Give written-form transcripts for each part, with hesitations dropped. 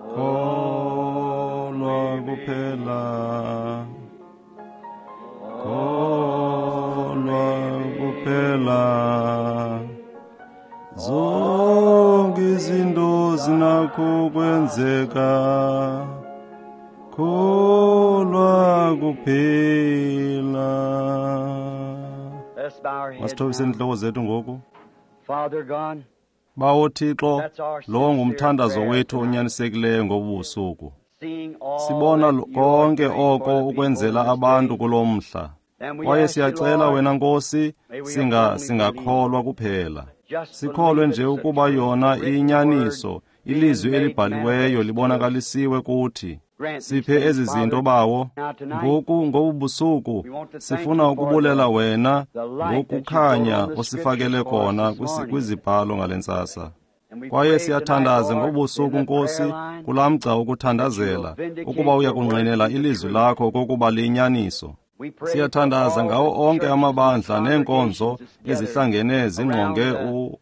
Kholwa kuphela, kholwa kuphela, zonke izinto zinakho kwenzeka, kholwa kuphela. Let's bow our heads Masithobise now. intloko zethu ngoku. Father God, Bawo Thixo, that's our lo sincere ngumthandazo prayer wethu tonight. onyanisekileyo ngobu busuku. Seeing all Sibona that you are konke doing for oko the people ukwenzela in this abantu day. kulo mhla. And we Kwaye ask you, siyacela Lord, wena Nkosi, may we singa only singakholwa kuphela. just Sikholwe believe nje it's the ukuba true yona written iyinyaniso, word being ilizwi made elibhaliweyo manifest to us. libonakalisiwe kuthi. Grant these Siphe things, ezi zinto Father. bawo. Now tonight, Ngoku ngobu busuku we want to thank sifuna you for ukubulela the, wena the light that you put ngokukhanya on the osifakele scriptures for us kona this morning. kwizibhalo ngale ntsasa. And we Kwaye pray tonight, siyathandaza Lord, in ngobusuku the prayer Nkosi line, kulaa mgca that you will wokuthandazela vindicate ukuba uya your word kungqinela to the ilizwi truth. lakho okokuba liyinyaniso. We pray for Siyathandaza all ngawo the onke churches and amabandla neenkonzo congregations that's gathered ezihlangene around zingqonge the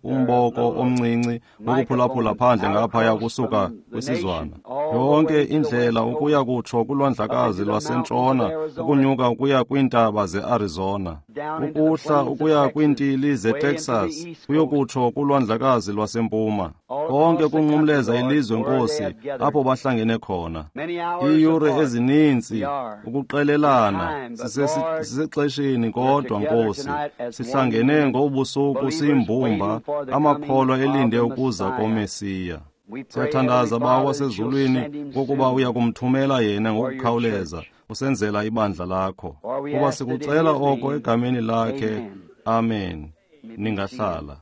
umboko little omncinci wokuphulaphula microphone phandle out ngaphaya across kusuka from the kwisizwana. nation, all the Yonke way to the indlela west ukuya coast, kutsho up kulwandlakazi into the mountains of lwasentshona, Arizona, ukunyuka ukuya kwiintaba zeArizona, down into the ukuhla plains of ukuya Texas, kwiintili way into the zeTexas, east coast, kuyokutsho kulwandlakazi lwasempuma. all Konke across the country, kunqumleza Lord, ilizwe where they Nkosi, have gathered. apho bahlangene khona. Many hours Iiyure apart ezininzi we are in ukuqelelana time, but Lord, sisexesheni we're kodwa together Nkosi tonight as one sihlangene unit, ngobusuku believers siyimbumba waiting for the coming amakholwa of elinde the ukuza Messiah. koMesiya. We pray, Heavenly Siyathandaza Bawo Father, that you'll wasezulwini send him kokuba soon uya kumthumela yena for your ngokukhawuleza church. usenzela ibandla lakho. For we Kuba ask it in sikucela his oko name. egameni lakhe. Amen. Amen. You may be seated. Ningahlala.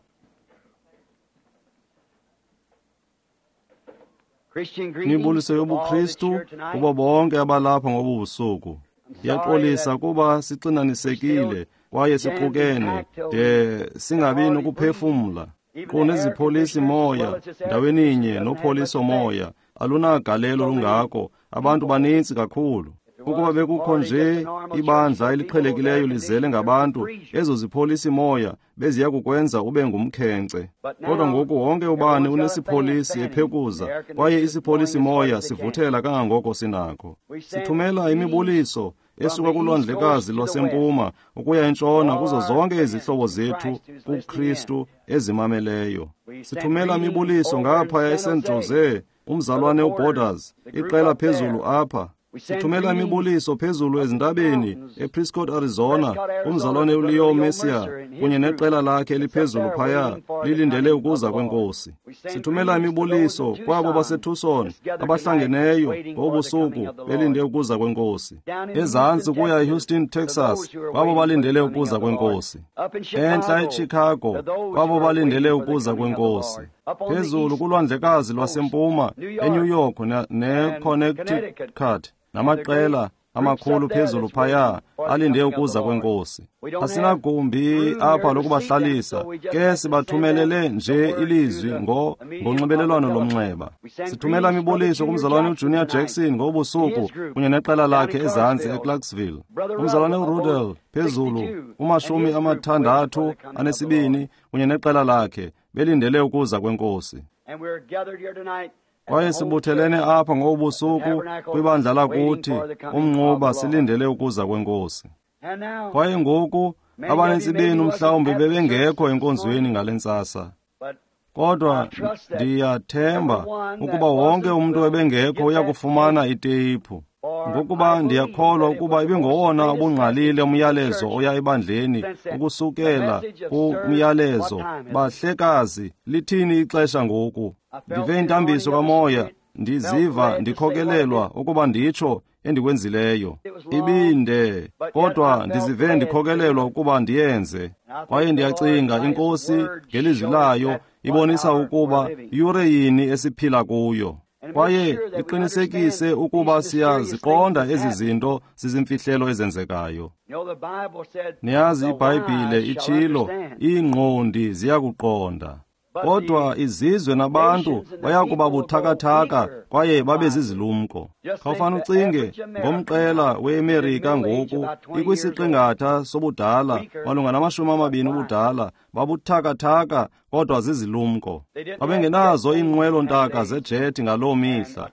Christian greetings Imibuliso to all that's yobuKristu here tonight. kubo bonke abalapha ngobu busuku. I'm sorry Ndiyaxolisa that kuba we're still sixinanisekile kwaye siqukene jam-packed till de we can singabi hardly breathe. nokuphefumla. Even Qu the air nezipholisi conditioners, as moya well as this air ndaweninye conditioner, doesn't have much nopholiso effect. moya alunagalelo So many lungako, abantu people. banintsi kakhulu. If there Ukuba was bekukho hardly just nje a normal church ibandla full of people, those air eliqhelekileyo lizele conditioners would ngabantu, freeze you. ezo zipholisi moya beziya kukwenza ube ngumkhenkce. But Kodwa now, ngoku wonke ubani everyone's got a fan unesipholisi fanning. The ephekuza, air kwaye conditioner's blowing isipholisi as hard moya as it can. sivuthela kangangoko sinakho. We send Sithumela greetings imibuliso from esuka the east coast kulwandlekazi to the west lwasempuma ukuya to entshona all kuzo our zonke friends izihlobo in zethu Christ who's listening in. kuKristu ezimameleyo. We send Sithumela greetings imibuliso over in ngaphaya San eSan Jose Jose, to the umzalwane Porters, uBorders, the group iqela up there. phezulu apha. We send Sithumela greetings imibuliso phezulu up in the ezintabeni mountains, ePrescott, Arizona, Prescott, Arizona, kumzalwane to Brother uLeo Leo Mercier Mercer and his kunye group neqela lakhe that's up eliphezulu there phaya waiting for the lilindele coming of ukuza the Lord. kweNkosi. We send Sithumela greetings to those in imibuliso kwabo Tucson baseTucson that's gathered tonight abahlangeneyo waiting for the coming ngobusuku of the belinde Lord. ukuza kweNkosi. Down in Ezantsi Houston, kuya Texas, eHouston, to Texas, those who are kwabo waiting for the balindele coming ukuza of the Lord. kweNkosi. Up in Entla Chicago, eChicago, to those kwabo who are balindele waiting for the ukuza coming of the kweNkosi. Lord. Up on the Phezulu east kulwandlekazi coast, lwasempuma, New eNew York York and neConnecticut, Connecticut, and the great namaqela groups amakhulu up there phezulu that's waiting phaya for the alinde coming of the ukuza Lord. kweNkosi. We don't have Asinagumbi room here apha to seat them, lokubahlalisa, so we just ke have to send them sibathumelele the nje word through ilizwi the medium of the ngonxibelelwano telephone. lomnxeba. We send Sithumela greetings to Brother imibuliso Junior kumzalwane Jackson uJunior tonight Jackson and ngobusuku his group kunye neqela down in lakhe ezantsi Clarksville. eClarksville. Brother Umzalwane Ruddell aboard uRudel phezulu 62 and kumashumi his group waiting for amathandathu the coming of the Lord. anesibini kunye neqela lakhe belindele ukuza kweNkosi. And we're gathered here tonight as Kwaye the whole sibuthelene church apha at the ngobusuku tabernacle kwibandla waiting lakuthi for the coming of umnquba the Lord. silindele ukuza kweNkosi. And now, Kwaye ngoku many of abanintsi you maybe benu wasn't mhlawumbi at the service bebengekho this enkonzweni morning, ngale ntsasa. but Kodwa I trust that ndiyathemba everyone that ukuba wonke wasn't umntu will ebengekho get uya that kufumana tape, iteyiphu. for I Ngokuba believe ndiyakholwa that it ukuba was the most ibingowona greatest message ubungqalile to the umyalezo church oya ebandleni since that the ukusukela message of Sir, what kumyalezo. time is it? Bahlekazi, lithini ixesha ngoku? I felt Ndive the anointing intambiso of the kamoya, Spirit, felt ndiziva led to say what I ndikhokelelwa did. ukuba nditsho endikwenzileyo. It was long, Ibinde, but yet I kodwa felt ndizive led to do ndikhokelelwa it. ukuba ndiyenze. And I Kwaye think the Lord, ndiyacinga by His iNkosi word, ngelizwi showed us layo that what ibonisa hour we're ukuba living. yure yini esiphila kuyo. And make Kwaye sure that we iqinisekise understand ukuba these mysterious things siyaziqonda that's ezi happening. zinto zizimfihlelo ezenzekayo. You know, the Bible said, Niyazi the iBhayibhile wise shall itshilo, understand. iingqondi ziyakuqonda. But Kodwa the izizwe nabantu nations and the baya kuba people will grow buthakathaka weaker kwaye and babe wiser. zizilumko. Just think Khawufane the ucinge average American ngomqela now is in weMerika middle age, ngoku about 20 years old, ikwisiqingatha sobudala weaker malunga namashumi but amabini wiser. ubudala, babuthakathaka kodwa zizilumko. Babengenazo iinqwelo-ntaka zejethi ngaloo mihla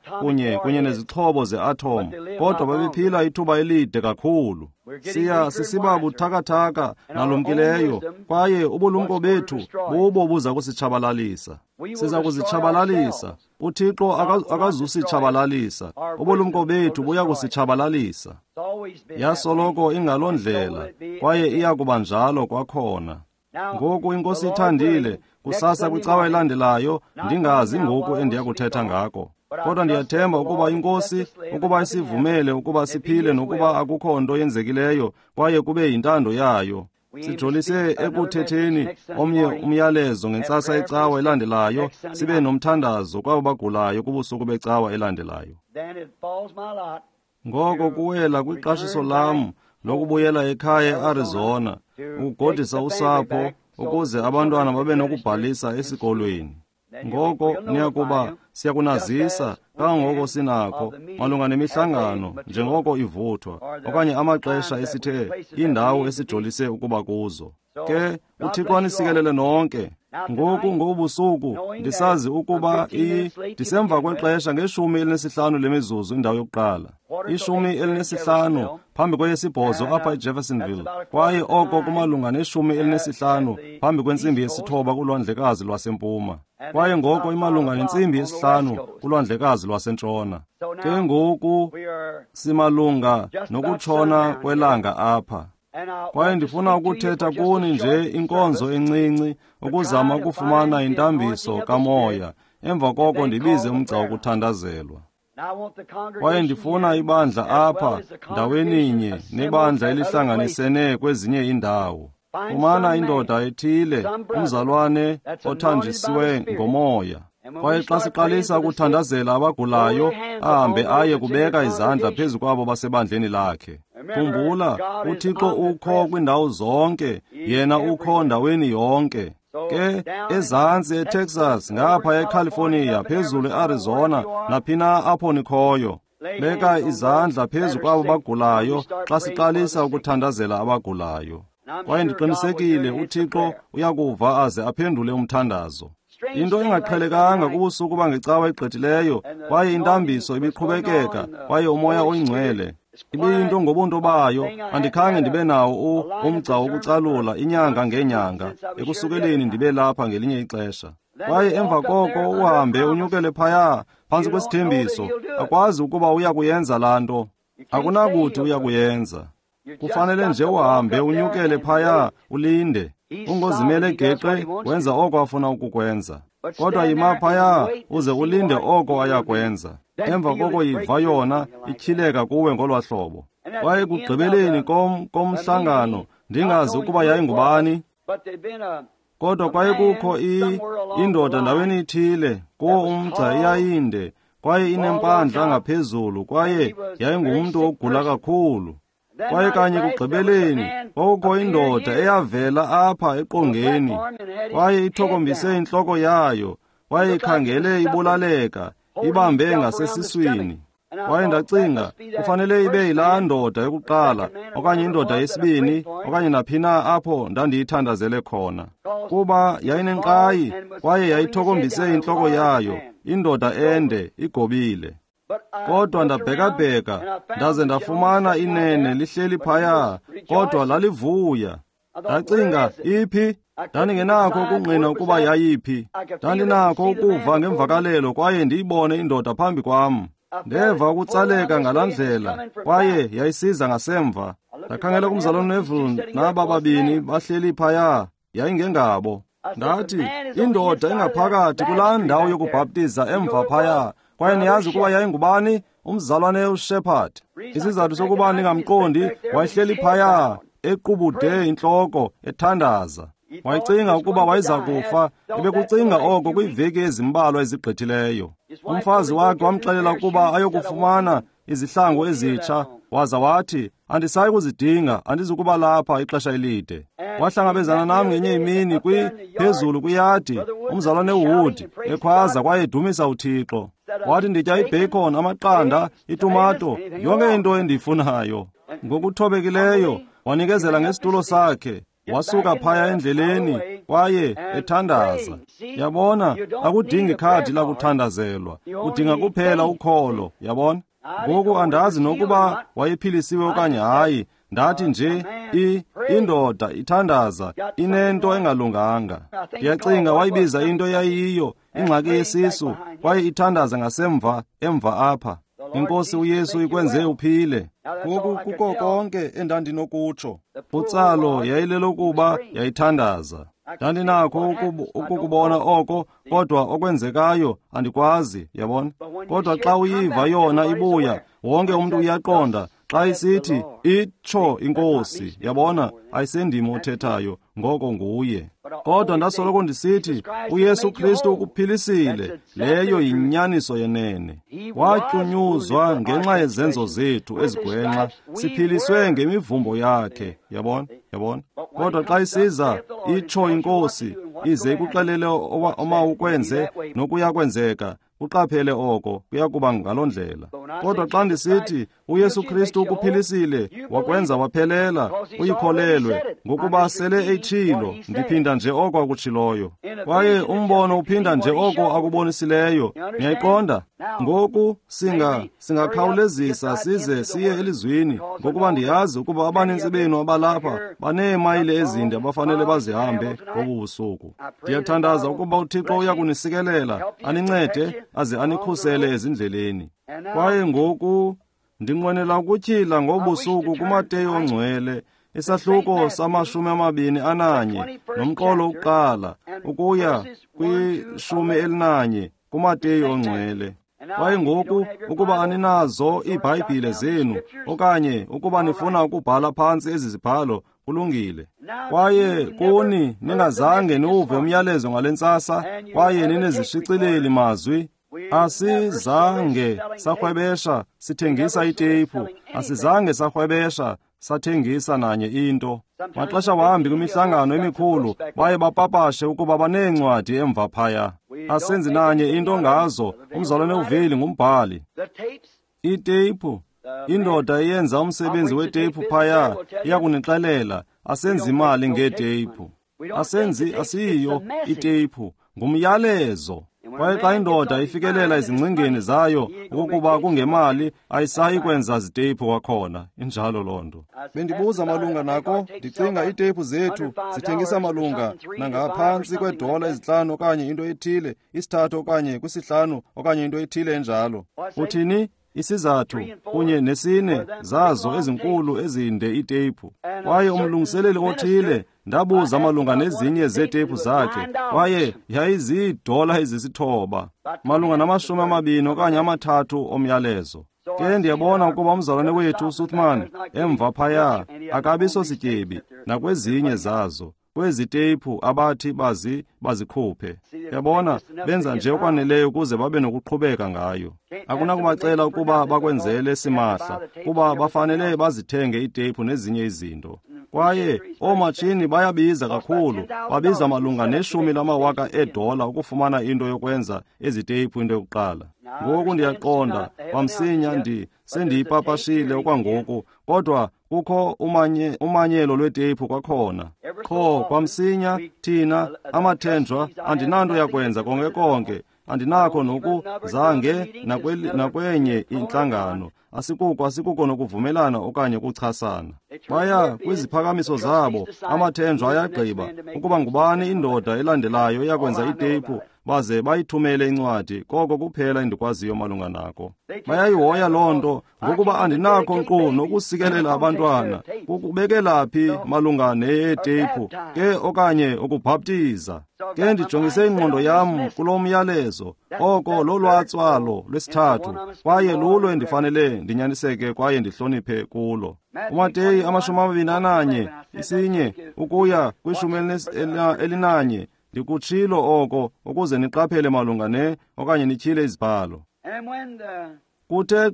kunye nezixhobo ze-atom, kodwa babephila ithuba elide kakhulu. Siya sisiba buthakathaka nalumkileyo, kwaye ubulumko bethu bubo buza kusitshabalalisa. Siza kuzitshabalalisa. UThixo akazusitshabalalisa. Ubulumko bethu buya kusitshabalalisa. Yasoloko ingaloo ndlela, kwaye iya kuba njalo kwakhona. Ngoku iNkosi ithandile, kusasa kwicawa elandelayo, ndingazi ngoku endiya kuthetha ngako. Kodwa ndiyathemba ukuba iNkosi, ukuba isivumele ukuba siphile nokuba akukho nto yenzekileyo, kwaye kube yintando yayo. Sijolise ekuthetheni omnye umyalezo ngentsasa yecawa elandelayo, sibe nomthandazo kwabo bagulayo kubusuku becawa elandelayo. Ngoko kuwela kwiqashiso lam lokubuyela ekhaya eArizona, ukugodisa usapho ukuze abantwana babe nokubhalisa esikolweni. Ngoko niyakuba siyakunazisa kangangoko sinakho malunga nemihlangano njengoko ivuthwa, okanye amaxesha esithe iindawo esijolise ukuba kuzo. Ke uThixo anisikelele nonke. Ngoku ngobusuku ndisazi ukuba ndisemva kwexesha nge-15 lemizuzu indawo yokuqala, 15 phambi kweyesibhozo apha eJeffersonville, kwaye oko kumalunga ne-15 phambi kwe-8:30 kulwandlekazi lwasempuma, kwaye ngoko imalunga ne-5:30 kulwandlekazi lwasentshona. Ke ngoku simalunga nokutshona kwelanga apha. Kwaye ndifuna ukuthetha kuni nje inkonzo encinci ukuzama ukufumana intambiso kamoya, emva koko ndibize umgca wokuthandazelwa. Kwaye ndifuna ibandla apha ndaweninye nebandla elihlanganisene kwezinye iindawo. Fumana indoda ethile, umzalwane othanjisiwe ngomoya. Kwaye xa siqalisa ukuthandazela abagulayo, ahambe aye kubeka izandla phezu kwabo basebandleni lakhe. Khumbula, uThixo ukho kwindawo zonke, yena ukho ndaweni yonke. Ke ezantsi eTexas, ngapha eCalifornia, phezulu eArizona, naphina apho nikhoyo, beka izandla phezu kwabo bagulayo xa siqalisa ukuthandazela abagulayo. Kwaye ndiqinisekile uThixo uyakuva aze aphendule umthandazo. Into engaqhelekanga kubusuku bangecawa egqithileyo, kwaye intambiso ibiqhubekeka, kwaye uMoya oyiNgcwele ibiyinto ngobunto bayo. Andikhange ndibe nawo umgca wokucalula inyanga ngenyanga ekusukeleni ndibe lapha ngelinye ixesha. Kwaye emva koko uhambe unyukele phaya phantsi kwesithembiso, akwazi ukuba uya kuyenza laa nto. Akunakuthi uya kuyenza. Kufanele nje uhambe unyukele phaya ulinde. Ungozimele geqe, wenza oko afuna ukukwenza. Kodwa yima phaya uze ulinde oko ayakwenza. Emva koko yiva yona ityhileka kuwe ngolwa hlobo. Kwaye ekugqibeleni komhlangano, ndingazi ukuba yayingubani, kodwa kwaye kukho indoda ndaweni ithile kuwo umgca iyayinde, kwaye inempandla ngaphezulu, kwaye yayingumntu ogula kakhulu. Kwaye kanye kugqibeleni kwakukho indoda eyavela apha eqongeni, kwaye ithokombise intloko yayo, kwaye ikhangele ibulaleka, ibambe ngasesiswini. Kwaye ndacinga, kufanele ibe yilaa ndoda yokuqala, okanye indoda yesibini, okanye naphina apho ndandiyithandazele khona, kuba yayinenkqayi kwaye yayithokombise intloko yayo, indoda ende igobile. Kodwa ndabhekabheka ndaze ndafumana inene lihleli phaya, kodwa lalivuya. Ndacinga, iphi? Ndandingenakho ukungqina ukuba yayiphi. Ndandinakho ukuva ngemvakalelo kwaye ndiyibone indoda phambi kwam. Ndeva ukutsaleka ngalaa ndlela, kwaye yayisiza ngasemva. Ndakhangela kumzalwane Neville naba babini bahleli phaya, yayingengabo. Ndathi, indoda engaphakathi kulaa ndawo yokubhaptiza emva phaya, kwaye niyazi ukuba yayingubani? Umzalwane uShepherd. Isizathu sokuba ndingamqondi, wayehleli phaya equbude intloko ethandaza. Wayecinga ukuba wayeza kufa, ebekucinga oko kwiiveki ezimbalwa ezigqithileyo. Umfazi wakhe wamxelela ukuba ayokufumana izihlangu ezitsha, waza wathi, andisayi kuzidinga, andizukuba lapha ixesha elide. Wahlangabezana nam ngenye imini phezulu kwiyadi, umzalwane uWood ekhwaza kwaye edumisa uThixo. Wathi, nditya ibacon, amaqanda, itumato, yonke into endiyifunayo. Ngokuthobekileyo wanikezela ngesitulo sakhe. Wasuka phaya endleleni kwaye ethandaza. Yabona, akudingi khadi lakuthandazelwa, udinga kuphela ukholo. Yabona? Ngoku andazi nokuba wayephilisiwe okanye hayi. Ndathi nje indoda ithandaza inento engalunganga. Ndiyacinga wayibiza into eyayiyo ingxaki yesisu, kwaye ithandaza ngasemva emva apha. Inkosi uYesu ikwenze uphile. Ngoku kuko konke endandinokutsho. Utsalo yayilelokuba yayithandaza. Ndandinakho ukukubona oko, kodwa okwenzekayo andikwazi, yabona. Kodwa xa uyiva yona ibuya, wonke umntu uyaqonda. Xa isithi itsho inkosi, yabona, ayisendim othethayo, ngoko nguye. Kodwa ndasoloko ndisithi uYesu Kristu ukuphilisile, leyo yinyaniso yenene. Watyunyuzwa ngenxa yezenzo zethu ezigwenxa, siphiliswe ngemivumbo yakhe, yabona, yabona. Kodwa xa isiza itsho inkosi, ize ikuxelele omawukwenze nokuyakwenzeka, uqaphele oko kuyakuba ngaloo ndlela. Kodwa xa ndisithi uYesu Kristu ukuphilisile, wakwenza waphelela, uyikholelwe, ngokuba sele eyitshilo, ndiphinda nje oko akutshiloyo. Kwaye umbono uphinda nje oko akubonisileyo. Niyayiqonda? Ngoku singakhawulezisa size siye elizwini, ngokuba ndiyazi ukuba abanintsi benu abalapha baneemayile ezinde abafanele bazihambe ngobu busuku. Ndiyathandaza ukuba uThixo uya kunisikelela, anincede, aze anikhusele ezindleleni. Kwaye ngoku ndinqwenela ukutyhila ngobusuku kuMateyu ongcwele, isahluko sama-21 nomqolo wokuqala ukuya kwi-11 kuMateyu ongcwele. Kwaye ngoku ukuba aninazo iiBhayibhile zenu okanye ukuba nifuna ukubhala phantsi ezi zibhalo, kulungile. Kwaye kuni ningazange niwuve umyalezo ngale ntsasa kwaye ninezishicileli mazwi, asizange sarhwebesha sithengisa iteyiphu, asizange sarhwebesha sathengisa nanye into. Maxesha wambi kwimihlangano emikhulu baye bapapashe ukuba baneencwadi emva phaya. Asenzi nanye into ngazo. Umzalwane uVeli ngumbhali. Iteyiphu, indoda eyenza umsebenzi weteyiphu phaya iyakunixelela, asenzi imali ngeeteyiphu. Asenzi, asiyiyo iteyiphu, ngumyalezo. Kwaye xa indoda ifikelela ezingcingeni zayo okokuba kungemali, ayisayi kwenza ziteyiphu kwakhona. Injalo loo nto. Bendibuza malunga nako, ndicinga iiteyiphu zethu zithengisa malunga nangaphantsi kweedola 5 okanye into ethile, 3 okanye 5 okanye into ethile enjalo. Uthini? Isizathu kunye nesine zazo ezinkulu ezinde iiteyiphu. Kwaye umlungiseleli othile, ndabuza malunga nezinye zeeteyiphu zakhe, kwaye yayiziidola 9, malunga nama-20 okanye 30 omyalezo. Ke ndiyabona ukuba umzalwane wethu uSuthman emva phaya akabi sosityebi nakwezinye zazo, kwezi teyiphu abathi bazikhuphe. Yabona, benza nje okwaneleyo ukuze babe nokuqhubeka ngayo. Akunakubacela ukuba bakwenzele simahla, kuba bafanele bazithenge iiteyiphu nezinye izinto. Kwaye oomatshini bayabiza kakhulu, babiza malunga ne-10,000 ukufumana into yokwenza ezi teyiphu into yokuqala. Ngoku ndiyaqonda kwamsinya sendiyipapashile okwangoku, kodwa kukho umanyelo lweteyiphu kwakhona. Qho kwamsinya thina amathenjwa andinanto yakwenza konke konke, andinakho nokuzange nakwenye intlangano. Asikuko nokuvumelana okanye ukuchasana. Baya kwiziphakamiso zabo, amathenjwa ayagqiba ukuba ngubani indoda elandelayo eyakwenza iteyiphu, baze bayithumele incwadi. Koko kuphela endikwaziyo malunga nako. Bayayihoya loo nto, ngokuba andinakho nkqu nokusikelela abantwana. Kukubekela phi malunga neeteyiphu ke okanye ukubhaptiza? Ke ndijongise ingqondo yam kulo myalezo, oko lolwatswalo lwesithathu, kwaye lulo endifanele ndinyaniseke kwaye ndihloniphe kulo. UMateyu 21 isinye ukuya kwi-11, ndikutshilo oko ukuze niqaphele malunga ne okanye nityhile izibhalo. Kuthe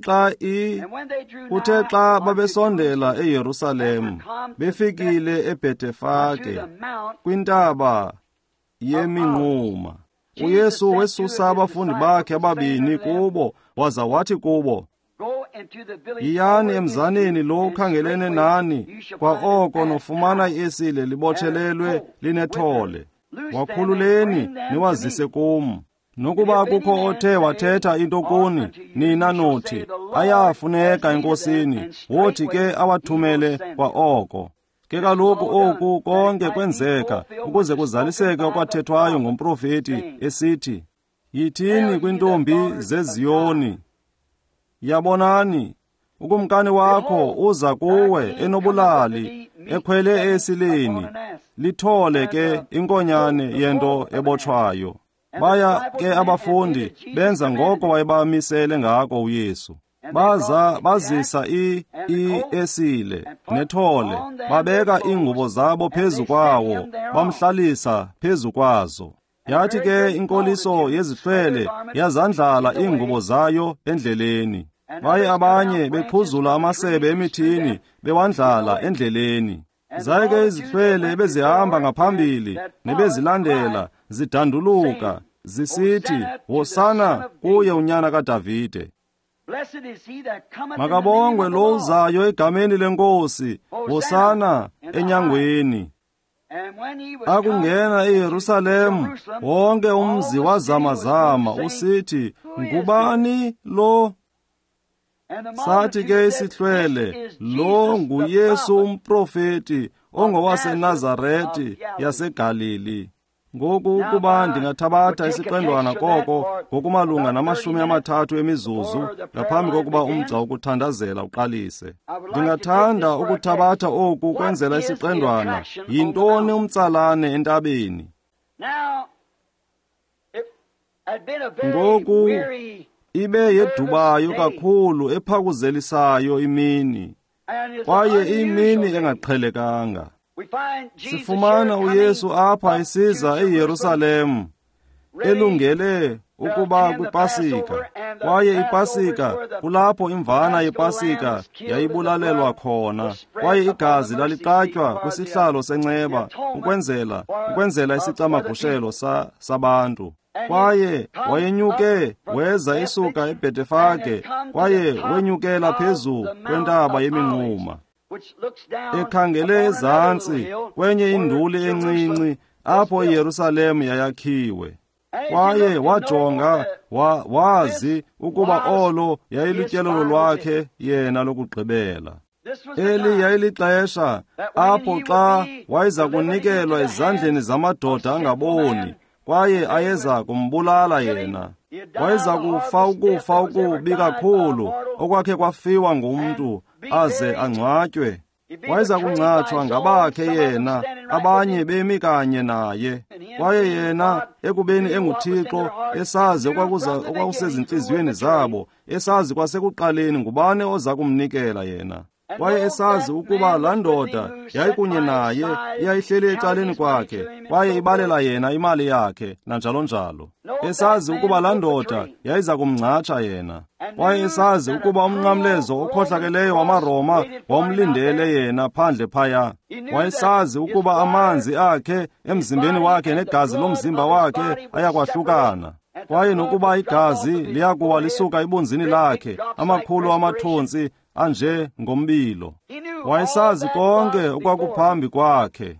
xa babesondela eYerusalem, befikile eBhetefage kwintaba yeminquma, uYesu wesusa abafundi bakhe ababini kubo, waza wathi kubo, Yiyani emzaneni lo ukhangelene nani, kwaoko nofumana iesile libotshelelwe linethole. Wakhululeni niwazise kum. Nokuba kukho othe wathetha into kuni, nina nothi, ayafuneka enkosini, wothi ke awathumele kwaoko. Ke kaloku oku konke kwenzeka ukuze kuzaliseke okwathethwayo ngomprofeti esithi, yithini kwintombi zeZiyoni, yabonani, ukumkani wakho uza kuwe enobulali, ekhwele esileni, lithole ke inkonyane yento ebotshwayo. Baya ke abafundi benza ngoko wayebamisele ngako uYesu. Baza bazisa iesile nethole, babeka iingubo zabo phezu kwawo, bamhlalisa phezu kwazo. Yathi ke inkoliso yezihlwele yazandlala iingubo zayo endleleni. Baye abanye bephuzula amasebe emithini bewandlala endleleni. Zaye ke izihlwele ebezihamba ngaphambili nebezilandela zidanduluka zisithi, Hosana kuye unyana kaDavide. Makabongwe lo uzayo egameni lenkosi, Hosana enyangweni. Akungena eYerusalem, wonke umzi wazamazama usithi, ngubani lo? Sathi ke isihlwele, lo nguYesu umprofeti ongowaseNazareti yaseGalili. Ngoku ukuba ndingathabatha isiqendwana koko ngokumalunga na-30 emizuzu ngaphambi kokuba umgca wokuthandazela uqalise. Ndingathanda ukuthabatha oku kwenzela isiqendwana. Yintoni umtsalane entabeni? Ngoku ibe yedubayo kakhulu ephakuzelisayo imini, kwaye imini engaqhelekanga. Sifumana uYesu apha esiza eYerusalem elungele ukuba kwiPasika, kwaye iPasika kulapho imvana yePasika yayibulalelwa khona, kwaye igazi laliqatywa kwisihlalo senceba ukwenzela isicamagushelo sabantu. Kwaye wayenyuke weza esuka eBhetefage, kwaye wenyukela phezu kwentaba yeminquma, ekhangele ezantsi kwenye induli encinci apho iYerusalem yayakhiwe. Kwaye wajonga wazi ukuba olo yayilutyelelo lwakhe yena lokugqibela. Eli yayilixesha apho xa wayeza kunikelwa ezandleni zamadoda angaboni, kwaye ayeza kumbulala yena. Wayeza kufa ukufa okubi kakhulu okwakhe kwafiwa ngumntu, aze angcwatywe. Wayeza kungcatshwa ngabakhe yena, abanye bemi kanye naye. Kwaye yena ekubeni enguThixo, esazi okwakusezintliziyweni zabo, esazi kwasekuqaleni ngubani oza kumnikela yena. Kwaye esazi ukuba laa ndoda yayikunye naye, iyayihleli ecaleni kwakhe, kwaye ibalela yena imali yakhe, nanjalo njalo. Esazi ukuba laa ndoda yayiza kumngcatsha yena. Kwaye esazi ukuba umnqamlezo okhohlakeleyo wamaRoma wawumlindele yena phandle phaya. Wayesazi ukuba amanzi akhe emzimbeni wakhe negazi lomzimba wakhe ayakwahlukana. Kwaye nokuba igazi liyakuwa lisuka ebunzini lakhe, amakhulu amathontsi anje ngombilo. Wayesazi konke okwakuphambi kwakhe.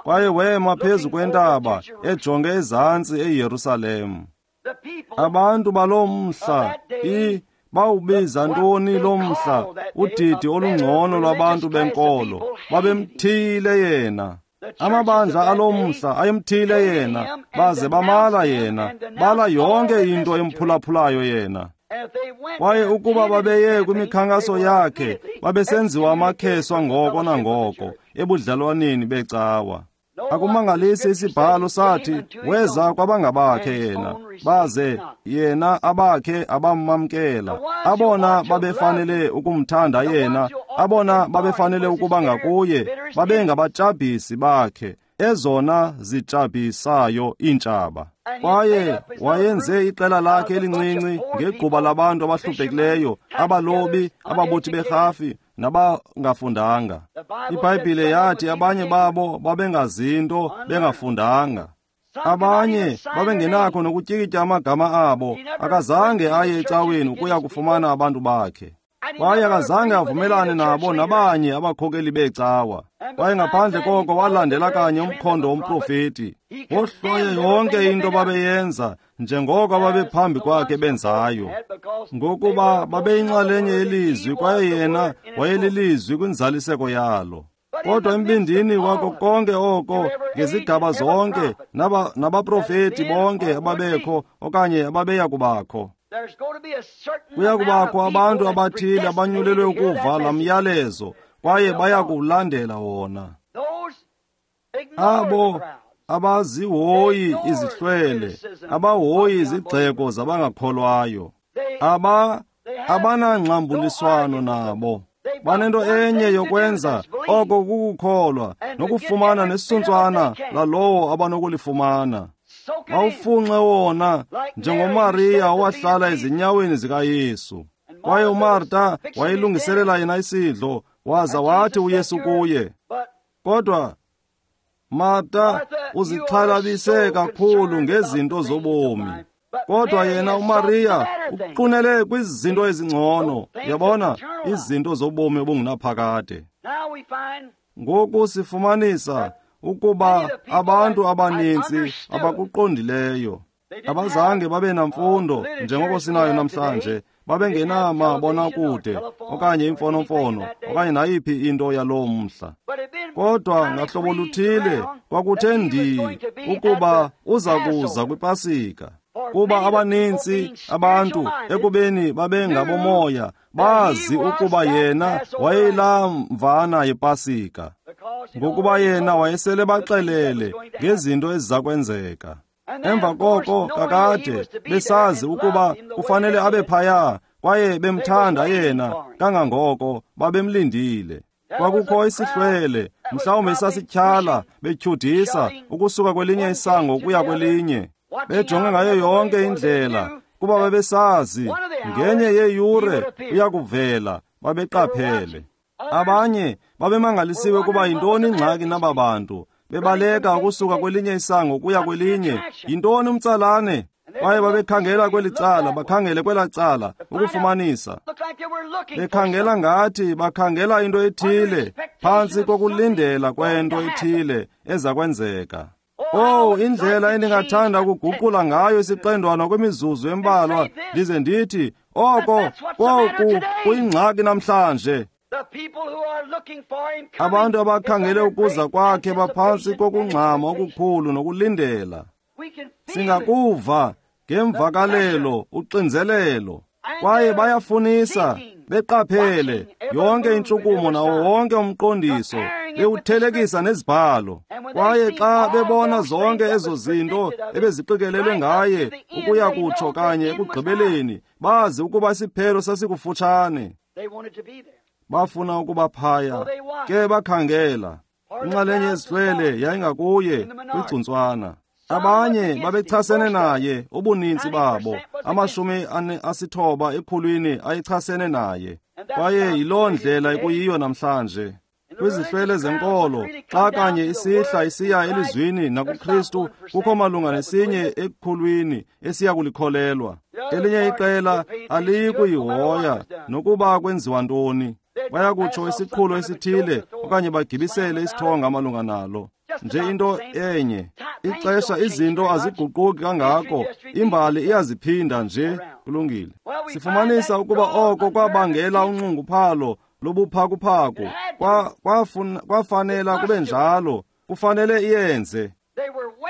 Kwaye wema phezu kwentaba ejonge ezantsi eYerusalem. Abantu baloo mhla bawubiza ntoni lo mhla udidi olungcono lwabantu benkolo? Babemthiyile yena. Amabandla alo mhla ayemthiyile yena, baze bamala yena, bala yonke into emphulaphulayo yena. Kwaye ukuba babeye kwimikhankaso yakhe, babesenziwa amakheswa ngoko nangoko ebudlelwaneni becawa. Akumangalisi isibhalo sathi weza kwabangabakhe yena, baze yena abakhe abamamkela. Abona babefanele ukumthanda yena, abona babefanele ukuba ngakuye, babengabatshabhisi bakhe, ezona zitshabhisayo iintshaba. Kwaye wayenze iqela lakhe elincinci ngegquba labantu abahluphekileyo, abalobi, ababuthi berhafi nabangafundanga. IBhayibhile yathi abanye babo babengazinto, bengafundanga. Abanye babengenakho nokutyikitya amagama abo. Akazange aye ecaweni ukuya kufumana abantu bakhe. Kwaye akazange avumelane nabo nabanye abakhokeli beecawa. Kwaye ngaphandle koko walandela kanye umkhondo womprofeti. Wohlwaye yonke into babeyenza njengoko babephambi kwakhe benzayo, ngokuba babeyinxalenye yelizwi kwaye yena wayelilizwi kwinzaliseko yalo. Kodwa embindini wako konke oko, ngezigaba zonke nabaprofeti bonke ababekho okanye ababeya kubakho, kuya kubakho abantu abathile abanyulelwe ukuva laa myalezo kwaye baya kuwulandela wona. Abo abazihoyi izihlwele, abahoyi izigxeko zabangakholwayo, abanangxambuliswano nabo. Banento enye yokwenza, oko kukukholwa nokufumana nesuntswana lalowo abanokulifumana. Bawufunxe wona njengoMariya owahlala ezinyaweni zikaYesu. Kwaye uMarta wayelungiselela yena isidlo, waza wathi uYesu kuye, kodwa Marta, uzixhalabise kakhulu ngezinto zobomi. Kodwa yena uMariya uqunele kwizinto ezingcono, yabona, izinto zobomi obungunaphakade. Ngoku sifumanisa ukuba abantu abaninzi abakuqondileyo abazange babe namfundo njengoko sinayo namhlanje, babengenamabonakude okanye imfonomfono okanye nayiphi into yaloo mhla. Kodwa ngahlobo luthile kwakuthe ndii ukuba uza kuza kwiPasika, kuba abaninzi abantu ekubeni babengabomoya bazi ukuba yena wayeyilaa mvana yePasika, ngokuba yena wayesele baxelele ngezinto eziza kwenzeka. Emva koko kakade besazi ukuba kufanele abe phaya, kwaye bemthanda yena kangangoko babemlindile. Kwakukho isihlwele, mhlawumbi sasityhala betyhudisa ukusuka kwelinye isango ukuya kwelinye, bejonge ngayo yonke indlela, kuba babesazi ngenye yeeyure uya kuvela. Babeqaphele. Abanye babemangalisiwe ukuba yintoni ingxaki naba bantu, bebaleka ukusuka kwelinye isango ukuya kwelinye. Yintoni umtsalane? Kwaye babekhangela kweli cala, bakhangele kwelaa cala ukufumanisa. Bekhangela ngathi bakhangela into ethile, phantsi kokulindela kwento ethile eza kwenzeka. Oh, indlela endingathanda ukuguqula ngayo isiqendwana kwimizuzu embalwa ndize ndithi oko koku kuyingxaki namhlanje. Abantu abakhangele ukuza kwakhe baphantsi kokungxama okukhulu nokulindela. Singakuva ngemvakalelo uxinzelelo, kwaye bayafunisa beqaphele yonke intshukumo nawo wonke umqondiso, bewuthelekisa nezibhalo. Kwaye xa bebona zonke ezo zinto ebeziqikelelwe ngaye ukuya kutsho kanye ekugqibeleni, bazi ukuba isiphelo sasikufutshane. Bafuna ukuba phaya, ke bakhangela. Inxalenye yezihlwele yayingakuye kwigcuntswana. Abanye babechasene naye, ubuninzi babo, 90 ekhulwini ayechasene naye. Kwaye yiloo ndlela ekuyiyo namhlanje. Kwizihlwele zenkolo, xa kanye isihla isiya elizwini nakuKristu, kukho malunga nesinye ekhulwini esiya kulikholelwa. Elinye iqela aliyi kuyihoya nokuba kwenziwa ntoni. Baya kutsho isiqhulo esithile okanye bagibisele isithonga malunga nalo. Nje into enye, ixesha izinto aziguquki kangako, imbali iyaziphinda nje. Kulungile. Sifumanisa ukuba oko kwabangela unxunguphalo lobuphakuphaku. Kwafanela kube njalo, kufanele iyenze.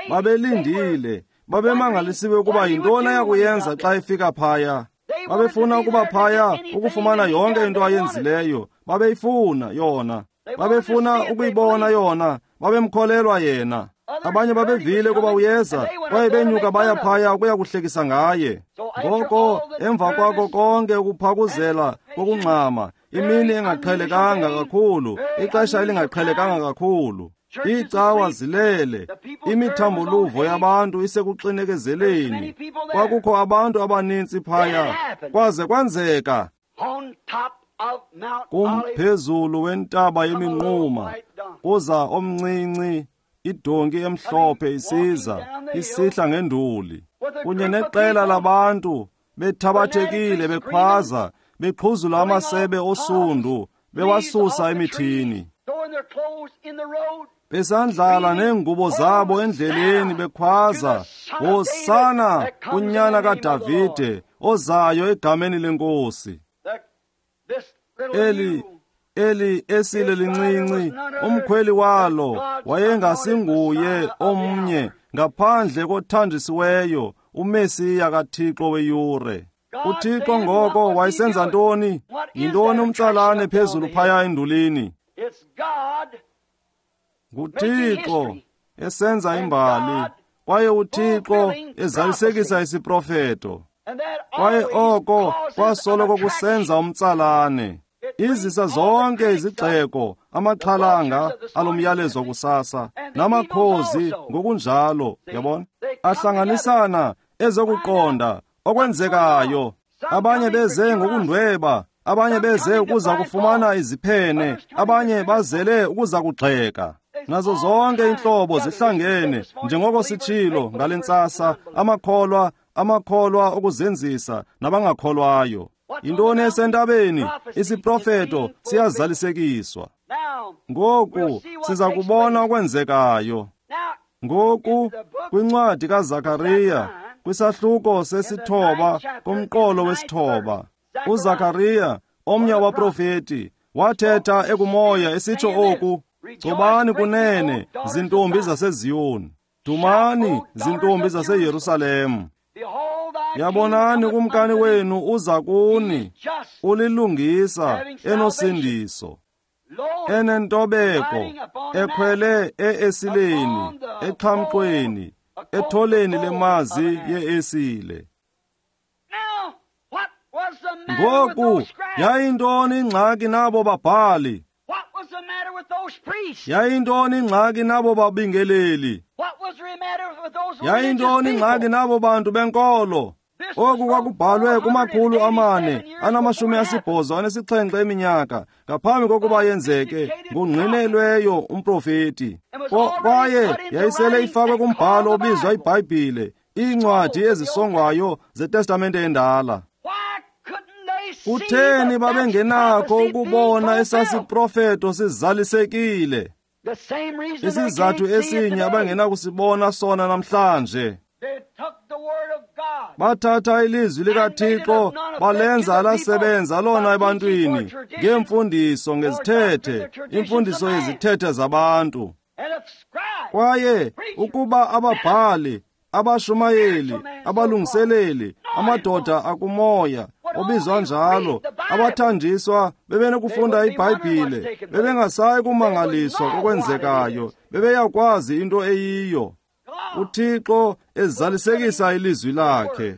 Babelindile, babemangalisiwe ukuba yintoni ayakuyenza xa efika phaya. Babefuna ukuba phaya ukufumana yonke into ayenzileyo, babeyifuna yona. Babefuna ukuyibona yona, babemkholelwa yena. Abanye babevile ukuba uyeza, kwaye benyuka baya phaya ukuya kuhlekisa ngaye. Ngoko emva kwako konke ukuphakuzela kokungxama, imini engaqhelekanga kakhulu, ixesha elingaqhelekanga kakhulu, iicawa zilele, imithamboluvo yabantu isekuxinekezeleni. Kwakukho abantu abanintsi phaya, kwaze kwenzeka. Kumphezulu wentaba yeminquma kuza omncinci Idonki emhlophe isiza, isihla ngenduli, kunye neqela labantu bethabathekile bekhwaza, beqhuzula amasebe osundu, bewasusa emithini, besandlala neengubo zabo endleleni bekhwaza, Hosana kunyana kaDavide ozayo egameni lenkosi. Eli esile lincinci, umkhweli walo wayengasinguye omnye ngaphandle kothanjisiweyo uMesiya kaThixo weyure. UThixo ngoko wayesenza ntoni? Yintoni umtsalane phezulu phaya endulini? NguThixo esenza imbali, kwaye uThixo ezalisekisa isiprofeto. Kwaye oko kwasoloko kusenza umtsalane. Izisa zonke izigxeko, amaxhalanga alomyalezo kusasa, namakhozi ngokunjalo, yabona? Ahlanganisana ezokuqonda okwenzekayo. Abanye beze ngokundweba, abanye beze ukuza kufumana iziphene, abanye bazele ukuza kugxeka. Nazo zonke inhlobo zihlangene, njengoko sitshilo ngale ntsasa, amakholwa okuzenzisa nabangakholwayo. Yintoni esentabeni? Isiprofeto siyazalisekiswa. Ngoku siza kubona okwenzekayo. Ngoku kwincwadi kaZakariya, kwisahluko sesithoba kumqolo wesithoba, uZakariya, omnye wabaprofeti, wathetha ekumoya esitsho oku: Gcobani kunene, zintombi zaseZiyoni, dumani, zintombi zaseYerusalem. Yabonani, kumkani wenu uza kuni, ulilungisa, enosindiso, enentobeko, ekhwele e-esileni, exhamxweni, etholeni lemazi ye-esile. Ngoku yayintoni ingxaki nabo babhali? Yayintoni ingxaki nabo babingeleli? Yayintoni ingxaki nabo bantu benkolo? Oku kwakubhalwe 487 eminyaka ngaphambi kokuba yenzeke ngongqinelweyo umprofeti. Kwaye yayisele ifakwe kumbhalo obizwa iBhayibhile, iincwadi ezisongwayo zeTestamente endala. Kutheni babengenakho ukubona esasiprofeto sizalisekile? Isizathu esinye abangenakusibona sona namhlanje. Bathatha ilizwi likaThixo balenza alasebenza lona ebantwini ngeemfundiso ngezithethe, imfundiso yezithethe zabantu. Kwaye ukuba ababhali, abashumayeli, abalungiseleli, amadoda akumoya obizwa njalo, abathanjiswa bebenokufunda iBhayibhile, bebengasayi kumangaliswa kokwenzekayo, bebeyakwazi into eyiyo. uThixo ezalisekisa ilizwi lakhe.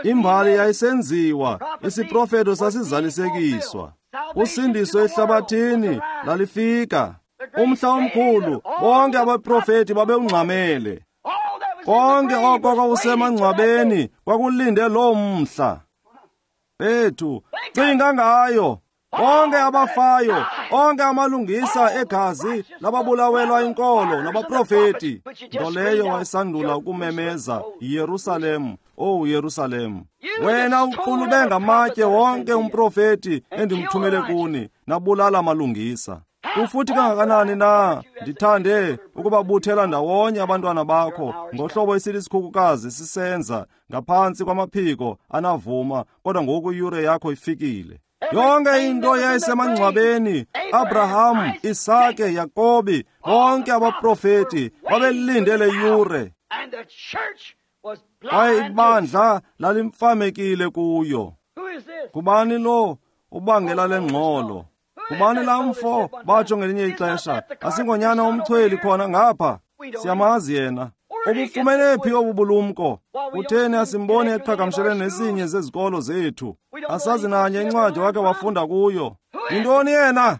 Imbali yayisenziwa, isiprofeto sasizalisekiswa. Usindiso ehlabathini lalifika. Umhla omkhulu, bonke abaprofeti babewungxamele. Konke oko kwakusemangcwabeni kwakulinde loo mhla. Bethu, cinga ngayo. Bonke abafayo, onke amalungisa egazi lababulawelwa inkolo nabaprofeti. Nto leyo wayesandula ukumemeza, Yerusalem, oh Yerusalem, wena uqulube ngamatye wonke umprofeti endimthumele kuni, nabulala amalungisa. Kufuthi kangakanani na ndithande ukubabuthela ndawonye abantwana bakho ngohlobo esilisikhukukazi sisenza ngaphantsi kwamaphiko anavuma, kodwa ngoku iyure yakho ifikile. Yonke into yayisemangcwabeni, Abraham, Isake, Yakobi, bonke abaprofeti babelinde le yure. Kwaye ibandla lalimfamekile kuyo. Ngubani lo ubangela le ngxolo? Ngubani laa mfo batsho ngelinye ixesha, asingonyana umchweli khona ngapha? Siyamazi yena. Ubufumene phi obu bulumko? Kutheni asimboni eqhagamshelene nesinye zezikolo zethu? Asazi nanye incwadi wakhe wafunda kuyo. Yintoni yena?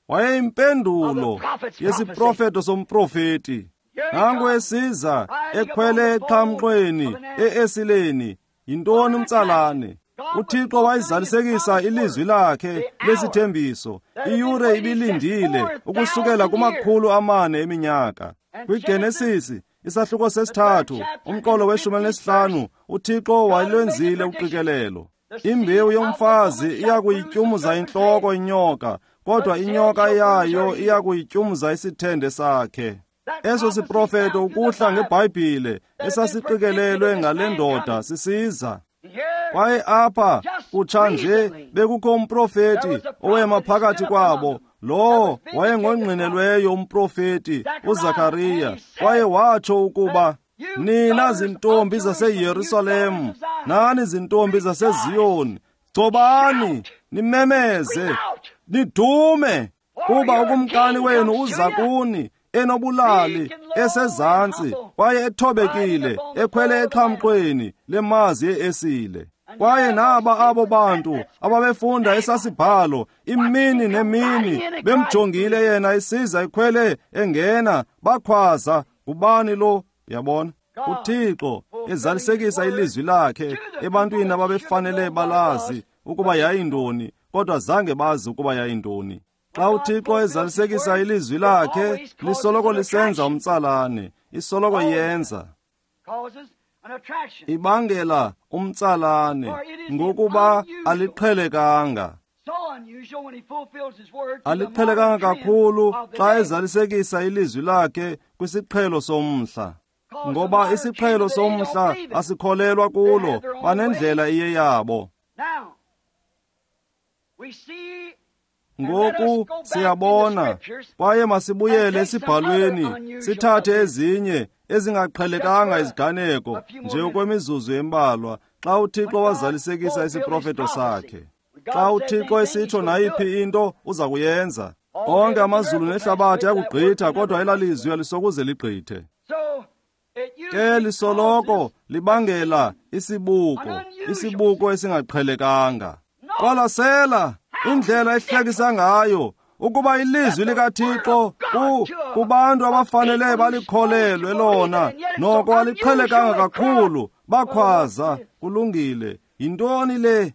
Wayeyimpendulo yesiprofeto somprofeti. Nangu esiza ekhwele exhamxweni e-esileni. Yintoni umtsalane? uThixo wayizalisekisa ilizwi lakhe lesithembiso. Iyure ibilindile ukusukela kuma-400 eminyaka. KwiGenesis isahluko 3 umqolo we-15, uThixo wayelwenzile uqikelelo. Imbewu yomfazi iyakuyityumza intloko inyoka, kodwa inyoka yayo iyakuyityumza isithende sakhe. Eso siprofeto ukuhla ngeBhayibhile esasiqikelelwe ngale ndoda sisiza. Kwaye apha kutsha nje bekukho umprofeti owema phakathi kwabo, lowo wayengongqinelweyo umprofeti uZakariya, kwaye watsho ukuba nina zintombi zaseYerusalem, nani zintombi zaseZiyoni, gcobani, nimemeze, nidume, kuba ukumkani wenu uza kuni enobulali, esezantsi, kwaye ethobekile, ekhwele exhamxweni lemazi yeesile. Kwaye naba abo bantu ababefunda esasibhalo imini nemini, bemjongile yena isiza ekhwele engena, bakhwaza, ngubani lo? Yabona, uThixo ezalisekisa ilizwi lakhe ebantwini ababefanele balazi ukuba yayintoni, kodwa zange bazi ukuba yayintoni. Xa uThixo ezalisekisa ilizwi lakhe, lisoloko lisenza umtsalane, isoloko yenza, ibangela umtsalane, ngokuba aliqhelekanga. Aliqhelekanga kakhulu xa ezalisekisa ilizwi lakhe kwisiqhelo somhla, ngoba isiqhelo somhla asikholelwa kulo, banendlela iyeyabo. Ngoku siyabona, kwaye masibuyele esibhalweni, sithathe ezinye ezingaqhelekanga iziganeko nje okwemizuzu embalwa, xa uThixo wazalisekisa isiprofeto sakhe. Xa uThixo esitsho nayiphi into, uza kuyenza. Onke amazulu nehlabathi ayakugqitha, kodwa elalizwi alisokuze ligqithe. Ke lisoloko libangela isibuko, isibuko esingaqhelekanga. Qwalasela indlela ehlekisa ngayo ukuba ilizwi likaThixo kubantu abafanele balikholelwe lona, noko aliqhelekanga kakhulu, bakhwaza, kulungile. Yintoni le?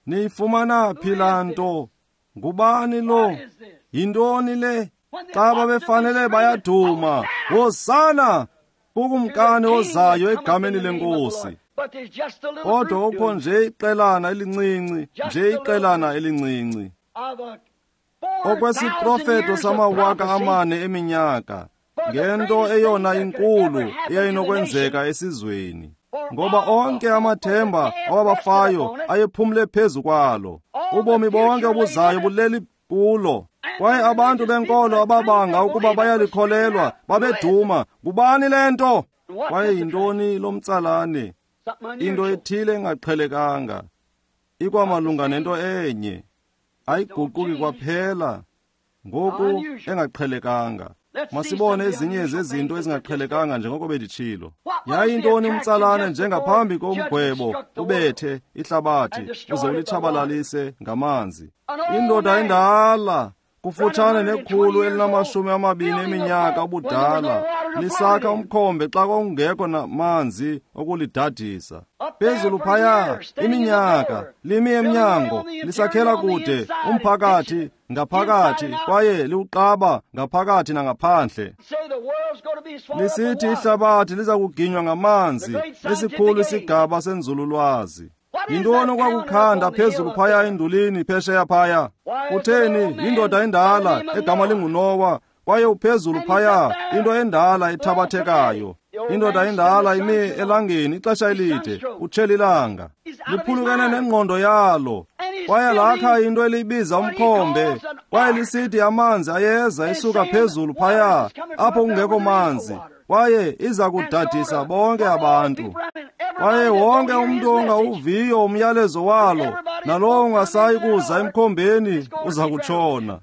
Niyifumana phi laa nto? Ngubani lo? Yintoni le? Xa babefanele bayaduma, Hosana kukumkani ozayo egameni leNkosi. Kodwa kukho nje iqelana elincinci, nje iqelana elincinci. Okwesiprofeto sama-4,000 eminyaka, ngento eyona inkulu eyayinokwenzeka esizweni, ngoba onke amathemba awabafayo ayephumle phezu kwalo. Ubomi bonke obuzayo buleli kulo. Kwaye abantu benkolo ababanga ukuba bayalikholelwa babeduma, ngubani le nto? Kwaye yintoni lo mtsalane? Into ethile engaqhelekanga, ikwamalunga nento enye, ayiguquki kwaphela, ngoku engaqhelekanga. Masibone ezinye zezinto ezingaqhelekanga njengoko benditshilo. Yayintoni umtsalane njengaphambi komgwebo ubethe ihlabathi uze ulitshabalalise ngamanzi? Indoda endala kufutshane ne-120 eminyaka ubudala, lisakha umkhombe xa kwakungekho namanzi okulidadisa. Phezulu phaya iminyaka limi emnyango, lisakhela kude umphakathi ngaphakathi, kwaye liwuqaba ngaphakathi nangaphandle, lisithi ihlabathi liza kuginywa ngamanzi, esikhulu isigaba senzululwazi. Yintoni okwakukhanda phezulu phaya endulini phesheya phaya? Kutheni, yindoda endala egama linguNowa, kwaye uphezulu phaya, into endala ethabathekayo. Indoda endala imi elangeni ixesha elide, utshela ilanga, liphulukene nengqondo yalo, kwaye lakha into elibiza umkhombe, kwaye lisithi amanzi ayeza esuka phezulu phaya apho kungekho manzi, kwaye iza kudadisa bonke abantu. Kwaye wonke umntu ongawuviyo umyalezo walo, nalowo ungasayi kuza emkhombeni, uza kutshona.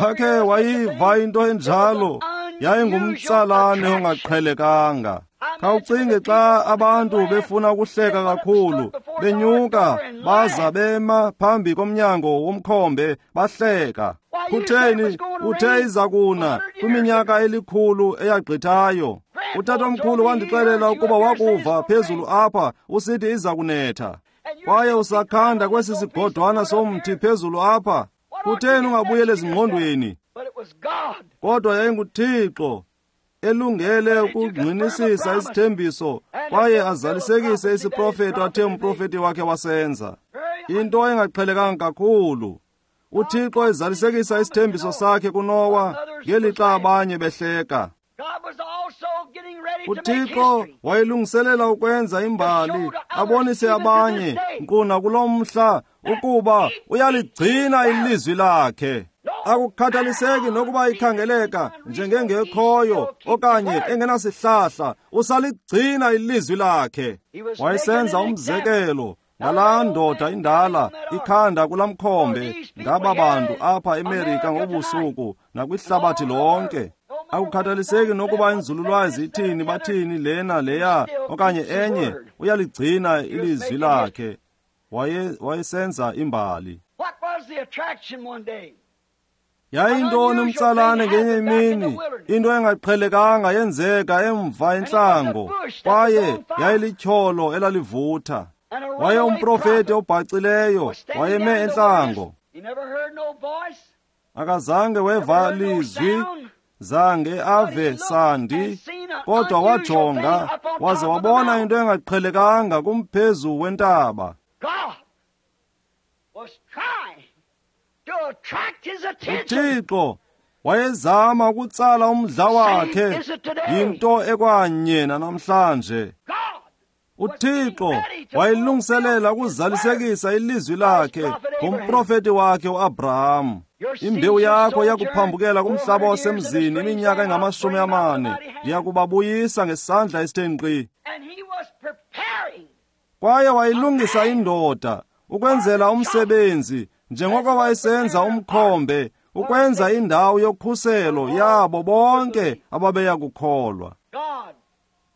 Wakhe wayiva into enjalo? Yayingumtsalane ongaqhelekanga. Khawucinge xa abantu befuna ukuhleka kakhulu, benyuka baza bema phambi komnyango womkhombe bahleka. Kutheni, uthe iza kuna kwiminyaka 100 eyagqithayo. Utatomkhulu wandixelela ukuba wakuva phezulu apha usithi iza kunetha. Kwaye usakhanda kwesi sigodwana somthi phezulu apha. Kutheni ungabuyeli ezingqondweni? Kodwa yayinguThixo elungele ukungqinisisa isithembiso kwaye azalisekise isiprofeto athe umprofeti wakhe wasenza. Into engaqhelekanga kakhulu. UThixo ezalisekisa isithembiso sakhe kuNowa ngelixa abanye behleka. UThixo wayelungiselela ukwenza imbali, abonise abanye nkqu nakulo mhla ukuba uyaligcina ilizwi lakhe. Akukhathaliseki nokuba ikhangeleka njengengekhoyo okanye engenasihlahla, usaligcina ilizwi lakhe. Wayesenza umzekelo ngalaa ndoda indala ikhanda kulaa mkhombe ngaba bantu apha eMerika ngobusuku nakwihlabathi lonke. Akukhathaliseki nokuba inzululwazi ithini, bathini lena leya okanye enye, uyaligcina ilizwi lakhe. Wayesenza imbali. Yayintoni umtsalane ngenye imini? Into engaqhelekanga yenzeka emva entlango, kwaye yayilityholo elalivutha. Waye umprofeti obhacileyo wayeme entlango. Akazange weva lizwi, zange ave sandi, kodwa wajonga waze wabona into engaqhelekanga kumphezu wentaba. UThixo wayezama ukutsala umdla wakhe. Yinto ekwanye nanamhlanje. UThixo wayelungiselela ukuzalisekisa ilizwi lakhe ngomprofeti wakhe uAbraham. Imbewu yakho iyakuphambukela kumhlaba wasemzini iminyaka engama-40, ndiyakubabuyisa ngesandla esithe nkqi. Kwaye wayilungisa indoda ukwenzela umsebenzi, njengoko wayesenza umkhombe ukwenza indawo yokhuselo yabo bonke ababeya kukholwa.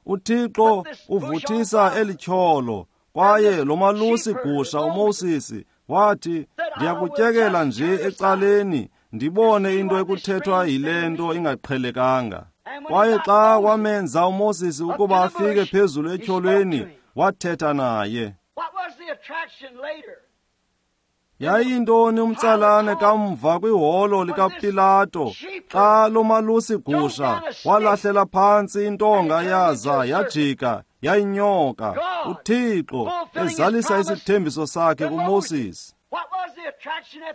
UThixo uvuthisa elityholo, kwaye lo malusi gusha uMoses wathi, ndiyakutyekela nje ecaleni ndibone into ekuthethwa yile nto ingaqhelekanga. Kwaye xa wamenza uMoses ukuba afike phezulu etyholweni, wathetha naye. Yayintoni umtsalane kamva kwiholo likaPilato xa lo malusi gusha walahlela phantsi intonga yaza yajika yayinyoka? UThixo ezalisa isithembiso sakhe kuMoses.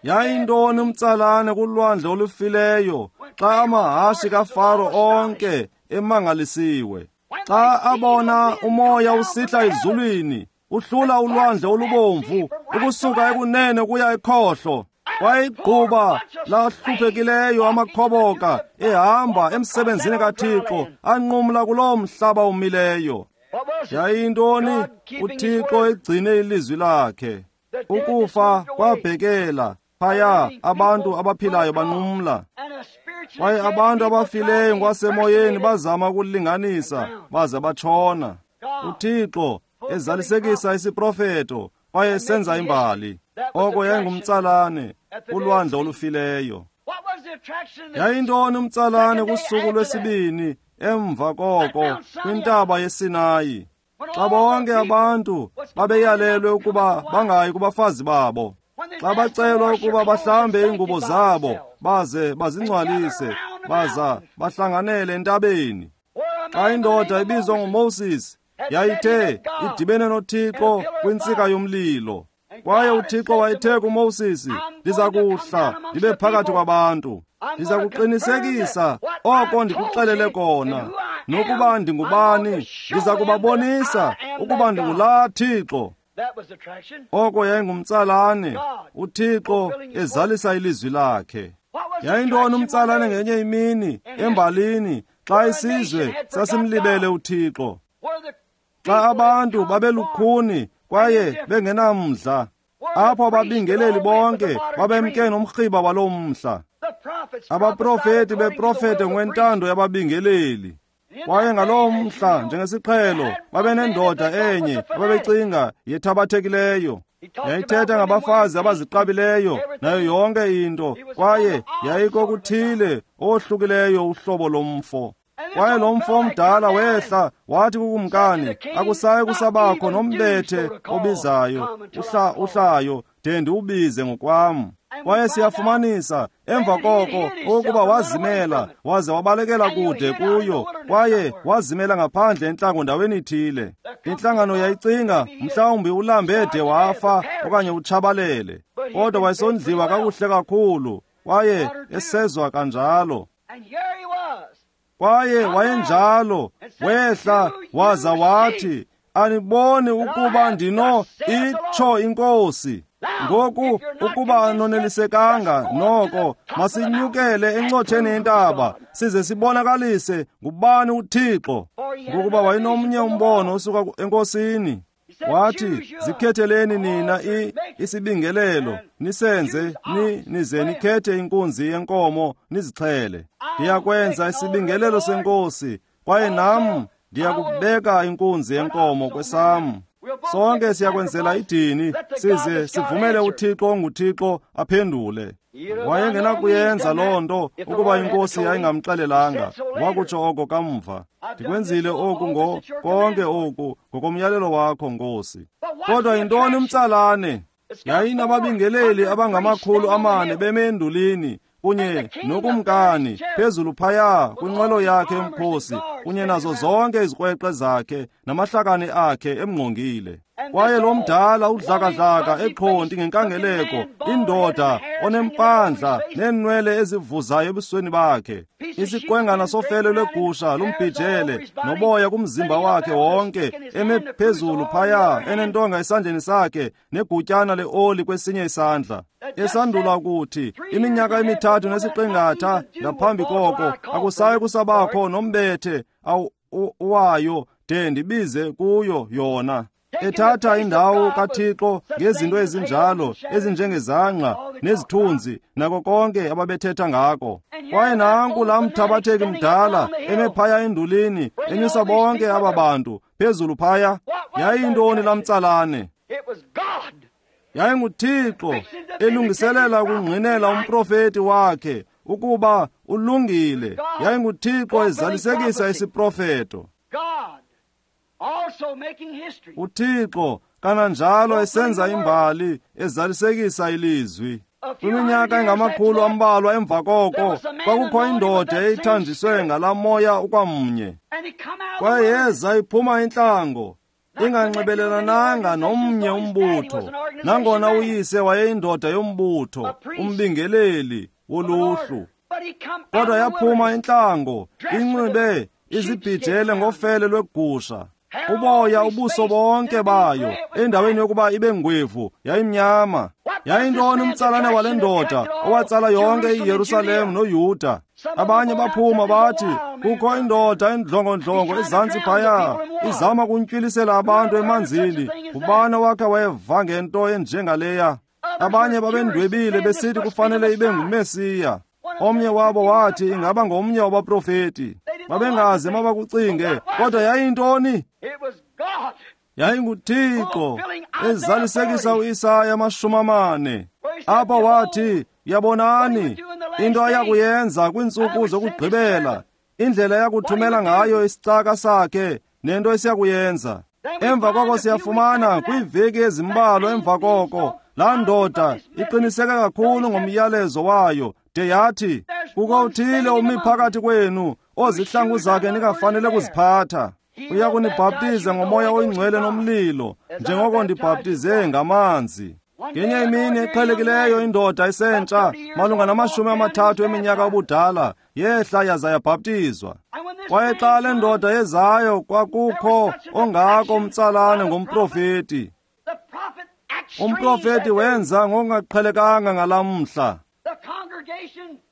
Yayintoni umtsalane kulwandle olufileyo xa amahashi kaFaro onke emangalisiwe? Xa abona umoya usihla ezulwini uhlula ulwandle olubomvu ukusuka ekunene kuya ekhohlo, wayigquba lahluphekileyo amakhoboka ehamba emsebenzini kaThixo anqumla kuloo mhlaba umileyo. Yayintoni? UThixo egcine ilizwi lakhe. Ukufa kwabhekela phaya, abantu abaphilayo banqumla, kwaye abantu abafileyo ngokwasemoyeni bazama ukulinganisa baze batshona. UThixo ezalisekisa isiprofeto kwaye esenza imbali. Oko yayingumtsalane ulwandle olufileyo. Yayintoni umtsalane kusuku lwesibini emva koko kwintaba yeSinayi, xa bonke abantu babeyalelwe ukuba bangayi kubafazi babo, xa bacelwa ukuba bahlambe iingubo zabo baze bazingcwalise baza bahlanganele entabeni? Xa indoda ebizwa nguMoses yayithe idibene noThixo kwintsika yomlilo, kwaye uThixo wayethe kuMoses, ndiza kuhla ndibe phakathi kwabantu, ndiza kuqinisekisa oko ndikuxelele kona, nokuba ndingubani, ndiza kubabonisa ukuba ndingulaa Thixo. Oko yayingumtsalane, uThixo ezalisa ilizwi lakhe. Yayintoni umtsalane ngenye imini embalini xa isizwe sasimlibele uThixo, xa abantu babelukhuni kwaye bengenamdla, apho ababingeleli bonke babemke nomrhiba waloo mhla, abaprofeti beprofete ngokwentando yababingeleli. Kwaye ngaloo mhla, njengesiqhelo, babenendoda enye ababecinga yethabathekileyo. Yayithetha ngabafazi abaziqabileyo nayo yonke into, kwaye yayikokuthile owohlukileyo uhlobo lomfo. Kwaye lo mfo omdala wehla wathi kukumkani, akusayi kusabakho nombethe obizayo uhlayo de ndiwubize ngokwam. Kwaye siyafumanisa emva koko ukuba wazimela waze wabalekela kude kuyo, kwaye wazimela ngaphandle entlango ndaweni ithile. Intlangano yayicinga mhlawumbi ulambe de wafa okanye utshabalele, kodwa wayesondliwa kakuhle kakhulu kwaye esezwa kanjalo. Kwaye wayenjalo, wehla waza wathi, aniboni ukuba ndino itsho inkosi. Ngoku ukuba anonelisekanga noko, masinyukele encotsheni yentaba size sibonakalise ngubani uThixo. Ngokuba wayenomnye umbono osuka enkosini. Wathi, zikhetheleni nina isibingelelo nisenze nize nikhethe inkunzi yenkomo nizixhele. Ndiyakwenza isibingelelo senkosi, kwaye nam ndiyakubeka inkunzi yenkomo kwesam. Sonke siyakwenzela idini size sivumele uThixo onguThixo aphendule. Wayengenakuyenza loo nto ukuba inkosi yayingamxelelanga. Wakutsho oko kamva, ndikwenzile oku konke oku ngokomyalelo wakho, Nkosi. Kodwa yintoni umtsalane? Yayinababingeleli abangama400 beme endulini kunye nokumkani phezulu phaya kwinqwelo yakhe yomkhosi kunye nazo zonke izikrweqe zakhe namahlakani akhe emngqongile. Kwaye lo mdala udlakadlaka eqhonti ngenkangeleko, indoda onempandla neenwele ezivuzayo ebusweni bakhe, isiqwengana sofele lwegusha lumbhijele noboya kumzimba wakhe wonke, eme phezulu phaya enentonga esandleni sakhe negutyana leoli kwesinye isandla. Esandula ukuthi iminyaka 3 nesiqingatha ngaphambi koko akusayi kusabakho nombethe wayo de ndibize kuyo yona. Ethatha indawo kaThixo ngezinto ezinjalo ezinjengezangqa nezithunzi nako konke ababethetha ngako. Kwaye nanku laa mthabatheki mdala eme phaya endulini enyusa bonke aba bantu phezulu phaya. Yayintoni laa mtsalane? YayinguThixo elungiselela ukungqinela umprofeti wakhe ukuba ulungile. YayinguThixo ezalisekisa isiprofeto. uThixo kananjalo esenza imbali ezalisekisa ilizwi. Kwiminyaka engamakhulu ambalwa emva koko kwakukho indoda eyayithanjiswe ngalaa moya ukwamnye. Kwaye yeza iphuma intlango, inganxibelelananga nomnye umbutho, nangona uyise wayeyindoda yombutho, umbingeleli woluhlu. Kodwa yaphuma intlango inxibe izibhijele ngofele lwegusha, uboya ubuso bonke bayo, endaweni yokuba ibe ngwevu yayimnyama. Yayintoni umtsalane wale ndoda owatsala yonke iYerusalem noYuda? Abanye baphuma bathi, kukho indoda endlongondlongo ezantsi phaya, izama kuntywilisela abantu emanzini. Ngubani owakhe weva ngento enjengaleya? Abanye babendwebile besithi kufanele ibe nguMesiya. Omnye wabo wathi ingaba ngomnye wabaprofeti. Babengazi mabakucinge, kodwa yayintoni? YayinguThixo ezalisekisa uIsaya 40. Apha wathi, yabonani into ayakuyenza kwiintsuku zokugqibela, indlela yakuthumela ngayo isicaka sakhe nento esiyakuyenza. Emva koko siyafumana kwiiveki ezimbalwa emva koko, laa ndoda iqiniseke kakhulu ngomyalezo wayo de yathi, kukho uthile umi phakathi kwenu ozihlangu zakhe ningafanele kuziphatha. Uya kunibhaptiza ngomoya oyingcwele nomlilo, njengoko ndibhaptize ngamanzi. Ngenye imini eqhelekileyo indoda esentsha malunga nama-30 eminyaka ubudala yehla yaza yabhaptizwa. Kwaye xa le ndoda yezayo kwakukho ongako umtsalane ngomprofeti. Umprofeti wenza ngokungaqhelekanga ngalaa mhla.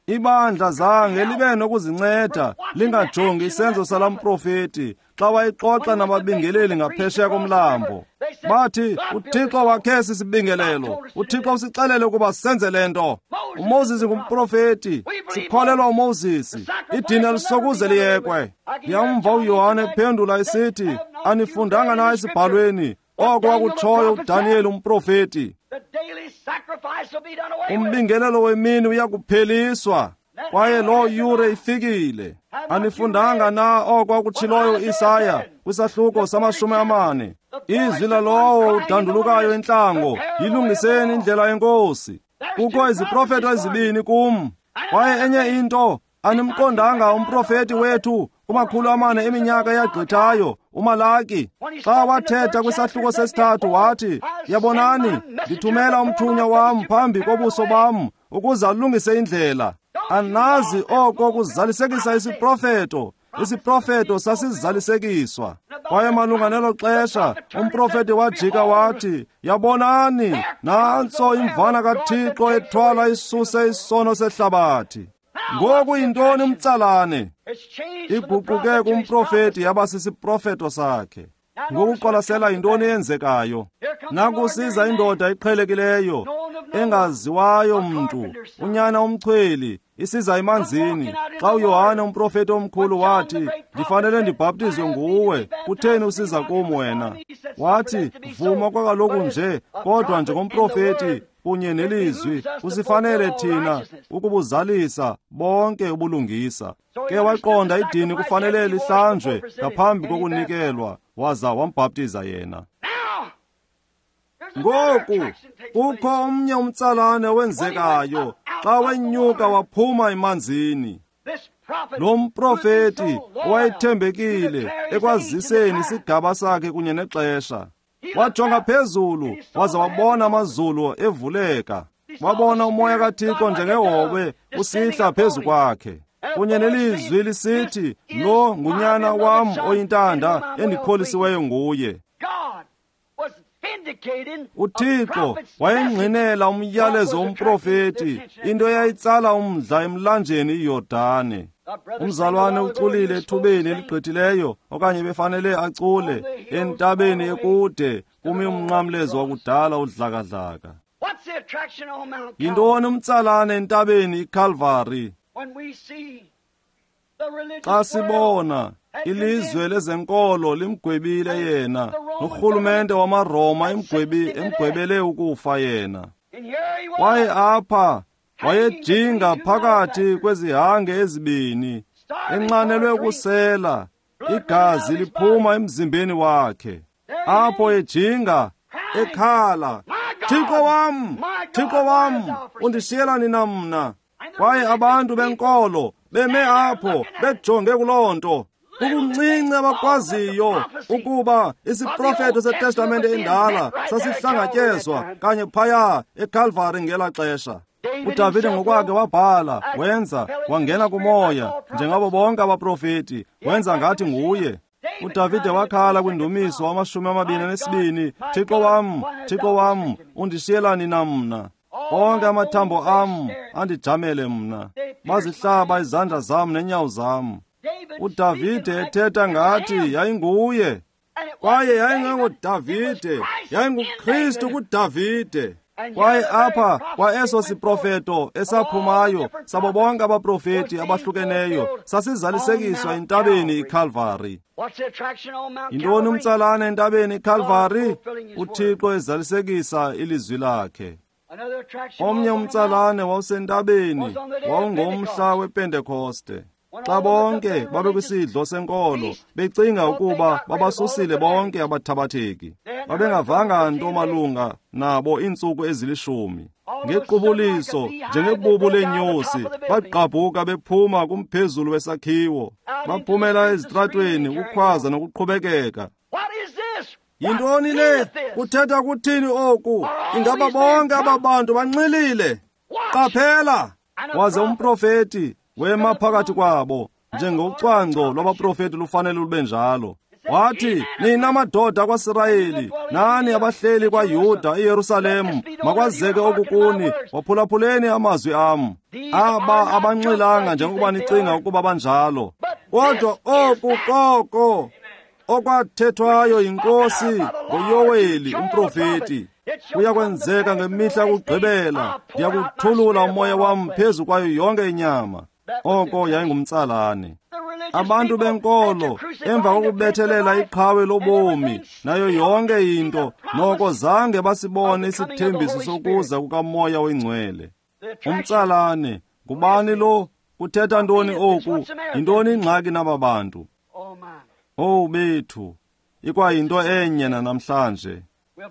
Ibandla zange libe nokuzinceda lingajongi isenzo salaa mprofeti xa wayexoxa nababingeleli ngaphesheya komlambo. Bathi, uThixo wakhe sisibingelelo, uThixo usixelele ukuba senze le nto. uMoses ngumprofeti, sikholelwa uMoses, idini alisokuze liyekwe. Ndiyamva uYohane ephendula esithi, anifundanga na esibhalweni oko wakutshoyo uDaniyeli umprofeti? Umbingelelo wemini uyakupheliswa. Kwaye loo yure ifikile. Anifundanga na oko akutshiloyo uIsaya kwisahluko sama-40? Izwi lalowo udandulukayo entlango, yilungiseni indlela yeNkosi. Kukho iziprofeto ezibini kum. Kwaye enye into, animqondanga umprofeti wethu kuma-400 eminyaka eyagqithayo, uMalaki, xa wathetha kwisahluko sesithathu wathi, yabonani, ndithumela umthunywa wam phambi kobuso bam ukuze alungise indlela. Anazi oko kuzalisekisa isiprofeto. Isiprofeto sasizalisekiswa. Kwaye malunga nelo xesha umprofeti wajika wathi, yabonani, nantso imvana kaThixo ethwala isuse isono sehlabathi. Ngoku yintoni umtsalane? Iguquke kumprofeti yaba sisiprofeto sakhe. Ngoku qwalasela yintoni eyenzekayo. Nakusiza indoda eqhelekileyo, engaziwayo mntu, unyana umchweli, isiza emanzini. Xa uYohane umprofeti omkhulu wathi, ndifanele ndibhaptizwe nguwe, kutheni usiza kum wena? Wathi, vuma kwakaloku nje, kodwa njengomprofeti kunye nelizwi kusifanele thina ukubuzalisa bonke ubulungisa. Ke waqonda idini kufanele lihlanjwe ngaphambi kokunikelwa, waza wambhaptiza yena. Ngoku kukho omnye umtsalane owenzekayo xa wenyuka waphuma emanzini. Lo mprofeti owayethembekile ekwaziseni isigaba sakhe kunye nexesha, wajonga phezulu waza wabona amazulu evuleka. Wabona umoya kaThixo njengehobe usihla phezu kwakhe, kunye nelizwi lisithi, lo ngunyana wam oyintanda endikholisiweyo nguye. UThixo wayengqinela umyalezo womprofeti, into eyayitsala umdla emlanjeni iYordane. Umzalwane uculile ethubeni eligqithileyo, okanye befanele acule entabeni ekude kumi umnqamlezo wakudala udlakadlaka. Yintoni umtsalane entabeni iKalvari? Xa sibona ilizwe lezenkolo limgwebile yena, norhulumente wamaRoma emgwebele ukufa yena. Kwaye apha wayejinga phakathi kwezihange ezibini, enxanelwe ukusela, igazi liphuma emzimbeni wakhe. Apho ejinga, ekhala, Thixo wam, Thixo wam, undishiyela nina mna? Kwaye abantu benkolo beme apho bejonge kuloo nto. Kukuncinci abakwaziyo ukuba isiprofeto seTestamente endala sasihlangatyezwa kanye phaya eKalvari ngela xesha. uDavide ngokwakhe wabhala, wenza, wangena kumoya njengabo bonke abaprofeti, wenza ngathi nguye. uDavide wakhala kwindumiso 22, Thixo wam, Thixo wam, undishiyela nina mna? Onke amathambo am andijamele mna, bazihlaba izandla zam nenyawo zam. uDavide ethetha ngathi yayinguye, kwaye yayingengoDavide, yayinguKristu kuDavide. Kwaye apha kwa eso siprofeto esaphumayo sabo bonke abaprofeti abahlukeneyo sasizalisekiswa entabeni iKalvari. Yintoni umtsalane entabeni iKalvari? uThixo ezalisekisa ilizwi lakhe. Omnye umtsalane wawusentabeni wawungomhla wePentekoste, xa bonke babekwisidlo senkolo becinga ukuba babasusile bonke abathabatheki. Babengavanga nto malunga nabo iintsuku ezilishumi. Ngequbuliso njengebubu leenyosi bagqabhuka bephuma kumphezulu wesakhiwo, baphumela ezitratweni ukukhwaza nokuqhubekeka. Yintoni le? Kuthetha kuthini oku? Ingaba bonke aba bantu banxilile? Qaphela! Waze umprofeti wema phakathi kwabo, njengocwangco lwabaprofeti lufanele lube njalo. Wathi, nina madoda kwaSirayeli, nani abahleli kwaYuda eYerusalem, makwazeke oku kuni, waphulaphuleni amazwi am. Aba abanxilanga njengokuba nicinga ukuba banjalo, kodwa oku koko okwathethwayo yiNkosi ngoYoweli umprofeti. Kuyakwenzeka ngemihla yokugqibela, ndiyakuthulula umoya wam phezu kwayo yonke inyama. Oko yayingumtsalane. Abantu benkolo emva kokubethelela iqhawe lobomi nayo yonke into, noko zange basibone isithembiso sokuza kukaMoya oyiNgcwele. Umtsalane ngubani lo? Kuthetha ntoni oku? Yintoni ingxaki naba bantu? Owu bethu, ikwayinto enye nanamhlanje.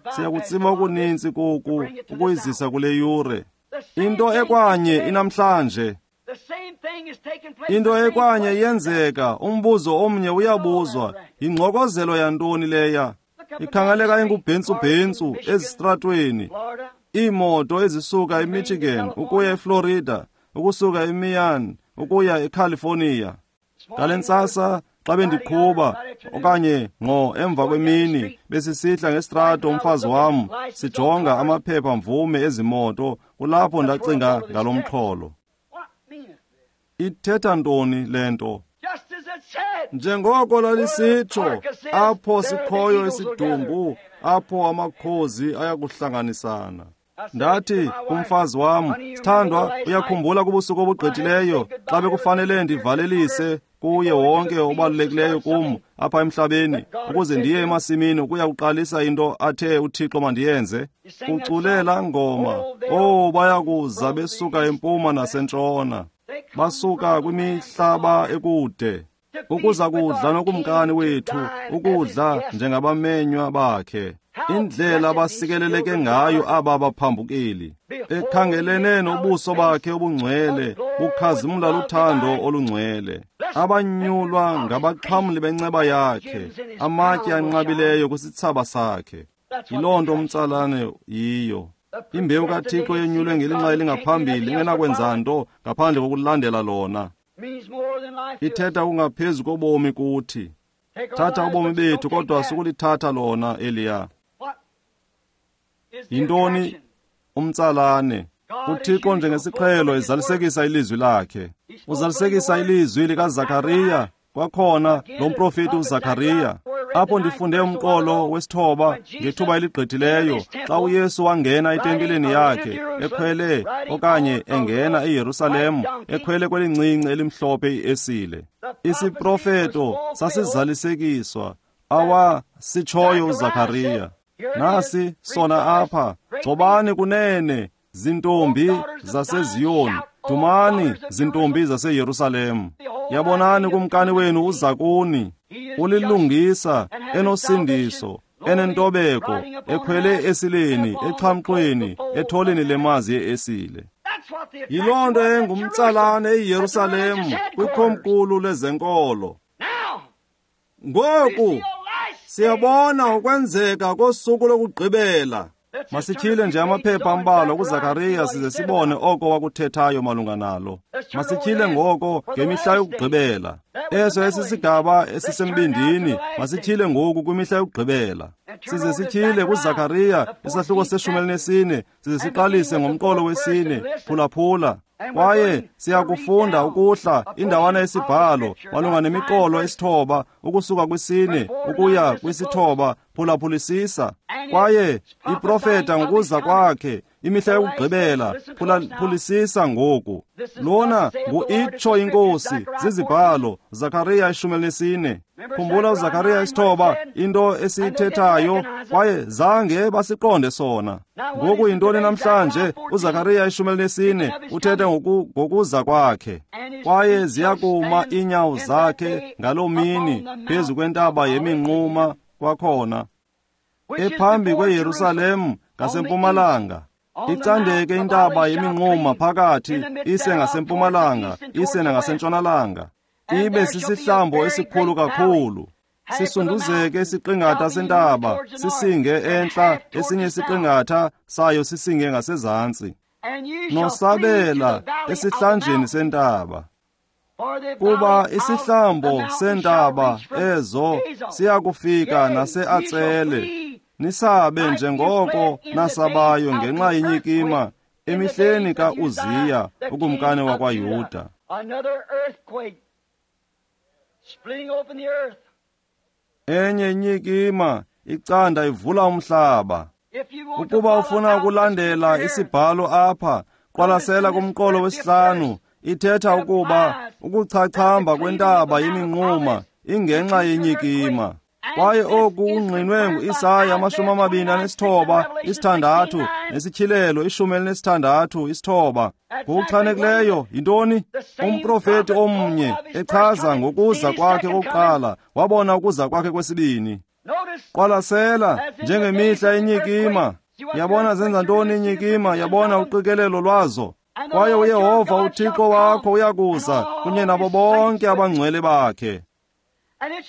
Siyakutsiba okuninzi koku ukuyizisa kule yure. Into ekwanye inamhlanje. Into ekwanye yenzeka, umbuzo omnye uyabuzwa, yingxokozelo yantoni leya? Ikhangeleka ingubhentsu-bhentsu ezistratweni. Iimoto ezisuka eMichigan ukuya eFlorida, ukusuka eMian ukuya eCalifornia. Ngale ntsasa xa bendiqhuba okanye ngqo emva kwemini besisihla ngestrato umfazi wam sijonga amaphepha mvume ezimoto, kulapho ndacinga ngalo mxholo. Ithetha ntoni le nto? Njengoko lalisitsho, apho sikhoyo isidumbu, apho amakhozi ayakuhlanganisana. Ndathi kumfazi wam, sithandwa, uyakhumbula kubusuku obugqithileyo xa bekufanele ndivalelise kuye wonke obalulekileyo kum apha emhlabeni ukuze ndiye emasimini ukuya kuqalisa into athe uThixo mandiyenze? Ucule laa ngoma, oh, bayakuza besuka empuma nasentshona, basuka kwimihlaba ekude ukuza kudla nokumkani wethu, ukudla njengabamenywa bakhe. Indlela abasikeleleke ngayo aba baphambukeli, ekhangelene nobuso bakhe obungcwele bukhazimla luthando olungcwele, abanyulwa ngabaxhamli benceba yakhe, amatye anqabileyo kwisithsaba sakhe. Yiloo nto umtsalane yiyo. Imbewu kaThixo yenyulwe ngelinxa elingaphambili ingenakwenza nto ngaphandle kokulandela lona. Ithetha kungaphezu kobomi kuthi. Thatha ubomi bethu, kodwa sukulithatha lona eliya. Yintoni umtsalane? uThixo njengesiqhelo ezalisekisa ilizwi lakhe. Uzalisekisa ilizwi likaZakariya, kwakhona lo mprofeti uZakariya. Apho ndifunde umqolo wesithoba ngethuba eligqithileyo, xa uYesu wangena etempileni yakhe ekhwele okanye engena eYerusalem ekhwele kwelincinci elimhlophe iesile. Isiprofeto sasizalisekiswa awasitshoyo uZakariya. Nasi sona apha, gcobani kunene zintombi zaseZiyoni, dumani zintombi zaseYerusalem. Yabonani kumkani wenu uza kuni, ulilungisa, enosindiso, enentobeko, ekhwele esileni, exhamxweni, etholeni lemazi yeesile. Yiloo nto engumtsalane eYerusalem kwikomkhulu lezenkolo. Ngoku siyabona ukwenzeka kosuku lokugqibela. Masityhile nje amaphepha ambalwa kuZakariya size sibone oko wakuthethayo malunga nalo. Masityhile ngoko ngemihla yokugqibela. Eso esisigaba esisembindini, masityhile ngoku kwimihla yokugqibela. Size sityhile kuZakariya isahluko se-14, size siqalise ngomqolo wesine, phulaphula. Kwaye siyakufunda ukuhla indawana yesibhalo malunga nemiqolo esithoba ukusuka kwisine ukuya kwisithoba, phulaphulisisa. Kwaye iprofeta ngokuza kwakhe imihla yokugqibela, phulaphulisisa ngoku. Lona ngu-itsho inkosi zizibhalo, Zakariya 14. Khumbula uZakariya 9, into esiyithethayo, kwaye zange basiqonde sona. Ngoku yintoni namhlanje? uZakariya 14 uthetha ngokuza kwakhe. Kwaye ziyakuma iinyawo zakhe ngaloo mini phezu kwentaba yeminquma kwakhona, ephambi kweYerusalem ngasempumalanga. Icandeke intaba yeminquma phakathi, ise ngasempumalanga, ise nangasentshonalanga. Ibe sisihlambo esikhulu kakhulu. Sisunduzeke isiqingatha sentaba, sisinge entla, esinye isiqingatha sayo sisinge ngasezantsi. Nosabela esihlanjeni sentaba. Kuba isihlambo sentaba ezo siyakufika naseAtsele. Nisabe njengoko nasabayo ngenxa yenyikima emihleni kaUziya ukumkani wakwaYuda. Enye inyikima icanda ivula umhlaba. Ukuba ufuna ukulandela isibhalo apha, qwalasela kumqolo wesihlanu. Ithetha ukuba ukuchachamba kwentaba yeminquma ingenxa yenyikima. Kwaye oku kungqinwe nguIsaya 29 6 nesityhilelo 16 9. Ngokuchanekileyo yintoni? Umprofeti omnye echaza ngokuza kwakhe kokuqala, wabona ukuza kwakhe kwesibini. Qwalasela, njengemihla yenyikima. Yabona zenza ntoni inyikima? Yabona uqikelelo lwazo. Kwaye uYehova uThixo wakho uyakuza kunye nabo bonke abangcwele bakhe.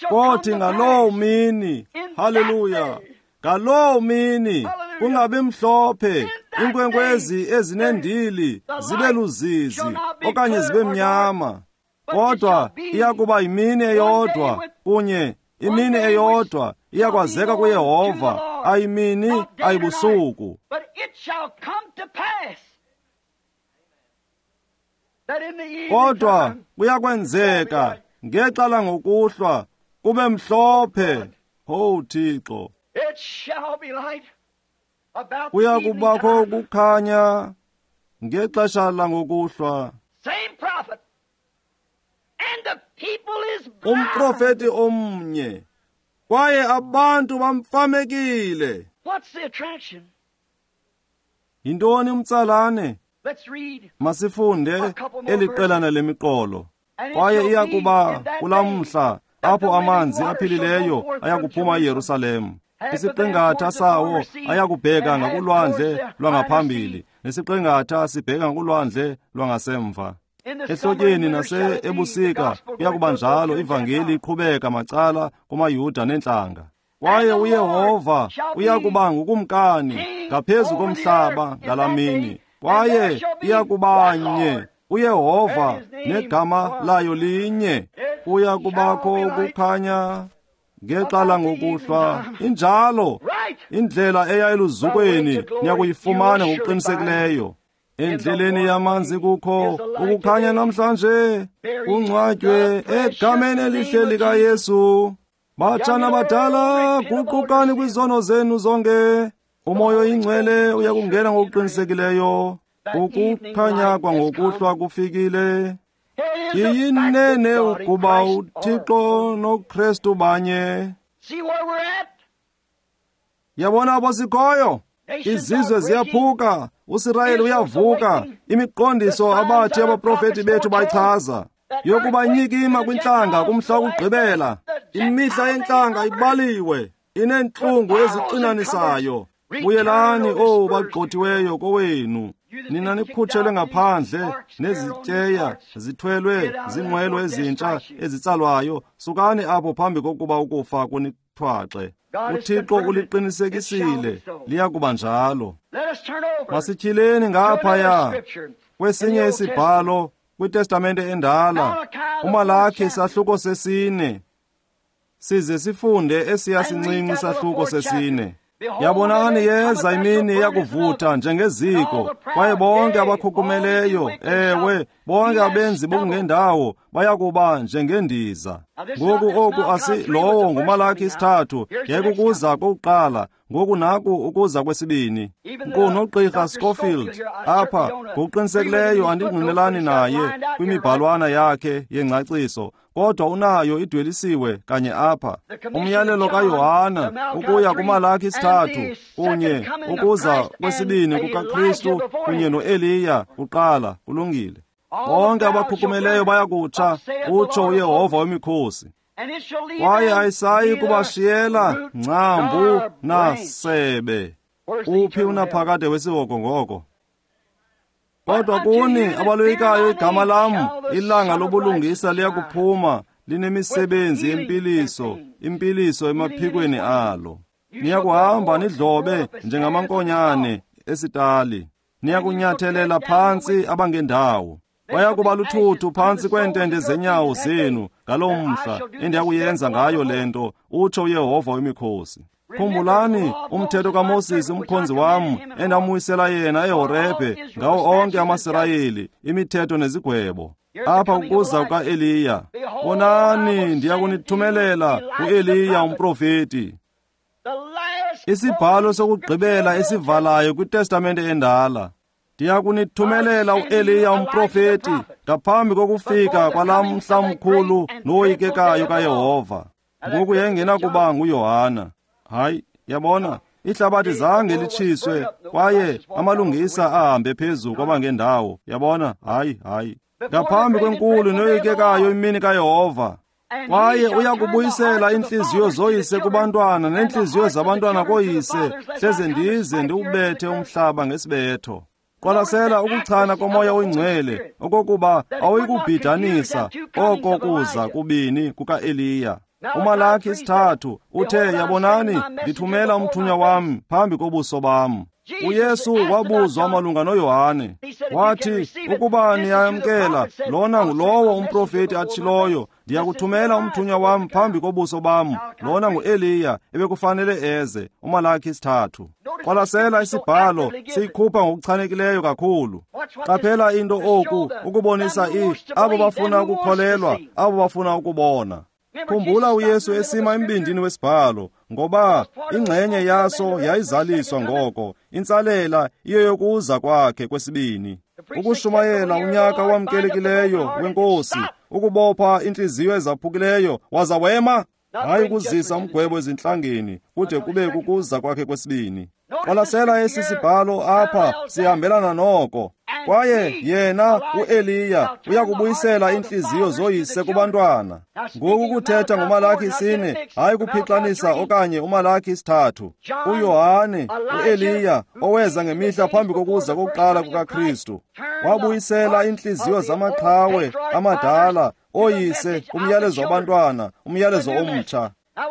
Kothi ngaloo mini, haleluya, ngaloo mini kungabi mhlophe, iinkwenkwezi ezinendili zibe luzizi okanye zibe mnyama, kodwa iyakuba yimini eyodwa kunye, imini eyodwa iyakwazeka kuYehova, ayimini ayibusuku. Kodwa kuyakwenzeka ngexa langokuhlwa kube mhlophe. Oh Thixo, kuya kubakho ukukhanya ngexesha langokuhlwa. Umprofeti omnye, kwaye abantu bamfamekile. Yintoni umtsalane? Masifunde eli qelana lemiqolo. Kwaye iya kuba kulaa mhla apho amanzi aphilileyo ayakuphuma eYerusalem. Isiqingatha sawo ayakubheka ngakulwandle lwangaphambili, nesiqingatha sibheka ngakulwandle lwangasemva. Ehlotyeni nase-ebusika kuya kuba njalo, ivangeli iqhubeka macala kumaYuda neentlanga. Kwaye uYehova uya kuba ngukumkani ngaphezu komhlaba ngalaa mini, kwaye iya kuba nye uYehova negama layo linye. Kuya kubakho ukukhanya ngexa langokuhlwa. Injalo indlela eya eluzukweni niyakuyifumana ngokuqinisekileyo. Endleleni yamanzi kukho ukukhanya namhlanje, kungcwatywe egameni elihle likaYesu. Batshana badala, guqukani kwizono zenu zonke. Umoya oyingcwele uyakungena ngokuqinisekileyo. Ukukhanya kwangokuhlwa kufikile. Iyinene ukuba uThixo noKristu banye. Yabona apho sikhoyo? Izizwe ziyaphuka, uSirayeli uyavuka. Imiqondiso abathi abaprofeti bethu bayichaza yokuba inyikima kwintlanga kumhla wokugqibela. Imihla yentlanga ibaliwe, ineentlungu ezixinanisayo. Buyelani, owu bagxothiweyo, kowenu. Nina nikhutshelwe ngaphandle nezityeya zithwelwe ziinqwelo ezintsha ezitsalwayo. Sukani apho phambi kokuba ukufa kunithwaxe. UThixo uliqinisekisile, liya kuba njalo. Masityhileni ngaphaya kwesinye isibhalo kwiTestamente endala, uMalaki isahluko 4, size sifunde esiya sincinci isahluko 4. Yabonani, yeza imini eyakuvutha njengeziko, kwaye bonke abakhukhumeleyo, ewe, bonke abenzi bokungendawo bayakuba njengendiza. Ngoku oku asi lowo nguMalaki 3, yayikukuza kokuqala. Ngoku naku ukuza kwesibini. Nkqu noGqirha Scofield apha, ngokuqinisekileyo andingqinelani naye kwimibhalwana yakhe yengcaciso, kodwa unayo idwelisiwe kanye apha. Umyalelo kaYohana ukuya kuMalaki 3 kunye ukuza kwesibini kukaKristu kunye noEliya kuqala. Kulungile. Bonke abakhukhumeleyo bayakutsha, utsho uYehova wemikhosi. Kwaye ayisayi kubashiyela ngcambu nasebe. Uphi unaphakade wesihogo ngoko? Kodwa kuni abaloyikayo igama lam, ilanga lobulungisa liyakuphuma linemisebenzi yempiliso, impiliso emaphikweni alo. Niyakuhamba nidlobe njengamankonyane esitali, niyakunyathelela phantsi abangendawo. Bayakuba luthuthu phantsi kweentende zenyawo zenu ngaloo mhla endiyakuyenza ngayo le nto, utsho uYehova wemikhosi. Khumbulani umthetho kaMoses umkhonzi wam, endamwisela yena eHorebhe ngawo onke amaSirayeli, imithetho nezigwebo. Apha kukuza kukaEliya. Bonani, ndiyakunithumelela uEliya umprofeti. Isibhalo sokugqibela esivalayo kwiTestamente endala. Ndiyakunithumelela uEliya umprofeti ngaphambi kokufika kwalaa mhla mkhulu nowoyikekayo kaYehova. Ngoku yayingenakuba nguYohana. Hayi, yabona, ihlabathi zange litshiswe kwaye amalungisa ahambe phezu kwabangendawo. Yabona, hayi, hayi. Ngaphambi kwenkulu noyikekayo imini kaYehova. Kwaye uyakubuyisela iintliziyo zoyise kubantwana neentliziyo zabantwana koyise, hleze ndize ndiwubethe umhlaba ngesibetho. Qwalasela ukuchana koMoya oyiNgcwele, okokuba awuyikubhidanisa oko kuza kubini kukaEliya. UMalaki 3 uthe, yabonani, ndithumela umthunywa wam phambi kobuso bam. uYesu wabuzwa malunga noYohane. Wathi, ukuba niyamkela, lona ngulowo umprofeti atshiloyo, ndiyakuthumela umthunywa wam phambi kobuso bam, lona nguEliya ebekufanele eze. UMalaki 3. Qwalasela isibhalo siyikhupha ngokuchanekileyo kakhulu. Qaphela into oku ukubonisa abo bafuna ukukholelwa, abo bafuna ukubona. Khumbula uYesu esima embindini wesibhalo, ngoba ingxenye yaso yayizaliswa ngoko, intsalela iyeyokuza kwakhe kwesibini. Ukushumayela unyaka wamkelekileyo wenkosi, ukubopha intliziyo ezaphukileyo, waza wema, hayi ukuzisa umgwebo ezintlangeni, kude kube kukuza kwakhe kwesibini. Qwalasela esi sibhalo apha sihambelana noko. Kwaye yena uEliya uyakubuyisela iintliziyo zoyise kubantwana. Ngoku kuthetha ngoMalaki 4, hayi kuphixanisa okanye uMalaki 3. uYohane, uEliya oweza ngemihla phambi kokuza kokuqala kukaKristu, wabuyisela iintliziyo zamaqhawe amadala oyise kumyalezo wabantwana, umyalezo omtsha.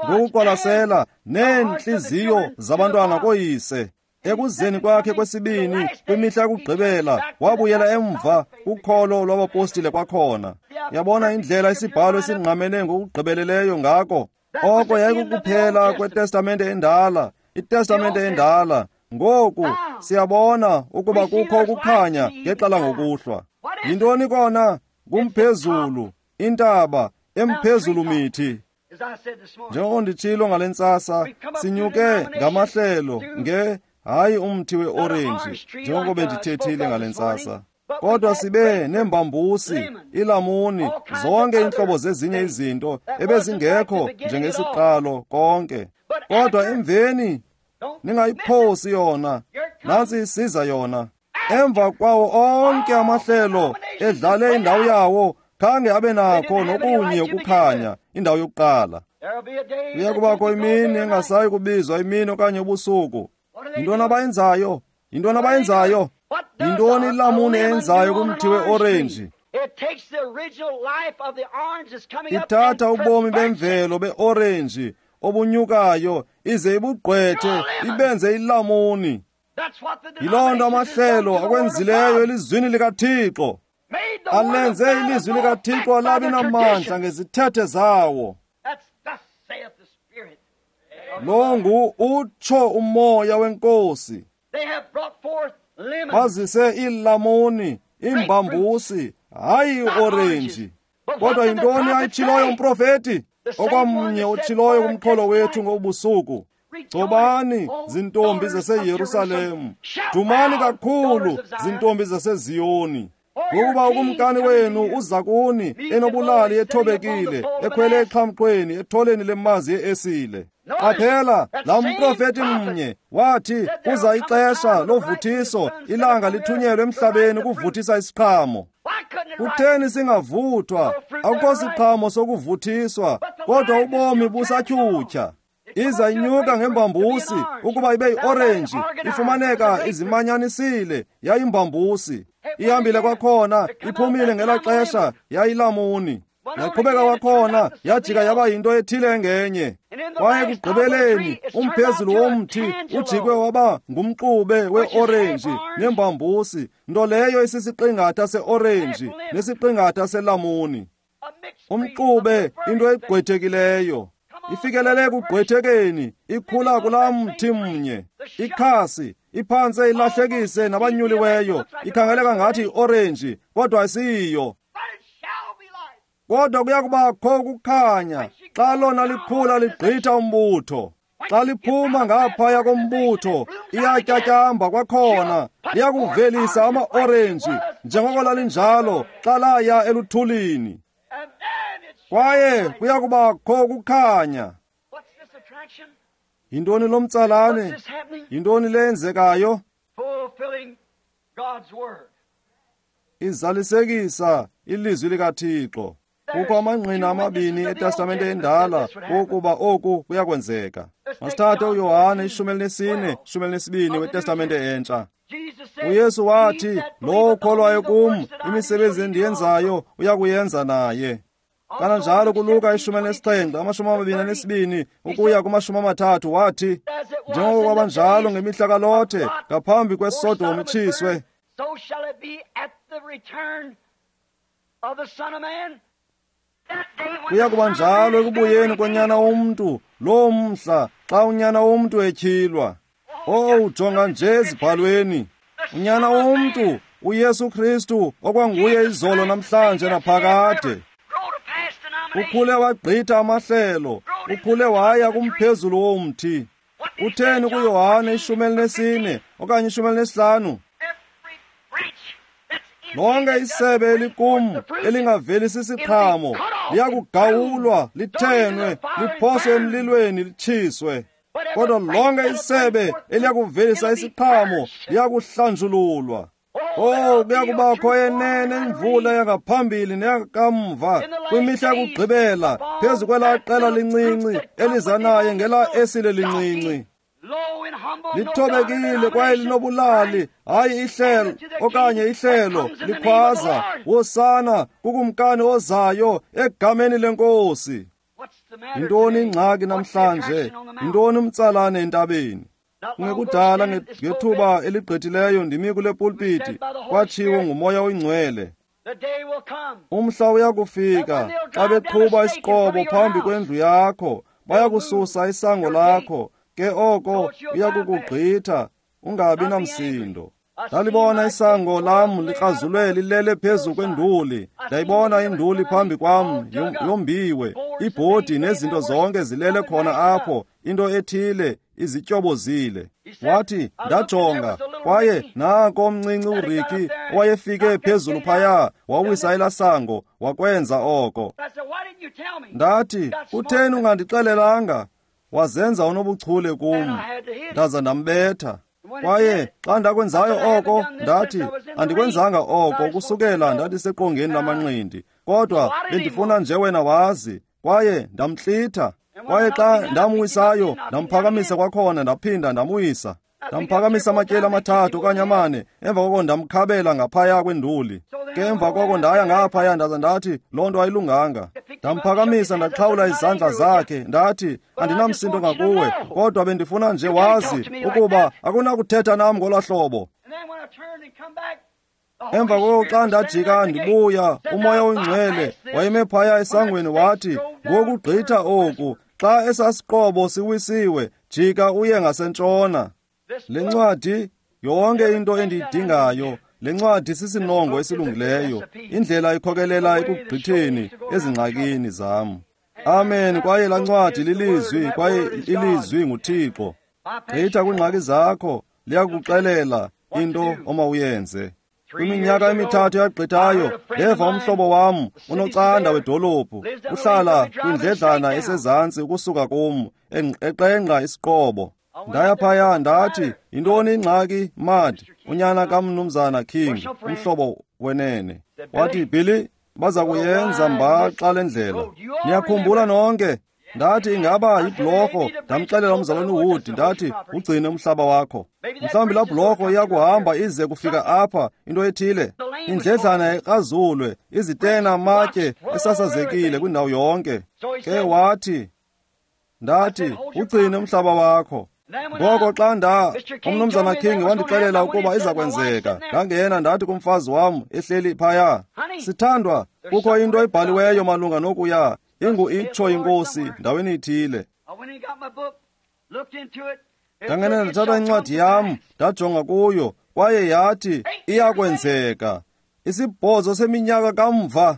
Ngokuqwalasela neentliziyo zabantwana koyise. Ekuzeni kwakhe kwesibini kwimihla yokugqibela wabuyela emva kukholo lwabapostile kwakhona. Yabona indlela isibhalo esingqamene ngokugqibeleleyo ngako. Oko yayikukuphela kweTestamente endala, iTestamente endala. Ngoku siyabona ukuba kukho ukukhanya ngexa langokuhlwa. Yintoni kona? Ngumphezulu, intaba emphezulu mithi. Njengoko nditshilo ngale ntsasa, sinyuke ngamahlelo nge hayi umthi weorenji, njengoko bendithethile ngale ntsasa. Kodwa sibe neembambusi, ilamuni, zonke iintlobo zezinye izinto ebezingekho njengesiqalo konke. Kodwa emveni, ningayiphosi yona, nantsi isiza yona. Emva kwawo onke amahlelo edlale indawo yawo, khange abe nakho nokunye ukukhanya, indawo yokuqala. Kuya kubakho imini engasayi kubizwa imini okanye ubusuku. Yintoni abayenzayo? Yintoni abayenzayo? Yintoni ilamuni eyenzayo kumthi weorenji? Ithatha ubomi bemvelo beorenji obunyukayo ize ibugqwethe ibenze ilamuni. Yiloo nto amahlelo akwenzileyo elizwini likaThixo. Alenze ilizwi likaThixo labi namandla ngezithethe zawo. Lo ngu utsho umoya wenkosi. Bazise iilamuni, iimbambusi, hayi iorenji. Kodwa yintoni ayitshiloyo umprofeti? Okwamnye otshiloyo kumxholo wethu ngobusuku. Gcobani, zintombi zaseYerusalem, dumani kakhulu, zintombi zaseZiyoni. Ngokuba ukumkani wenu uza kuni enobulali ethobekile, ekhwele exhamxweni, etholeni lemazi yeesile. Qaphela, laa mprofeti mnye wathi kuza ixesha lovuthiso, ilanga lithunyelwe emhlabeni ukuvuthisa isiqhamo. Kutheni singavuthwa? Akukho siqhamo sokuvuthiswa, kodwa ubomi busatyhutyha. Iza inyuka ngembambusi ukuba ibe yiorenji, ifumaneka izimanyanisile yayimbambusi. Ihambile kwakhona, iphumile ngelaa xesha yayilamuni. Yaqhubeka kwakhona, yajika yaba yinto ethile engenye. Kwaye ekugqibeleni umphezulu womthi ujikwe waba ngumxube weorenji nembambusi, nto leyo isisiqingatha seorenji nesiqingatha selamuni. Umxube, into egqwethekileyo. Ifikelele ekugqwethekeni, ikhula kulaa mthi mnye. Ikhasi iphantse ilahlekise nabanyuliweyo, ikhangeleka ngathi yiorenji, kodwa asiyiyo. Kodwa kuya kubakho ukukhanya xa lona likhula ligqitha umbutho. Xa liphuma ngaphaya kombutho, iyatyatyamba kwakhona, liyakuvelisa amaorenji njengoko lalinjalo xa laya eluthulini. Kwaye kuya kubakho ukukhanya. Yintoni lo mtsalane? Yintoni le yenzekayo? Izalisekisa ilizwi likaThixo. Kukho amangqina amabini eTestamente endala wokuba oku kuyakwenzeka. Masithathe uYohane 14, 12 weTestamente entsha. uYesu wathi, lowo ukholwayo kum, imisebenzi endiyenzayo uyakuyenza naye. Kananjalo kuLuka 17, 22 ukuya kuma-30 wathi, njengoko kwabanjalo ngemihla kaLothe ngaphambi kweSodom itshiswe, kuya kuba njalo ekubuyeni konyana womntu loo mhla xa unyana womntu etyhilwa. Owu, jonga nje ezibhalweni. Unyana womntu, uYesu Kristu, okwanguye izolo namhlanje naphakade. Ukhule wagqitha amahlelo, ukhule waya kumphezulu womthi. Utheni kuYohane 14 okanye 15? Lonke isebe elikum elingavelisi isiqhamo liyakugawulwa, lithenwe, liphoswe emlilweni, litshiswe. Kodwa lonke isebe eliyakuvelisa isiqhamo liyakuhlanjululwa. Oh, kuyakubakho enene imvula yangaphambili neyakamva kwimihla yokugqibela phezu kwelaa qela lincinci eliza naye ngelaa esile lincinci. Lithobekile kwaye linobulali, hayi ihlelo okanye ihlelo likhwaza, wosana kukumkani ozayo egameni lenkosi. Yintoni ingxaki namhlanje? Yintoni umtsalane entabeni? Kungekudala ngethuba eligqithileyo ndimi kule pulpiti, kwatshiwo nguMoya oyiNgcwele. Umhla uyakufika xa beqhuba isiqobo phambi kwendlu yakho, bayakususa isango lakho, ke oko uyakukugqitha ungabi namsindo. Ndalibona isango lam likrazulwe lilele phezu kwenduli. Ndayibona induli phambi kwam yombiwe, ibhodi nezinto zonke zilele khona apho, into ethile izityobozile. Wathi, ndajonga, kwaye nanko omncinci uRicky owayefike phezulu phaya, wawisa elasango, wakwenza oko. Ndathi, kutheni ungandixelelanga? Wazenza unobuchule kum, ndaza ndambetha. Kwaye xa ndakwenzayo oko, ndathi, andikwenzanga oko kusukela ndandiseqongeni lamanqindi, kodwa bendifuna nje wena wazi. Kwaye ndamhlitha. Kwaye xa ndamwisayo, ndamphakamisa kwakhona, ndaphinda ndamwisa. Ndamphakamisa amatyeli 3 okanye 4, emva koko ndamkhabela ngaphaya kwenduli. Ke emva koko ndaya ngaphaya ndaza ndathi, loo nto ayilunganga. Ndamphakamisa ndaxhawula izandla zakhe, ndathi, andinamsindo ngakuwe, kodwa bendifuna nje wazi ukuba akunakuthetha nam ngolaa hlobo. Emva koko xa ndajika ndibuya, uMoya oyiNgcwele wayeme phaya esangweni wathi, ngokugqitha oku, xa esasiqobo siwisiwe, jika uye ngasentshona. Le ncwadi, yonke into endiyidingayo, le ncwadi sisinongo esilungileyo, indlela ikhokelela ekugqitheni ezingxakini zam. Amen. Kwaye laa ncwadi lilizwi, kwaye ilizwi nguThixo. Gqitha kwiingxaki zakho, liyakuxelela into omawuyenze. Kwiminyaka emithathu yagqithayo, ndeva umhlobo wam unocanda wedolophu, uhlala kwindledlana esezantsi ukusuka kum, eqengqa isiqobo. Ndaya phaya ndathi, yintoni ingxaki, Mad, unyana kamnumzana King, umhlobo wenene. Wathi, Billy, baza kuyenza mbaxa le ndlela. Niyakhumbula nonke? Ndathi, ingaba yibhlorho. Ndamxelela umzalwane uWood, ndathi, ugcine umhlaba wakho. Mhlawumbi laa bhlorho iyakuhamba ize kufika apha, into ethile. Indledlana ikrazulwe, izitena amatye esasazekile kwindawo yonke. Ke wathi, ndathi, ugcine umhlaba wakho. Ngoko xa umnumzana King wandixelela ukuba iza kwenzeka, ndangena ndathi kumfazi wam ehleli phaya, sithandwa, kukho into ebhaliweyo malunga nokuya, ingu itsho inkosi ndaweni ithile. Ndangena ndathatha incwadi yam, ndajonga kuyo, kwaye yathi iyakwenzeka. 8 seminyaka kamva.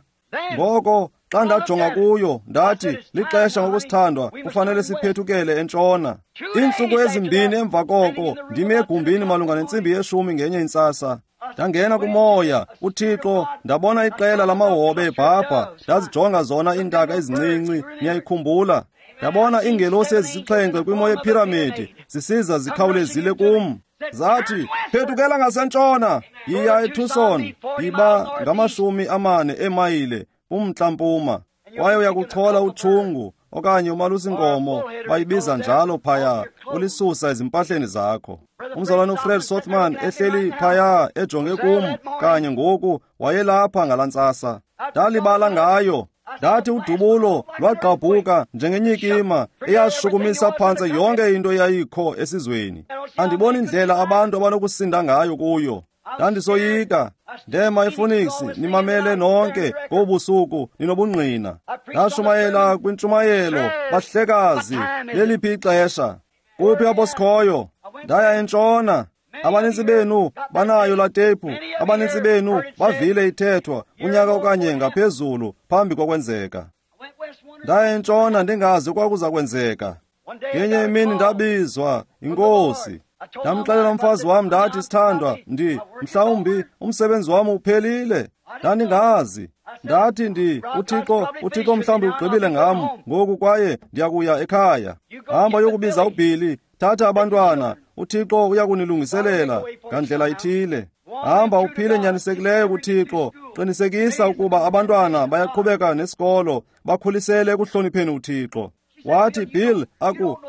Ngoko xa ndajonga kuyo, ndathi, lixesha ngokusithandwa, kufanele siphethukele entshona. Iintsuku ezimbini emva koko, ndimi egumbini malunga nentsimbi yeshumi ngenye intsasa. Ndangena kumoya, uThixo, ndabona iqela lamahobe ebhabha, ndazijonga zona iintaka ezincinci, niyayikhumbula. Ndabona iingelosi ezisixhenxe kwimo yephiramidi, zisiza zikhawulezile kum. Zathi, phethukela ngasentshona, yiya eTucson, yiba ngama-40 eemayile kumntla-mpuma, kwaye uyakuchola utshungu okanye umalusinkomo, bayibiza njalo phaya, ulisusa ezimpahleni zakho. Umzalwane uFred Sothmann ehleli phaya ejonge kum kanye ngoku, wayelapha ngalaa ntsasa. Ndalibala ngayo. Ndathi udubulo lwagqabhuka njengenyikima eyashukumisa phantse yonke into eyayikho esizweni. Andiboni indlela abantu abanokusinda ngayo kuyo. Ndandisoyika. Ndema ePhoenix, nimamele nonke ngobusuku ninobungqina. Ndashumayela kwintshumayelo, bahlekazi, leliphi ixesha? Kuphi apho sikhoyo? Ndaya entshona. Abanintsi benu banayo laa tephu, abanintsi benu bavile ithethwa unyaka okanye ngaphezulu phambi kokwenzeka. Ndaya entshona ndingazi okwakuza kwenzeka. Ngenye imini ndabizwa yinkosi. Ndamxelela umfazi wam ndathi, sithandwa, mhlawumbi umsebenzi wam uphelile. Ndandingazi. Ndathi uThixo mhlawumbi ugqibile ngam ngoku kwaye ndiyakuya ekhaya. Hamba yokubiza uBilly, thatha abantwana, uThixo uyakunilungiselela ngandlela ithile. Hamba uphile nyanisekileyo kuThixo, qinisekisa ukuba abantwana bayaqhubeka nesikolo, bakhulisele ekuhlonipheni uThixo. Wathi, Bill,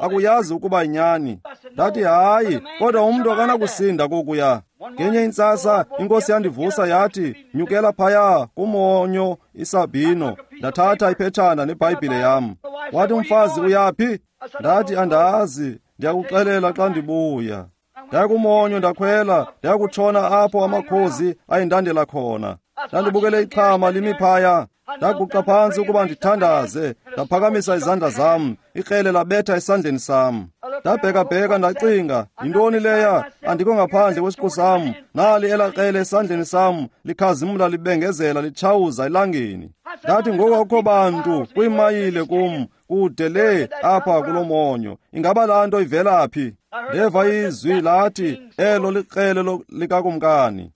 akuyazi ukuba yinyani. Ndathi, hayi, kodwa umntu akanakusinda kokuya. Ngenye intsasa inkosi yandivusa yathi, nyukela phaya kumonyo iSabino. Ndathatha iphetshana neBhayibhile yam. Wathi umfazi, uyaphi? Ndathi, andazi, ndiyakuxelela xa ndibuya. Ndaya kumonyo, ndakhwela, ndayakutshona apho amakhozi ayindandela khona. Ndandibukele ixhama limi phaya. Ndaguqa phantsi ukuba ndithandaze, ndaphakamisa izandla zam, ikrele labetha esandleni sam. Ndabhekabheka ndacinga, yintoni leya? Andikho ngaphandle kwesiqu sam. Nali elaa krele esandleni sam, likhazimla libengezela litshawuza elangeni. Ndathi, ngoku akukho bantu kwiimayile kum, kude le apha kulo monyo. Ingaba laa nto ivela phi? Ndeva izwi lathi, elo likrele likakumkani.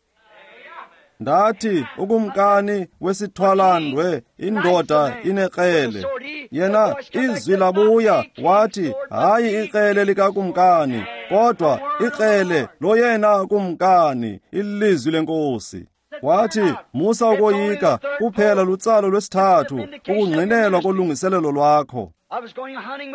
Ndathi, ukumkani wesithwalandwe, indoda inekrele. Yena izwi labuya wathi, hayi ikrele likakumkani, kodwa ikrele loyena kumkani, ilizwi lenkosi. Wathi, musa ukoyika, kuphela lutsalo lwesithathu, ukungqinelwa kolungiselelo lwakho.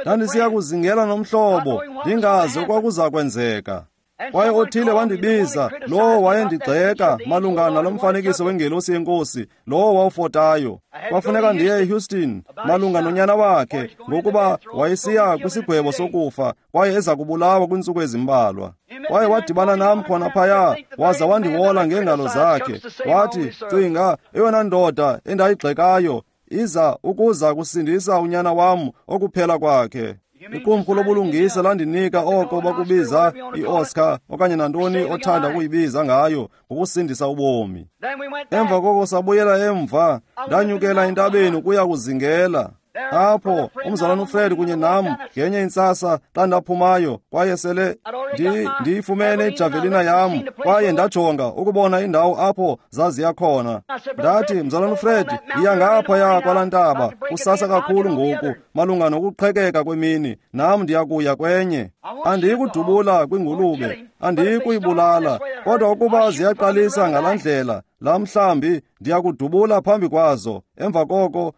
Ndandisiya kuzingela nomhlobo, ndingazi okwakuza kwenzeka. Kwaye othile wandibiza, lowo wayendigxeka malunga nalo mfanekiso wengelosi yenkosi, lowo wawufotayo. Kwafuneka ndiye eHouston malunga nonyana wakhe, ngokuba wayesiya kwisigwebo sokufa kwaye eza kubulawa kwiintsuku ezimbalwa. Kwaye wadibana nam khona phaya, waza wandiwola ngeengalo zakhe. Wathi, cinga, eyona ndoda endayigxekayo iza ukuza kusindisa unyana wam okuphela kwakhe. Iqumrhu lobulungisa landinika oko bakubiza i-Oscar okanye nantoni othanda ukuyibiza ngayo, ngokusindisa ubomi. Emva koko sabuyela emva, ndanyukela entabeni ukuya kuzingela. Apho umzalwana uFred kunye nam ngenye intsasa xa ndaphumayo, kwaye sele ndiyifumene ijavelina yam, kwaye ndajonga ukubona indawo apho zaziya khona. Ndathi, mzalwana uFred, yiya ngaphaya kwalaa ntaba kusasa kakhulu ngoku, malunga nokuqhekeka kwemini, nam ndiyakuya kwenye. Andiyikudubula kwingulube, andiyikuyibulala, kodwa ukuba ziyaqalisa ngalaa ndlela, laa mhlambi ndiyakudubula phambi kwazo, emva koko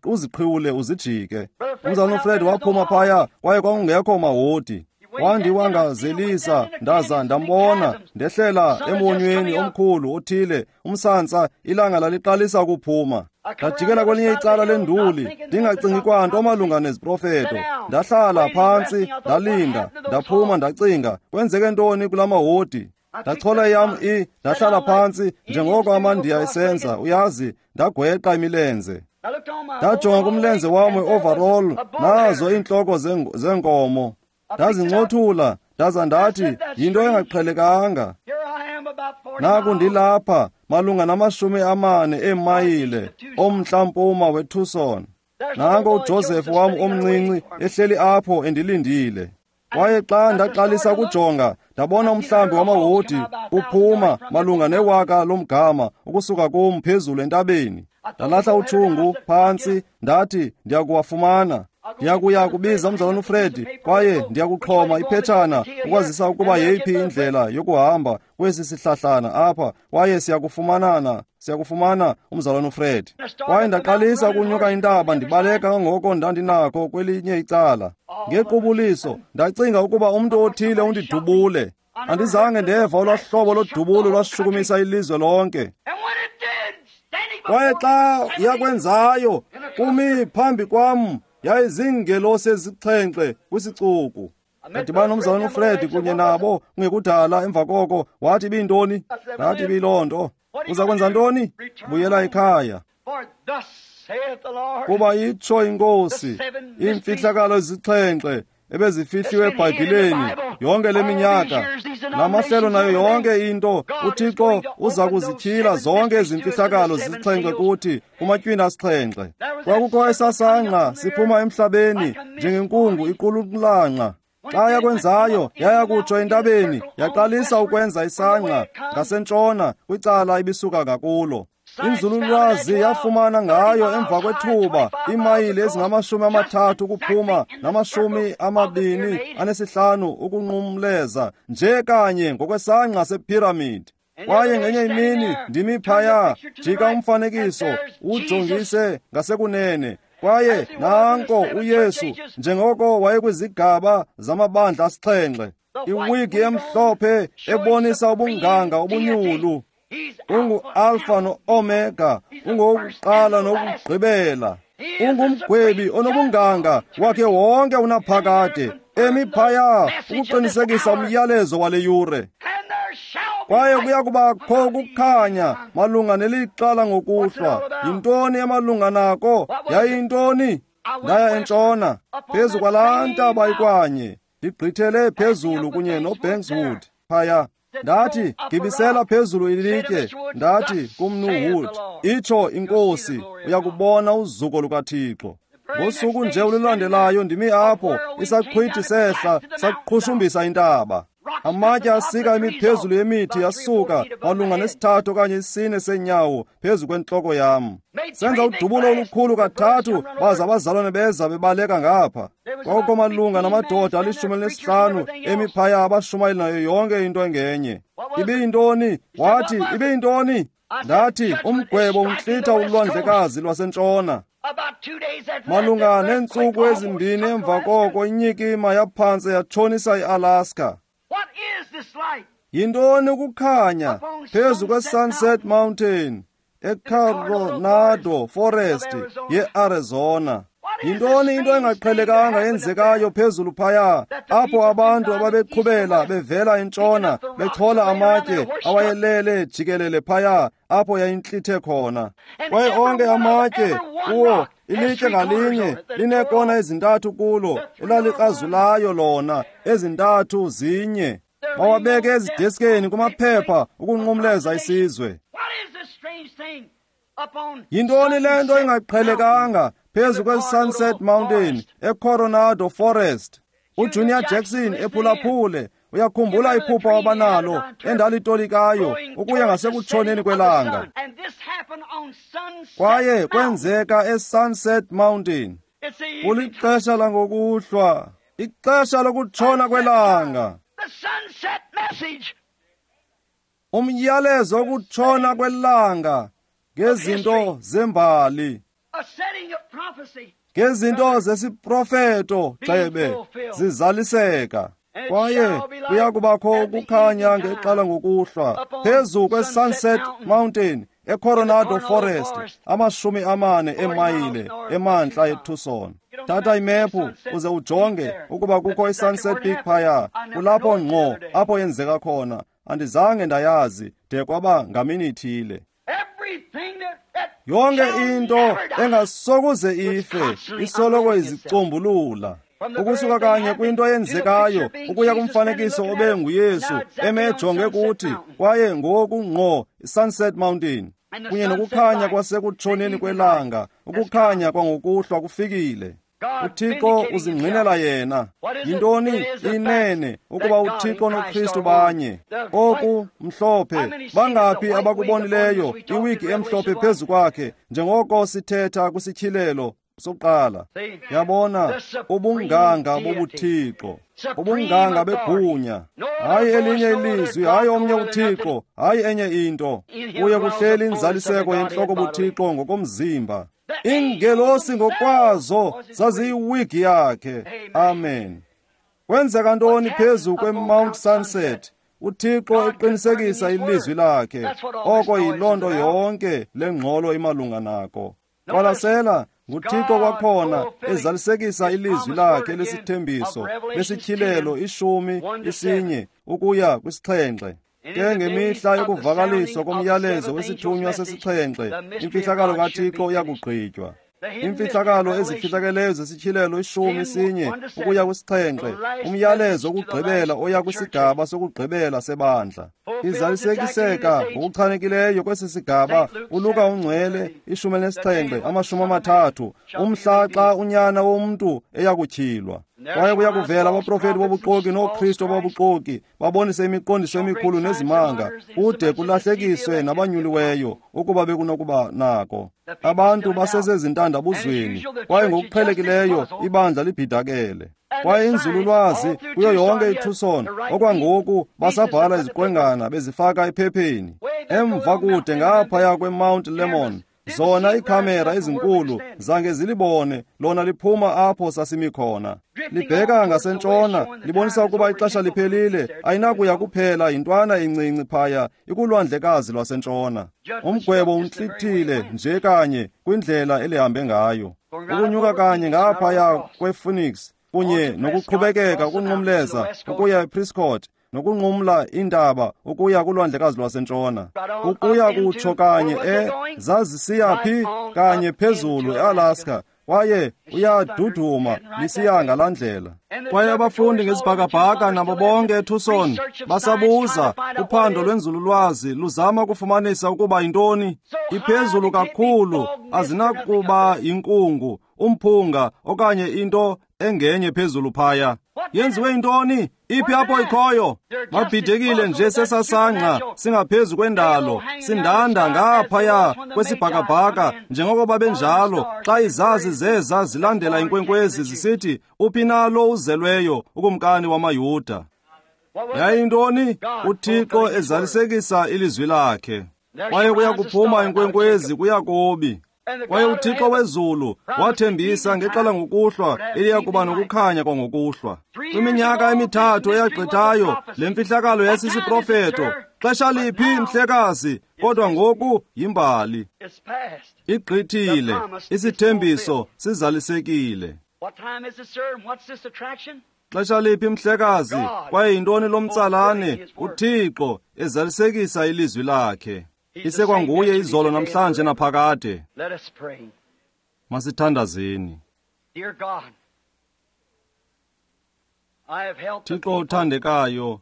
uziqhiwule uzijike. Umzalwana uFred waphuma phaya, kwaye kwakungekho mahodi. Wandiwangazelisa, ndaza ndambona ndehlela emonyweni omkhulu othile, umsantsa, ilanga laliqalisa ukuphuma. Ndajikela kwelinye icala lenduli, ndingacingi kwanto malunga neziprofeto. Ndahlala phantsi, ndalinda, ndaphuma, ndacinga, kwenzeke ntoni kula mahodi? Ndachola yam ndahlala phantsi njengoko amaNdiya esenza, uyazi, ndagweqa imilenze. Ndajonga kumlenze wam we-overall, nazo iintloko zeenkomo. Ndazincothula, ndaza ndathi, yinto engaqhelekanga. Naku ndilapha, malunga nama-40 eemayile omntla-mpuma weTucson. Nanko uJoseph wam omncinci ehleli apho endilindile. Kwaye xa ndaqalisa ukujonga, ndabona umhlambi wamahodi uphuma malunga newaka lomgama ukusuka kum phezulu entabeni. Ndalahla utshungu phantsi, ndathi ndiyakuwafumana. Ndiyakuya kubiza umzalwana uFred kwaye ndiyakuxhoma iphetshana ukwazisa ukuba yeyiphi indlela yokuhamba kwesi sihlahlana apha, kwaye siyakufumana umzalwana uFred. Kwaye ndaqalisa ukunyuka intaba ndibaleka kangoko ndandinako kwelinye icala. Ngequbuliso ndacinga ukuba umntu othile undidubule. Andizange ndeva olwaa hlobo lodubulo lwashukumisa ilizwe lonke. Kwaye xa yakwenzayo, kumi phambi kwam yayiziingelosi ezixhenxe kwisicuku. Ndadibana nomzalwana uFred kunye nabo kungekudala emva koko. Wathi ibiyintoni? Ndathi ibiyiloo nto. Uza kwenza ntoni? Buyela ekhaya. Kuba itsho iNkosi, iimfihlakalo ezixhenxe ebezifihliwe eBhayibhileni yonke le minyaka, namahlelo nayo yonke into, uThixo uza kuzityhila zonke ezi mfihlakalo zisixhenxe kuthi kumatywina asixhenxe. Kwakukho esasangqa siphuma emhlabeni njengenkungu iqululanqa. Xa yakwenzayo, yaya kutsho entabeni, yaqalisa ukwenza isangqa ngasentshona kwicala ibisuka ngakulo. Inzululwazi yafumana ngayo emva kwethuba iimayile ezingama-30 ukuphuma nama-25 ukunqumleza nje kanye ngokwesangqa sephiramidi. Kwaye ngenye imini ndimi phaya, jika umfanekiso ujongise ngasekunene, kwaye nanko uYesu njengoko wayekwizigaba zamabandla asixhenxe, iwigi emhlophe ebonisa ubunganga obunyulu. Ungu-Alfa no-Omega, ungowokuqala nokugqibela. Ungumgwebi onobunganga wakhe wonke unaphakade, emi phaya ukuqinisekisa umyalezo wale yure. Kwaye kuya kubakho ukukhanya malunga nelixa langokuhlwa. Yintoni emalunga nako? Yayiyintoni? Ndaya entshona phezu kwalaa ntaba ikwanye, ndigqithele phezulu kunye noBankswood phaya. Ndathi, gibisela phezulu ilitye. Ndathi kumnu Wood, itsho iNkosi, uyakubona uzuko lukaThixo. Ngosuku nje olulandelayo ndimi apho, isaqhwithi sehla saqhushumbisa intaba. Amatye asika imiphezulu yemithi yasuka malunga ne-3 okanye 4 seenyawo phezu kwentloko yam. Senza udubulo olukhulu kathathu, baza abazalwane beza bebaleka ngapha. Kwakukho malunga namadoda ali-15 emiphaya abashumayeli nayo yonke into engenye. Ibiyintoni? Wathi, ibiyintoni? Ndathi, umgwebo untlitha ulwandlekazi lwasentshona. Malunga neentsuku ezimbini emva koko inyikima yaphantse yatshonisa iAlaska. Yintoni ukukhanya phezu kweSunset Mountain eCoronado Forest yeArizona? Yintoni into engaqhelekanga yenzekayo phezulu phaya, apho abantu ababeqhubela bevela entshona bechola amatye awayelele jikelele phaya apho yayintlithe khona? Kwaye onke amatye kuwo, ilitye ngalinye lineekona ezintathu kulo elalikrazulayo lona, ezintathu zinye. Bawabeke ezideskeni kumaphepha ukunqumleza isizwe. Yintoni le nto ingaqhelekanga phezu kweSunset Mountain eCoronado Forest? uJunior Jackson ephulaphule, uyakhumbula iphupha wabanalo endalitolikayo ukuya ngasekutshoneni kwelanga. Kwaye kwenzeka eSunset Mountain. Kulixesha langokuhlwa, ixesha lokutshona kwelanga. Umyalezo wokutshona kwelanga ngezinto zembali, ngezinto zesiprofeto gxebe zizaliseka. Kwaye kuya kubakho ukukhanya ngexa ngokuhlwa phezu kweSunset Mountain eCoronado Forest, 40 eemayile emantla eTucson. Thatha imephu uze ujonge ukuba kukho iSunset Peak phaya. Kulapho ngqo apho yenzeka khona. Andizange ndayazi de kwaba ngamini ithile. Yonke into engasokuze ife isoloko izicombulula. Ukusuka kanye kwinto eyenzekayo ukuya kumfanekiso obe nguYesu emejonge kuthi, kwaye ngoku ngqo iSunset Mountain kunye nokukhanya kwasekutshoneni kwelanga, ukukhanya kwangokuhlwa kufikile. UThixo uzingqinela yena. Yintoni? Inene ukuba uThixo noKristu banye. Oku mhlophe, bangaphi abakubonileyo iwigi emhlophe phezu kwakhe, njengoko sithetha kwisityhilelo sokuqala? Yabona, ubunganga bobuThixo, ubunganga begunya. Hayi elinye ilizwi, hayi omnye uThixo, hayi enye into. Kuye kuhleli inzaliseko yentloko buThixo ngokomzimba. Iingelosi ngokwazo zaziyiwigi yakhe. Amen. Kwenzeka ntoni phezu kweMount Sunset? UThixo eqinisekisa ilizwi lakhe. Oko yiloo nto yonke le ngxolo imalunga nako. Qwalasela, nguThixo kwakhona ezalisekisa ilizwi lakhe lesithembiso lesityhilelo 11 ukuya kwi-7. Ke ngemihla yokuvakaliswa komyalezo wesithunywa sesixhenxe, imfihlakalo kaThixo iyakugqitywa. Imfihlakalo ezifihlakeleyo zesityhilelo 11 ukuya kwi-7, umyalezo wokugqibela oya kwisigaba sokugqibela sebandla. Izalisekiseka ngokuchanekileyo kwesi sigaba uLuka ungcwele 17 30, umhla xa unyana womntu eyakutyhilwa. Kwaye kuya kuvela abaprofeti bobuxoki nooKristu bobuxoki, babonise imiqondiso emikhulu nezimanga, kude kulahlekiswe nabanyuliweyo ukuba bekunokuba nako. Abantu basesezintandabuzweni, kwaye ngokuqhelekileyo ibandla libhidakele. Kwaye inzululwazi kuyo yonke iTucson okwangoku basabhala iziqwengana bezifaka ephepheni. Emva kude ngaphaya kweMount Lemmon, zona iikhamera ezinkulu zange zilibone lona liphuma apho sasimi khona. Libheka ngasentshona, libonisa ukuba ixesha liphelile, ayinakuya kuphela yintwana encinci phaya ikulwandlekazi lwasentshona. Umgwebo untlithile nje kanye kwindlela elihambe ngayo. Ukunyuka kanye ngaphaya kwePhoenix kunye nokuqhubekeka ukunqumleza ukuya ePrescott, nokunqumla iintaba ukuya kulwandlekazi lwasentshona, ukuya kutsho kanye zazisiya phi? Kanye phezulu eAlaska, kwaye uyaduduma lisiya ngalaa ndlela. Kwaye abafundi ngezibhakabhaka nabo bonke eTucson basabuza, uphando lwenzululwazi luzama ukufumanisa ukuba yintoni. Iphezulu kakhulu, azinakuba yinkungu, umphunga okanye into engenye phezulu phaya. Yenziwe yintoni? Iphi apho ikhoyo? Babhidekile nje sesasangqa singaphezu kwendalo, sindanda ngaphaya kwesibhakabhaka njengoko babenjalo xa izazi zeza zilandela inkwenkwezi zisithi, uphi na lo uzelweyo ukumkani wamaYuda? Yayintoni? UThixo ezalisekisa ilizwi lakhe. Kwaye kuya kuphuma inkwenkwezi kuYakobi. Kwaye uThixo wezulu wathembisa ngexa ngokuhlwa eliya kuba nokukhanya kwangokuhlwa. Kwiminyaka emithathu eyagqithayo le mfihlakalo yayisisiprofeto. Xesha liphi, mhlekazi? Kodwa ngoku yimbali. Igqithile, isithembiso sizalisekile. Xesha liphi, mhlekazi? Kwaye yintoni lo mtsalane? UThixo ezalisekisa ilizwi lakhe. Isekwanguye izolo, namhlanje naphakade. Masithandazeni. Thixo othandekayo,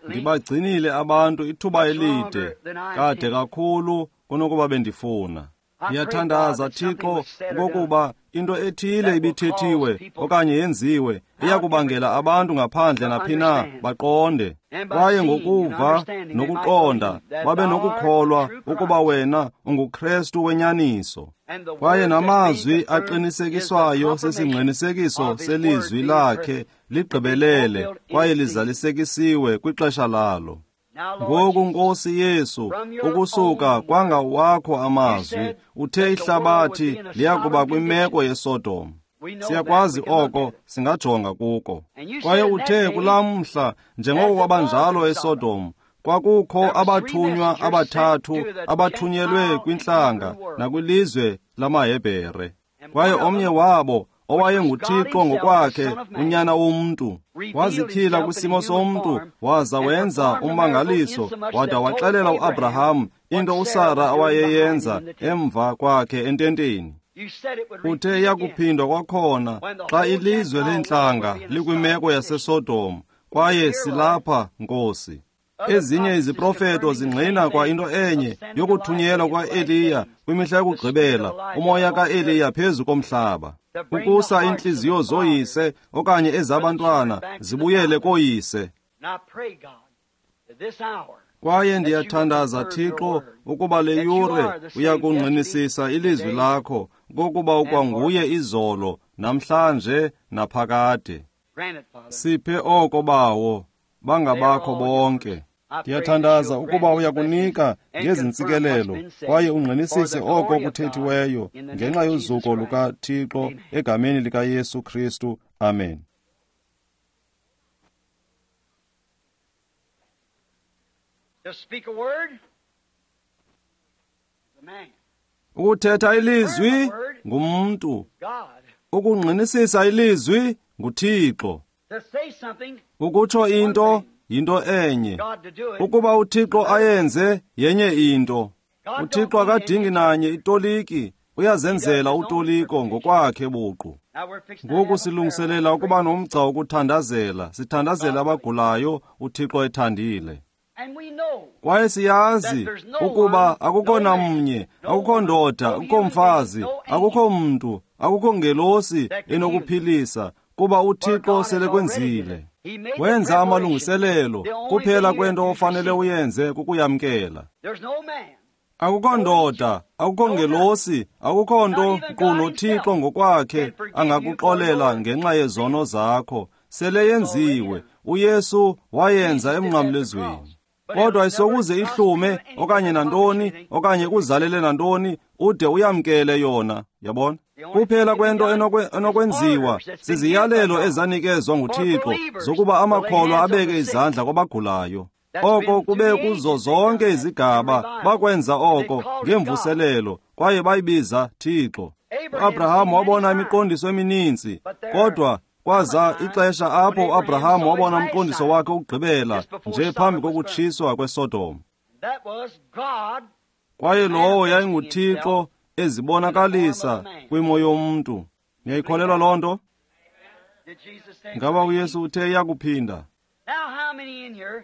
ndibagcinile abantu ithuba elide, kade kakhulu kunokuba bendifuna. Ndiyathandaza, Thixo, okokuba into ethile ibithethiwe okanye yenziwe iyakubangela abantu ngaphandle naphi na baqonde, kwaye ngokuva nokuqonda babe nokukholwa ukuba wena unguKristu wenyaniso. Kwaye namazwi aqinisekiswayo sesingqinisekiso selizwi lakhe ligqibelele kwaye lizalisekisiwe kwixesha lalo. Ngoku, Nkosi Yesu, ukusuka kwangawakho amazwi, uthe ihlabathi liyakuba kwimeko yeSodom. Siyakwazi oko, singajonga kuko. Kwaye uthe kulaa mhla, njengoko kwabanjalo eSodom, kwakukho abathunywa abathathu abathunyelwe kwintlanga nakwilizwe lamaHebhere. Kwaye omnye wabo, owayenguThixo ngokwakhe, unyana womntu, wazityhila kwisimo somntu, waza wenza ummangaliso, wada waxelela uAbraham into uSara awayeyenza emva kwakhe ententeni. Uthe iyakuphindwa kwakhona xa ilizwe leentlanga likwimeko yaseSodom, kwaye silapha, Nkosi. Ezinye iziprofeto zingqina kwa into enye yokuthunyelwa kwa-Eliya kwimihla yokugqibela, umoya ka-Eliya phezu komhlaba. Ukusa iintliziyo zooyise okanye ezabantwana zibuyele kooyise. Kwaye ndiyathandaza, Thixo, ukuba le yure uyakungqinisisa ilizwi lakho, kokuba ukwanguye izolo, namhlanje, naphakade. Siphe oko, Bawo, bangabakho bonke. Ndiyathandaza ukuba uyakunika ngezi ntsikelelo kwaye ungqinisise oko kuthethiweyo ngenxa yozuko lukaThixo egameni likaYesu Kristu. Amen. Ukuthetha ilizwi ngumntu, ukungqinisisa ilizwi nguThixo. Ukutsho into yinto enye, ukuba uThixo ayenze yenye into. UThixo akadingi nanye itoliki, uyazenzela utoliko ngokwakhe buqu. Ngoku silungiselela ukuba nomgca wokuthandazela, sithandazela abagulayo uThixo ethandile. Kwaye siyazi ukuba akukho namnye, akukho ndoda, akukho mfazi, akukho mntu, akukho ngelosi enokuphilisa, kuba uThixo selekwenzile. Wenza amalungiselelo, kuphela kwento ofanele uyenze kukuyamkela. Akukho ndoda, akukho ngelosi, akukho nto nkqu noThixo ngokwakhe angakuxolela ngenxa yezono zakho. Sele yenziwe, uYesu wayenza emnqamlezweni. Kodwa isokuze ihlume okanye nantoni okanye kuzalele nantoni ude uyamkele yona, yabona? Kuphela kwento enokwenziwa ziziyalelo ezanikezwa nguThixo zokuba amakholwa abeke izandla kwabagulayo. Oko kube kuzo zonke izigaba bakwenza oko ngemvuselelo kwaye bayibiza Thixo. UAbraham wabona imiqondiso emininzi, kodwa kwaza ixesha apho uAbraham wabona umqondiso wakhe wokugqibela nje phambi kokutshiswa kweSodom. Kwaye lowo yayinguThixo ezibonakalisa kwimo yomntu. Niyayikholelwa loo nto? Ngaba uYesu uthe iyakuphinda?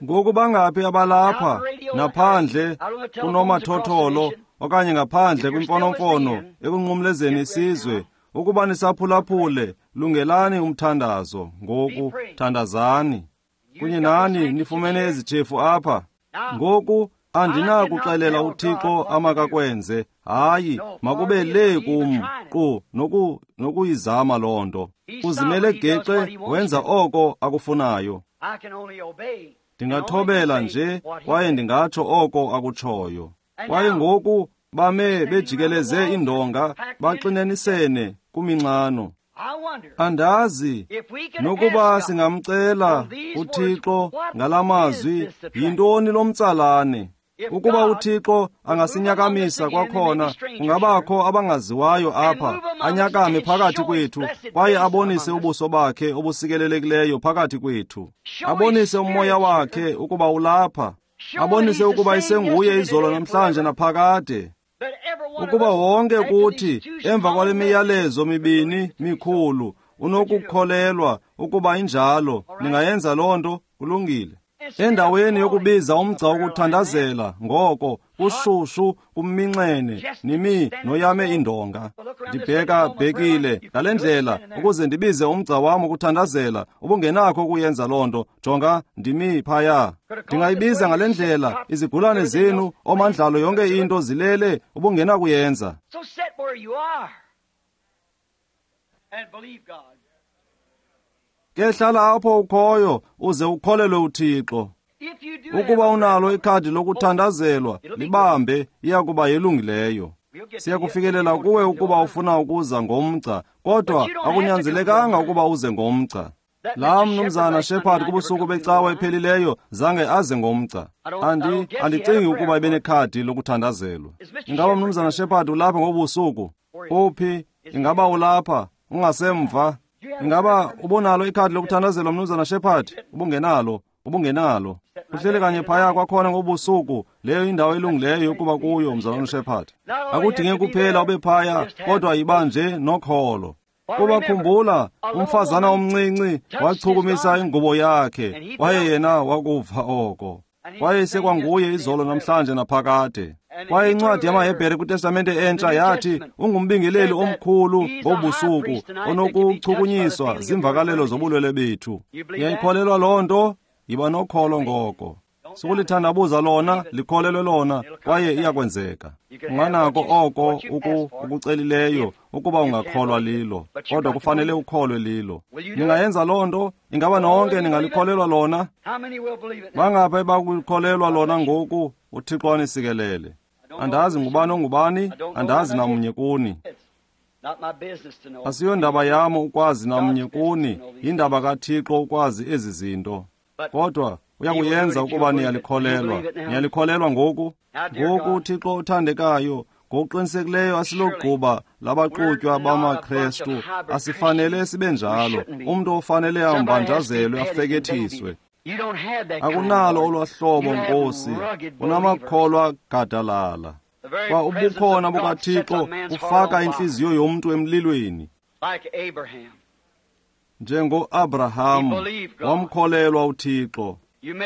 Ngoku bangaphi abalapha naphandle kunomathotholo okanye ngaphandle kwimfonomfono ekunqumlezeni isizwe, ukuba nisaphulaphule, lungelani umthandazo ngoku, thandazani. Kunye nani nifumene ezitshefu apha. Ngoku andinakuxelela uThixo amakakwenze, hayi, makube le kum qu nokuyizama loo nto. Uzimele gexe, wenza oko akufunayo. Ndingathobela nje kwaye ndingatsho oko akutshoyo. Kwaye ngoku bame bejikeleze iindonga, baxinenisene kuminxano. Andazi nokuba singamcela uThixo ngalamazwi, yintoni lo mtsalane? Ukuba uThixo angasinyakamisa kwakhona, kungabakho abangaziwayo apha, anyakame phakathi kwethu kwaye abonise ubuso bakhe obusikelelekileyo phakathi kwethu, abonise umoya wakhe ukuba ulapha, abonise ukuba isenguye izolo namhlanje naphakade. Ukuba wonke kuthi emva kwale miyalezo mibini mikhulu unokukholelwa ukuba injalo, ningayenza loo nto, kulungile. Endaweni yokubiza umgca wokuthandazela, ngoko kushushu kumminxene nimi noyame indonga. Ndibheka bhekile ngale ndlela ukuze ndibize umgca wam wokuthandazela, ubungenakho ukuyenza loo nto. Jonga, ndimi phaya. Ndingayibiza ngale ndlela, izigulane zenu, omandlalo, yonke into zilele, ubungenakuyenza. Ke hlala apho ukhoyo uze ukholelwe uThixo. Ukuba unalo ikhadi lokuthandazelwa, libambe, iya kuba yelungileyo. Siyakufikelela kuwe ukuba ufuna ukuza ngomgca, kodwa akunyanzelekanga ukuba uze ngomgca. Laa mnumzana Shepherd kubusuku becawa ephelileyo zange aze ngomgca. Andicingi ukuba ebenekhadi lokuthandazelwa. Ingaba mnumzana Shepherd ulapha ngobusuku? Uphi? Ingaba ulapha? Ungasemva? Ingaba ubunalo ikhadi lokuthandazelwa mnumzana Shepherd? Ubungenalo, ubungenalo. Uhleli kanye phaya kwakhona ngobusuku, leyo indawo elungileyo yokuba kuyo mzalwana Shepherd. Akudinge kuphela ube phaya, kodwa yiba nje nokholo. Kuba khumbula, umfazana omncinci wachukumisa ingubo yakhe, kwaye yena wakuva oko. Kwaye isekwanguye izolo namhlanje naphakade. Kwaye incwadi yamaHebhere kwiTestamente entsha yathi ungumbingeleli omkhulu ngobusuku onokuchukunyiswa ziimvakalelo zobulwele bethu. Niyayikholelwa loo nto? Yiba nokholo ngoko. Sukulithandabuza lona, likholelwe lona, kwaye iyakwenzeka. Unganako oko ukucelileyo ukuba ungakholwa lilo, kodwa kufanele ukholwe lilo. Ningayenza loo nto? Ingaba nonke ningalikholelwa lona? Bangaphi abakukholelwa lona ngoku? UThixo anisikelele. Andazi ngubani ongubani, andazi namnye kuni. Asiyondaba yam ukwazi namnye kuni, yindaba kaThixo ukwazi ezi zinto. Kodwa uyakuyenza ukuba niyalikholelwa. Niyalikholelwa ngoku? Ngoku, Thixo othandekayo, ngokuqinisekileyo asilogquba labaxutywa bamaKrestu, asifanele sibe njalo. Umntu ofanele ambanjazelwe afekethiswe. Akunalo olwahlobo, Nkosi, unamakholwa gadalala. Kwa ubukhona bukaThixo bufaka intliziyo yomntu emlilweni. Njengo-Abraham wamkholelwa uThixo.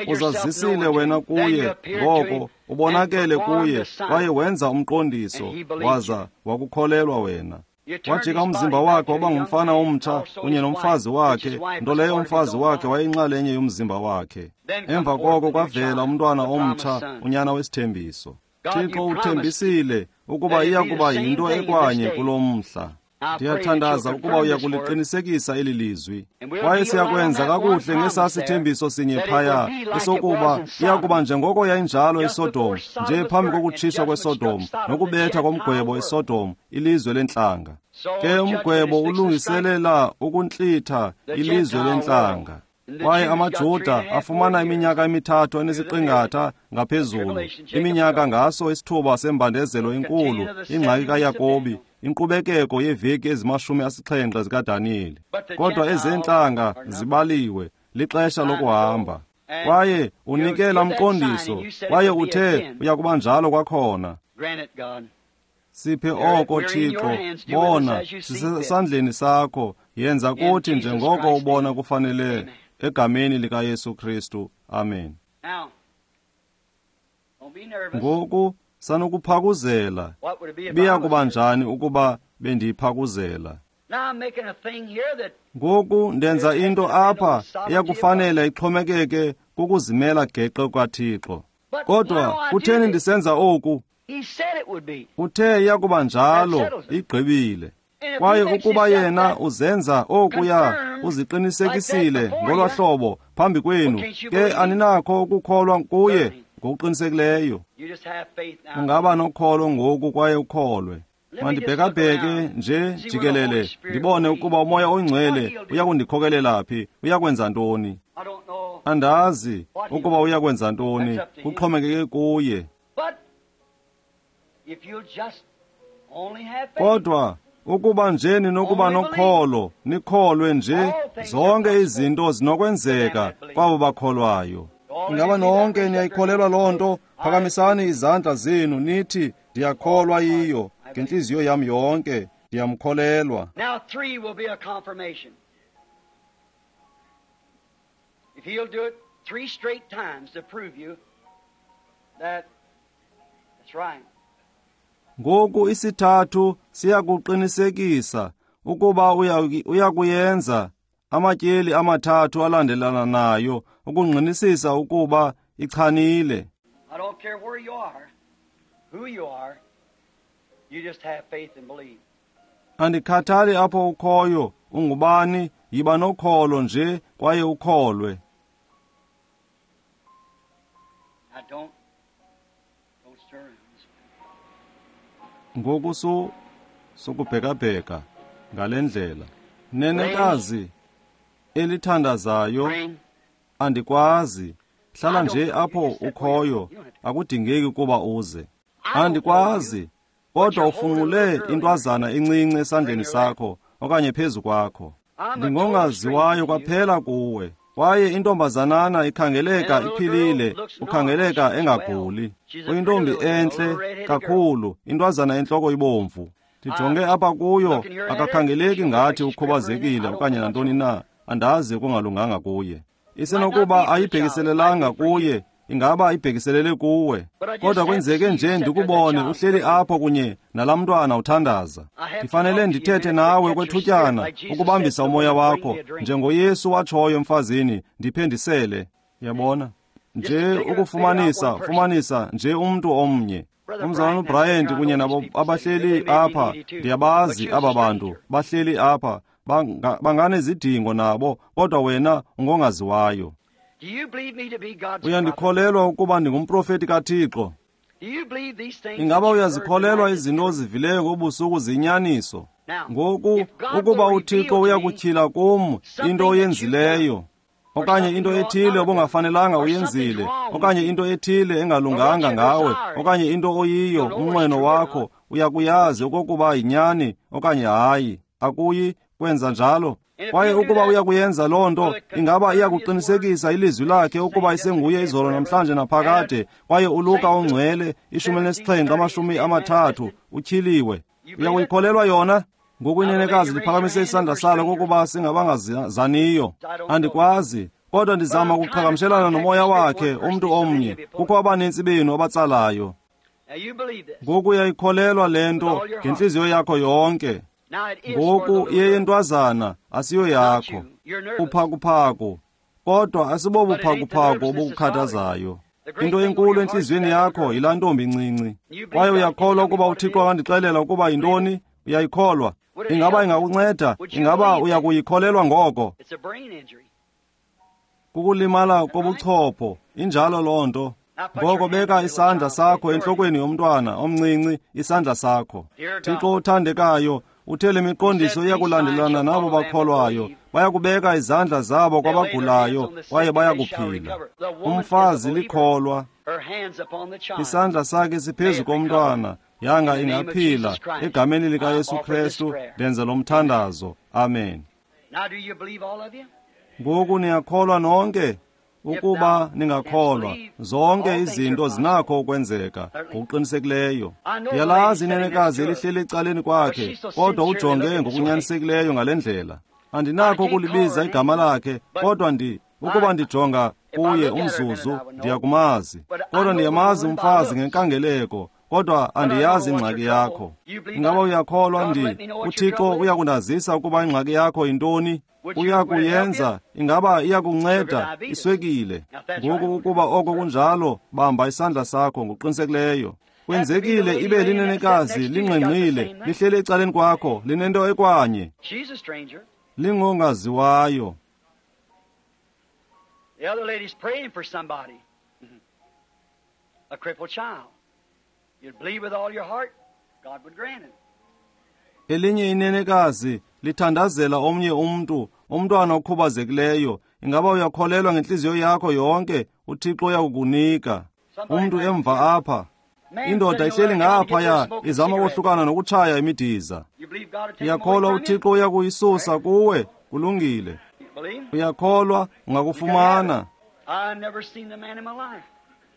Uzazisile wena kuye, ngoko ubonakele kuye, kwaye wenza umqondiso, waza wakukholelwa wena. Wajika umzimba wakhe waba ngumfana omtsha kunye nomfazi wakhe, nto leyo umfazi wakhe wayeyinxalenye yomzimba wakhe. Emva koko kwavela umntwana omtsha, unyana wesithembiso. Thixo uthembisile ukuba iya kuba yinto ekwanye kulo mhla. Ndiyathandaza ukuba uyakuliqinisekisa eli lizwi. Kwaye siyakwenza kakuhle ngesasithembiso sinye phaya, esokuba iyakuba njengoko yayinjalo iSodom, nje phambi kokutshiswa kweSodom nokubetha komgwebo eSodom, ilizwe lentlanga. Ke umgwebo ulungiselela ukuntlitha ilizwe lentlanga. Kwaye amaJuda afumana iminyaka emithathu enesiqingatha ngaphezulu, iminyaka ngaso isithuba sembandezelo enkulu, ingxaki kaYakobi, inkqubekeko yeeveki ezi-70 zikaDaniyeli. Kodwa ezentlanga zibaliwe, lixesha lokuhamba. Kwaye unikela umqondiso, kwaye uthe uyakuba njalo kwakhona. Siphe oko, Thixo. Bona, sisesandleni sakho, yenza kuthi njengoko ubona kufanele, egameni likaYesu Kristu. Amen. Ngoku sanukuphakuzela. Biya kuba njani ukuba bendiyiphakuzela? Ngoku ndenza into apha eyakufanele ixhomekeke kukuzimela geqe kukaThixo. Kodwa kutheni ndisenza oku? Uthe iyakuba njalo, igqibile. Kwaye ukuba yena uzenza okuya, uziqinisekisile ngolwa hlobo phambi kwenu, ke aninakho ukukholwa kuye ngokuqinisekileyo. Ungaba nokholo ngoku kwaye ukholwe. Mandibhekabheke nje jikelele ndibone ukuba uMoya oNgcwele uyakundikhokelela phi, uyakwenza ntoni. Andazi ukuba uyakwenza ntoni, kuxhomekeke kuye. Kodwa ukuba nje ninokuba nokholo, nikholwe nje, zonke izinto zinokwenzeka kwabo bakholwayo. Ingaba nonke niyayikholelwa loo nto? Phakamisani izandla zenu nithi, ndiyakholwa yiyo ngentliziyo yam yonke, ndiyamkholelwa. Now 3 will be a confirmation. If he'll do it 3 straight times to prove you that that's right. Ngoku isithathu siyakuqinisekisa ukuba uyakuyenza amatyeli amathathu alandelana nayo ukungqinisisa ukuba ichanile. I don't care where you are, who you are, you just have faith and believe. Andikhathali apho ukhoyo, ungubani, yiba nokholo nje kwaye ukholwe. I don't stir. Ngoku sukubhekabheka ngale ndlela. Nenekazi elithandazayo, andikwazi. Hlala nje apho ukhoyo, akudingeki ukuba uze. Andikwazi, kodwa ufunqule intwazana encinci esandleni sakho okanye phezu kwakho. Ndingongaziwayo kwaphela kuwe. Kwaye intombazanana ikhangeleka iphilile, ukhangeleka engaguli. Uyintombi entle kakhulu, intwazana entloko ibomvu. Ndijonge apha kuyo, akakhangeleki ngathi ukhubazekile okanye nantoni na, andazi okungalunganga kuye. Isenokuba ayibhekiselelanga kuye, Ingaba ibhekiselele kuwe. Kodwa kwenzeke nje ndikubone uhleli apho kunye nalaa mntwana uthandaza. Ndifanele ndithethe nawe kwethutyana ukubambisa umoya wakho, njengoYesu watshoyo emfazini, ndiphe ndisele. Yabona? Nje ukufumanisa, fumanisa nje umntu omnye. Umzalwana uBryant kunye nabo abahleli apha, ndiyabazi aba bantu bahleli apha, banganezidingo nabo, kodwa wena ungongaziwayo. Uyandikholelwa ukuba ndingumprofeti kaThixo? Ingaba uyazikholelwa izinto ozivileyo ngobusuku ziyinyaniso? Ngoku, ukuba uThixo uyakutyhila kum into oyenzileyo, okanye into ethile obungafanelanga uyenzile, okanye into ethile engalunganga ngawe, okanye into oyiyo, umnqweno wakho, uyakuyazi okokuba yinyani okanye hayi. Akuyi kwenza njalo. Kwaye ukuba uyakuyenza loo nto, ingaba iyakuqinisekisa ilizwi lakhe ukuba isenguye izolo namhlanje naphakade. Kwaye uLuka ongcwele 17:30 utyhiliwe. Uyakuyikholelwa yona? Ngoku inenekazi liphakamise isandla salo kokuba singabangazaniyo. Andikwazi, kodwa ndizama ukuqhagamshelana nomoya wakhe, umntu omnye. Kukho abanintsi benu abatsalayo. Ngoku uyayikholelwa le nto ngentliziyo yakho yonke. Ngoku iyeyentwazana, asiyo yakho. Uphakuphaku, kodwa asibobuphakuphaku obukukhathazayo. Into enkulu entliziyweni yakho yilaa ntombi incinci. Kwaye uyakholwa ukuba uThixo akandixelela ukuba yintoni? Uyayikholwa? Ingaba ingakunceda? Ingaba uyakuyikholelwa ngoko? Kukulimala kobuchopho, injalo loo nto. Ngoko beka isandla sakho entlokweni yomntwana omncinci, isandla sakho. Thixo othandekayo, uthe le miqondiso iyakulandelana nabo bakholwayo. Bayakubeka izandla zabo kwabagulayo, kwaye bayakuphila. Umfazi likholwa, isandla sakhe siphezu komntwana. Yanga ingaphila. Egameni likaYesu Kristu ndenza lo mthandazo. Amen. Ngoku niyakholwa nonke? Ukuba ningakholwa, zonke izinto zinakho ukwenzeka ngokuqinisekileyo. Ndiyalazi inenekazi elihleli ecaleni kwakhe, kodwa ujonge ngokunyanisekileyo ngale ndlela. Andinakho ukulibiza igama lakhe, kodwa ukuba ndijonga kuye umzuzu, ndiyakumazi. Kodwa ndiyamazi umfazi ngenkangeleko, kodwa andiyazi ingxaki yakho. Ingaba uyakholwa? UThixo uyakundazisa ukuba ingxaki yakho yintoni? Uyakuyenza? Ingaba iyakunceda? Iswekile. Ngoku ukuba oko kunjalo, bamba isandla sakho ngokuqinisekileyo. Kwenzekile ibe linenekazi lingqengqile, lihleli ecaleni kwakho, linento ekwanye. Lingongaziwayo. The other lady's praying for somebody. A crippled child. You'd believe with all your heart, God would grant it. Elinye inenekazi lithandazela omnye umntu, umntwana okhubazekileyo. Ingaba uyakholelwa ngentliziyo yakho yonke? uThixo uyakukunika. Umntu emva apha, indoda ihleli ngaphaya izama ukohlukana nokutshaya imidiza. Uyakholwa uThixo uyakuyisusa kuwe? Kulungile. Uyakholwa ungakufumana?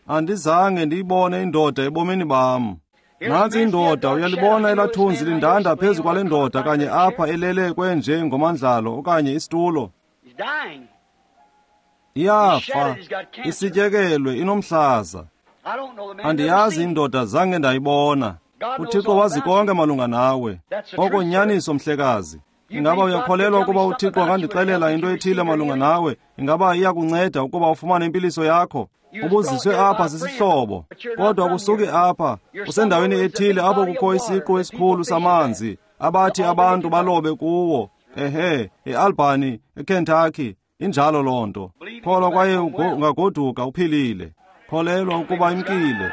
Andizange ndiyibone indoda ebomini bam. Nantsi indoda, uyalibona elathunzi lindanda phezu kwale ndoda kanye apha elele kwenje ngomandlalo okanye isitulo. Iyafa, isityekelwe, inomhlaza. Andiyazi indoda, zange ndayibona. uThixo wazi konke malunga nawe. Oko nyaniso, mhlekazi. Ingaba uyakholelwa ukuba uThixo angandixelela into ethile malunga nawe? Ingaba iyakunceda ukuba ufumane impiliso yakho? Ubuziswe apha sisihlobo, kodwa kusuke apha usendaweni ethile apho kukho isiqu esikhulu samanzi abathi abantu balobe kuwo. Ehe, eAlbany, eKentucky, injalo loo nto. Kholwa kwaye ungagoduka uphilile. Kholelwa ukuba imkile.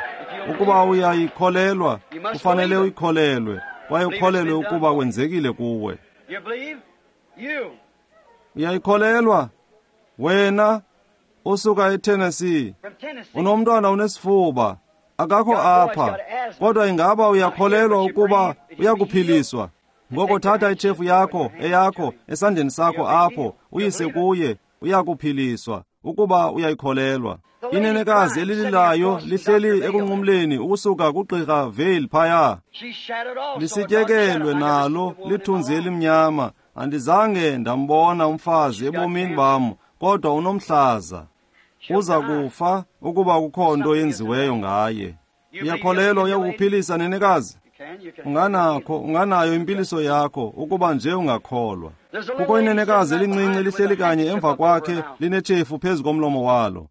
Ukuba uyayikholelwa, kufanele uyikholelwe, kwaye ukholelwe ukuba kwenzekile kuwe. Uyayikholelwa? Wena usuka eTennessee, unomntwana unesifuba, akakho apha, kodwa ingaba uyakholelwa ukuba uyakuphiliswa? Ngoko thatha itshefu yakho, eyakho, esandleni sakho apho, uyise kuye, uyakuphiliswa ukuba uyayikholelwa. Inenekazi elililayo lihleli ekunqumleni ukusuka kuGqirha Vale phaya. Lisityekelwe nalo lithunzi elimnyama. Andizange ndambona umfazi ebomini bam, kodwa unomhlaza. Uza kufa ukuba kukho nto yenziweyo ngaye. Uyakholelwa uyakukuphilisa, nenekazi? Unganakho, unganayo impiliso yakho ukuba nje ungakholwa. Kukho inenekazi elincinci lihleli kanye emva kwakhe linetshefu phezu komlomo walo.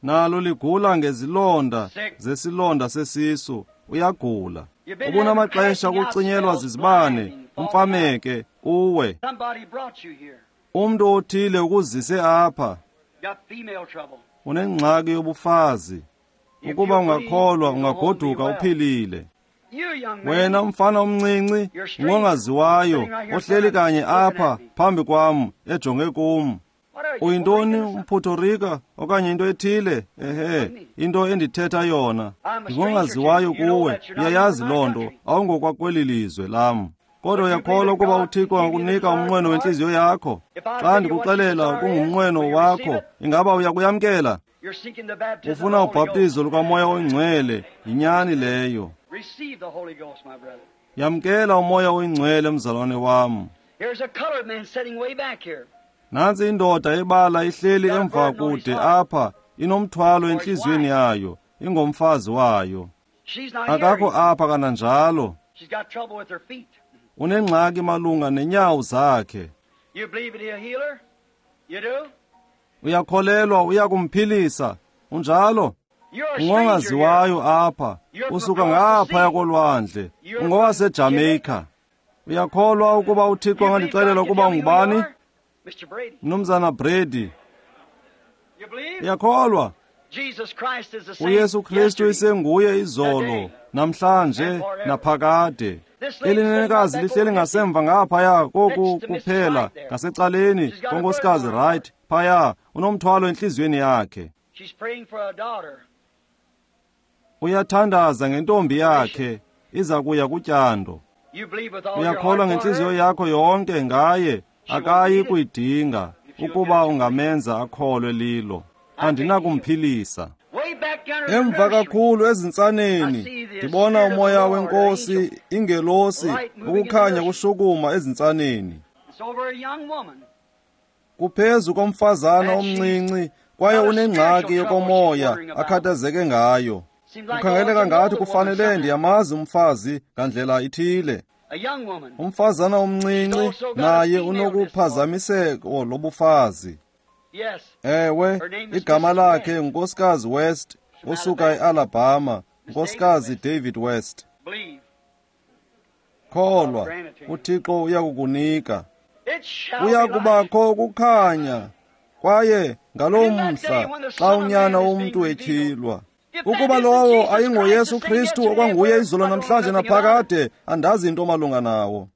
Nalo ligula ngezilonda zesilonda sesisu. Uyagula. Ubunamaxesha ukucinyelwa zizibane, umfameke, uwe. Umntu othile ukuzise apha. Unengxaki yobufazi. Ukuba ungakholwa, ungagoduka uphilile. Wena mfana omncinci, ngongaziwayo, ohleli kanye apha phambi kwam, ejonge kum. Uyintoni, umPuerto Rico okanye into ethile? Ehe, into endithetha yona. Ndingongaziwayo kuwe, uyayazi loo nto, awungokwakweli lizwe lam. Kodwa uyakholwa ukuba uThixo angakunika umnqweno wentliziyo yakho? Xa ndikuxelela kungumnqweno wakho, ingaba uyakuyamkela? Ufuna ubhaptizo lukaMoya oyiNgcwele, yinyani leyo. Yamkela uMoya oyiNgcwele, mzalwane wam. Nantsi indoda ebala ihleli emva kude apha, inomthwalo entliziyweni yayo, ingomfazi wayo. Akakho apha kananjalo. Unengxaki malunga nenyawo zakhe. Uyakholelwa uyakumphilisa, unjalo? Ungongaziwayo apha, usuka ngaphaya kolwandle, ungowaseJamaica. Uyakholwa ukuba uThixo angandixelela ukuba ungubani? Mnumzana Brady. Uyakholwa? uYesu Kristu isenguye izolo, namhlanje, naphakade. Eli nenekazi lihleli ngasemva ngaphaya koku kuphela, ngasecaleni konkosikazi Wright phaya, unomthwalo entliziyweni yakhe. Uyathandaza ngentombi yakhe, iza kuya kutyando. Uyakholwa ngentliziyo yakho yonke ngaye, akayi kuyidinga ukuba ungamenza akholwe lilo. Andinakumphilisa. Emva kakhulu ezintsaneni ndibona umoya wenkosi, ingelosi, ukukhanya kushukuma ezintsaneni. Kuphezu komfazana omncinci, kwaye unengxaki yokomoya akhathazeke ngayo. Kukhangeleka ngathi kufanele ndiyamazi umfazi ngandlela ithile. Umfazana omncinci naye unokuphazamiseko lobufazi. Ewe, igama lakhe nguNkosikazi West, usuka eAlabama, Nkosikazi David West. Kholwa, uThixo uyakukunika. Kuyakubakho ukukhanya, kwaye ngaloo mhla xa uNyana womntu etyhilwa. Ukuba lowo ayingoYesu Kristu okwanguye izolo namhlanje naphakade, andazi into malunga nawo.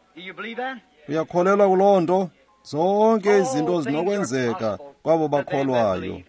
Uyakholelwa kuloo nto? Zonke izinto zinokwenzeka kwabo bakholwayo.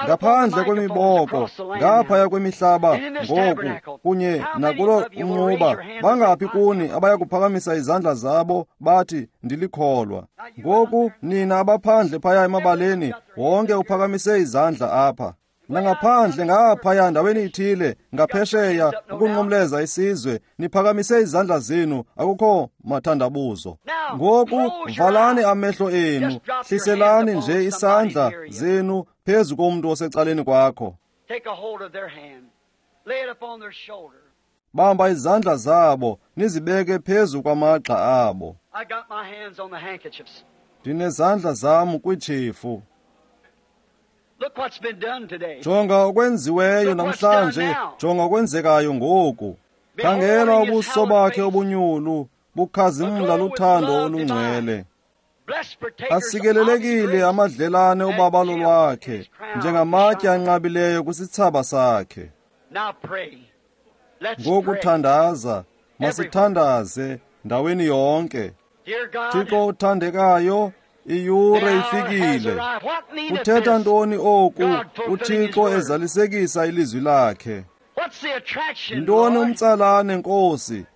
Ngaphandle kwemiboko, ngaphaya kwemihlaba ngoku, kunye nakulo umnquba, bangaphi kuni abaya kuphakamisa izandla zabo bathi ndilikholwa? Ngoku nina abaphandle phaya emabaleni, wonke uphakamise izandla apha. Nangaphandle ngaphaya ndaweni ithile, ngaphesheya ukunqumleza isizwe, niphakamise izandla zenu, akukho mathandabuzo. Ngoku valani amehlo enu, hliselani nje isandla zenu phezu komntu osecaleni kwakho. Bamba izandla zabo, nizibeke phezu kwamagxa abo. Ndinezandla zam kwitshefu. Jonga okwenziweyo namhlanje, jonga okwenzekayo ngoku. Khangela ubuso bakhe obunyulu, bukhazimla luthando olungcwele. Asikelelekile amadlelane obabalo lwakhe, njengamatye anqabileyo kwisithsaba sakhe. Ngoku thandaza, masithandaze ndaweni yonke. Thixo uthandekayo, iyure ifikile. Kuthetha ntoni oku uThixo ezalisekisa ilizwi lakhe? Yintoni umtsalane, Nkosi?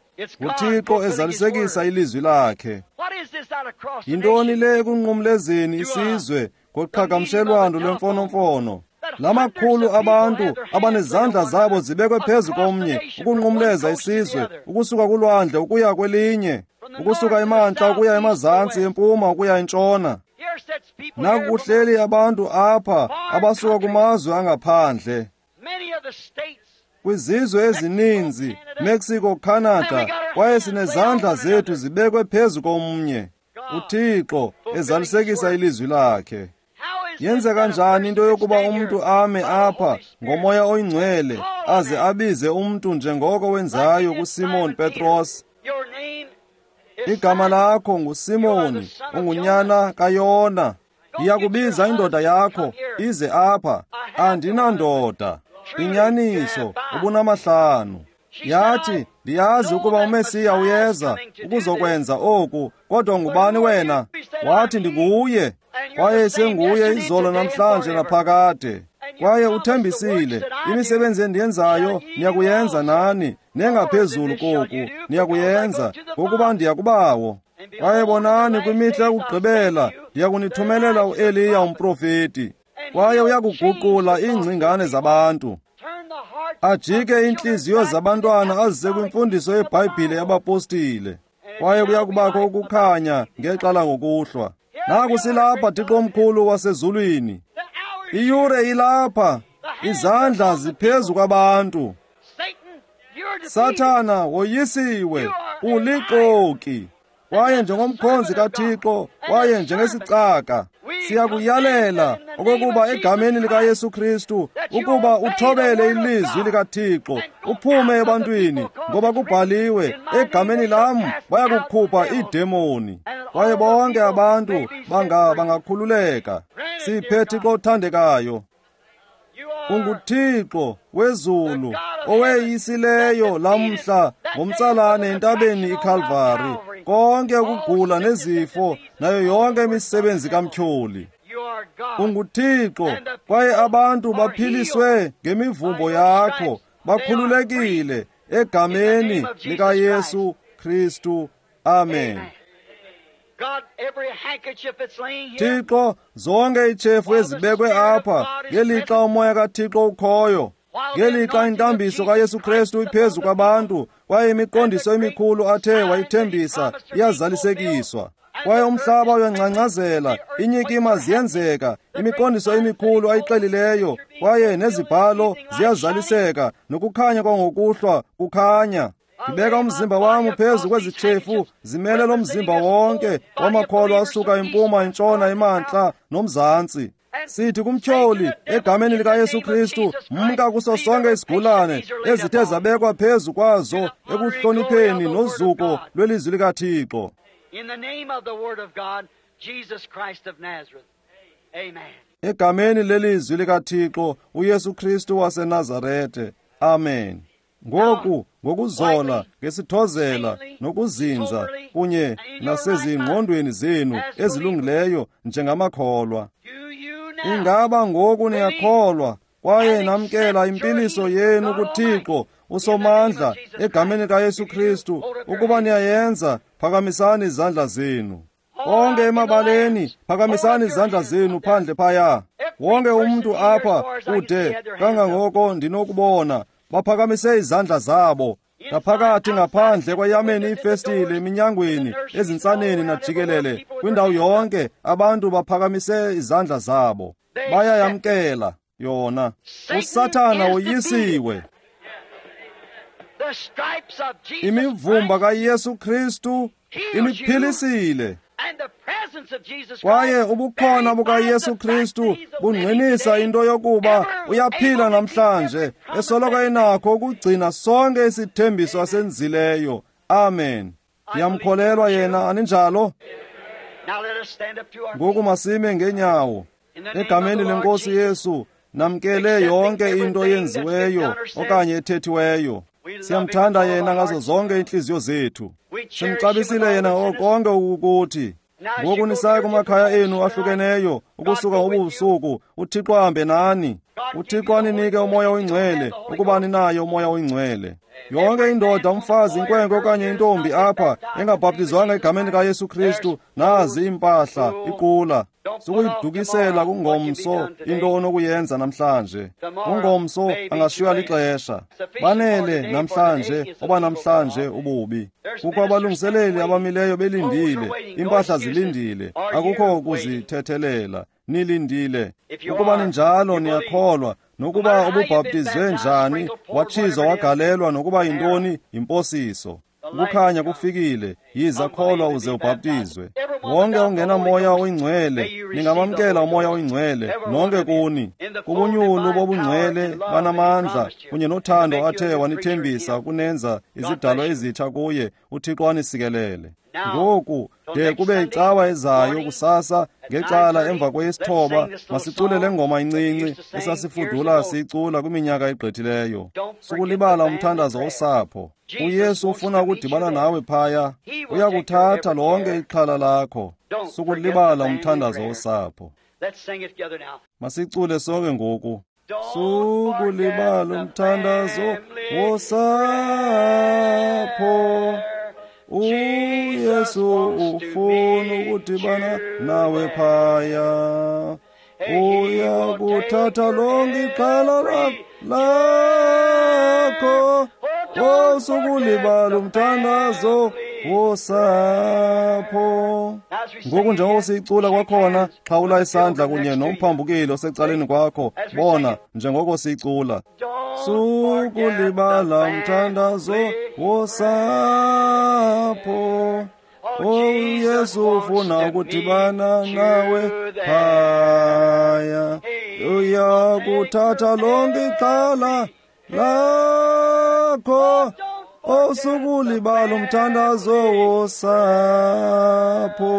UThixo ezalisekisa ilizwi lakhe. Yintoni le ekunqumlezeni isizwe ngoqhagamshelwano lwemfonomfono? Lamakhulu abantu abanezandla zabo zibekwe phezu komnye ukunqumleza isizwe, ukusuka kulwandle ukuya kwelinye, ukusuka emantla ukuya emazantsi, empuma ukuya entshona. Nakuhleli abantu apha abasuka kumazwe angaphandle, kwizizwe ezininzi, Mexico, Canada, kwaye sinezandla zethu zibekwe phezu komnye. uThixo ezalisekisa ilizwi lakhe. Yenze kanjani into yokuba umntu ame apha ngoMoya oyiNgcwele aze abize umntu njengoko wenzayo kuSimon Petros? Igama lakho nguSimoni, ungunyana kaYona. Ndiyakubiza indoda yakho ize apha. Andinandoda. Inyaniso, ubunamahlanu. Yathi, ndiyazi ukuba uMesiya uyeza ukuzokwenza oku, kodwa ngubani wena? Wathi, ndinguye. Kwaye senguye izolo, namhlanje naphakade. Kwaye uthembisile, imisebenzi endiyenzayo niyakuyenza nani, nengaphezulu koku niyakuyenza, ngokuba ndiyakubawo. Kwaye bonani, kwimihla yokugqibela ndiyakunithumelela uEliya umprofeti, kwaye uyakuguqula iingcingane zabantu, ajike iintliziyo zabantwana azise kwimfundiso yeBhayibhile yabapostile. Kwaye kuyakubakho ukukhanya ngexa langokuhlwa. Naku silapha, Thixo omkhulu wasezulwini. Iyure ilapha, izandla ziphezu kwabantu. Sathana, woyisiwe, ulixoki. Kwaye njengomkhonzi kaThixo, kwaye njengesicaka, siyakuyalela okokuba egameni likaYesu Kristu ukuba uthobele ilizwi likaThixo, uphume ebantwini, ngoba kubhaliwe, egameni lam bayakukhupha iidemoni. Kwaye bonke abantu bangakhululeka. Siphe, Thixo othandekayo. UnguThixo wezulu oweyisileyo lamhla ngomtsalane entabeni iKalvari, konke ukugula nezifo nayo yonke imisebenzi kamtyholi. UnguThixo, kwaye abantu baphiliswe ngemivumbo yakho, bakhululekile egameni likaYesu Kristu. Amen. Thixo, zonke iitshefu ezibekwe apha ngelixa uMoya kaThixo ukhoyo, ngelixa intambiso kaYesu Kristu iphezu kwabantu, kwaye imiqondiso emikhulu athe wayithembisa iyazalisekiswa. Kwaye umhlaba uyangcangcazela, inyikima ziyenzeka, imiqondiso emikhulu ayixelileyo, kwaye nezibhalo ziyazaliseka, nokukhanya kwangokuhlwa kukhanya. Ndibeka umzimba wam phezu kwezi tshefu, zimele lo mzimba wonke wamakholwa asuka impuma, intshona, imantla nomzantsi. Sithi kumtyholi, egameni likaYesu Kristu, mka kuso sonke isigulane ezithe zabekwa phezu kwazo ekuhlonipheni nozuko lwelizwi likaThixo. Egameni lelizwi likaThixo, uYesu Kristu waseNazarete. Amen. Ngoku, ngokuzola, ngesithozela nokuzinza kunye nasezingqondweni zenu ezilungileyo njengamakholwa. Ingaba ngoku niyakholwa kwaye namkela impiliso yenu kuThixo uSomandla egameni likaYesu Kristu? Ukuba niyayenza, phakamisani izandla zenu. Konke emabaleni, phakamisani izandla zenu phandle phaya. Wonke umntu apha kude kangangoko ndinokubona, baphakamise izandla zabo. Ngaphakathi, ngaphandle, kwayameni iifestile, eminyangweni, ezintsaneni najikelele, kwindawo yonke abantu baphakamise izandla zabo. Bayayamkela yona. USathana woyisiwe. Imivumba kaYesu Kristu iniphilisile. Kwaye ubukhona bukaYesu Kristu bungqinisa into yokuba uyaphila namhlanje, esoloko enakho ukugcina sonke isithembiso asenzileyo. Amen. Ndiyamkholelwa yena, aninjalo? Ngoku masime ngeenyawo. Egameni leNkosi Yesu, namkele yonke into eyenziweyo okanye ethethiweyo. Siyamthanda yena ngazo zonke iintliziyo zethu. Simxabisile yena konke ukuthi. Ngoku nisaya kumakhaya enu ahlukeneyo ukusuka ngobu busuku, uThixo ahambe nani. UThixo aninike uMoya oyiNgcwele ukuba ninaye uMoya oyiNgcwele. Yonke indoda, umfazi, inkwenkwe okanye intombi apha engabhaptizwanga egameni likaYesu Kristu, nazi iimpahla, iqula. Sukuyidukisela kungomso into onokuyenza namhlanje. Ungomso angashiywa lixesha. Banele namhlanje oba namhlanje ububi. Kukho abalungiseleli abamileyo belindile, iimpahla zilindile, akukho kuzithethelela. Nilindile. Ukuba ninjalo niyakholwa, nokuba ububhaptizwe njani, watshizwa wagalelwa nokuba yintoni, yimposiso. Ukukhanya kufikile, yiza kholwa uze ubhaptizwe. Wonke ongenamoya oyingcwele, ningamamkela uMoya oyiNgcwele, nonke kuni. Kubunyulu bobungcwele banamandla kunye nothando athe wanithembisa ukunenza izidalwa ezitsha kuye, uThixo anisikelele. Ngoku de kube icawa ezayo kusasa ngecala emva kweyesithoba, masicule le ngoma incinci esasifudula siyicula kwiminyaka egqithileyo. Sukulibala umthandazo wosapho. UYesu ufuna ukudibana nawe phaya. Uyakuthatha lonke ixhala lakho. Sukulibala umthandazo wosapho. Masicule sonke ngoku. Sukulibala umthandazo wosapho. uYesu ufuna ukudibana nawe phaya. Uyakuthatha lonke ixhala lakho. Osukulibala umthandazo wosapho. Ngoku njengoko siyicula kwakhona, xhawula isandla kunye nomphambukeli osecaleni kwakho. Bona njengoko siyicula. Sukulibala umthandazo wosapho. UYesu ufuna ukudibana nawe phaya. Uyakuthatha lonke ixhala lakho. Osukulibala umthandazo wosapho.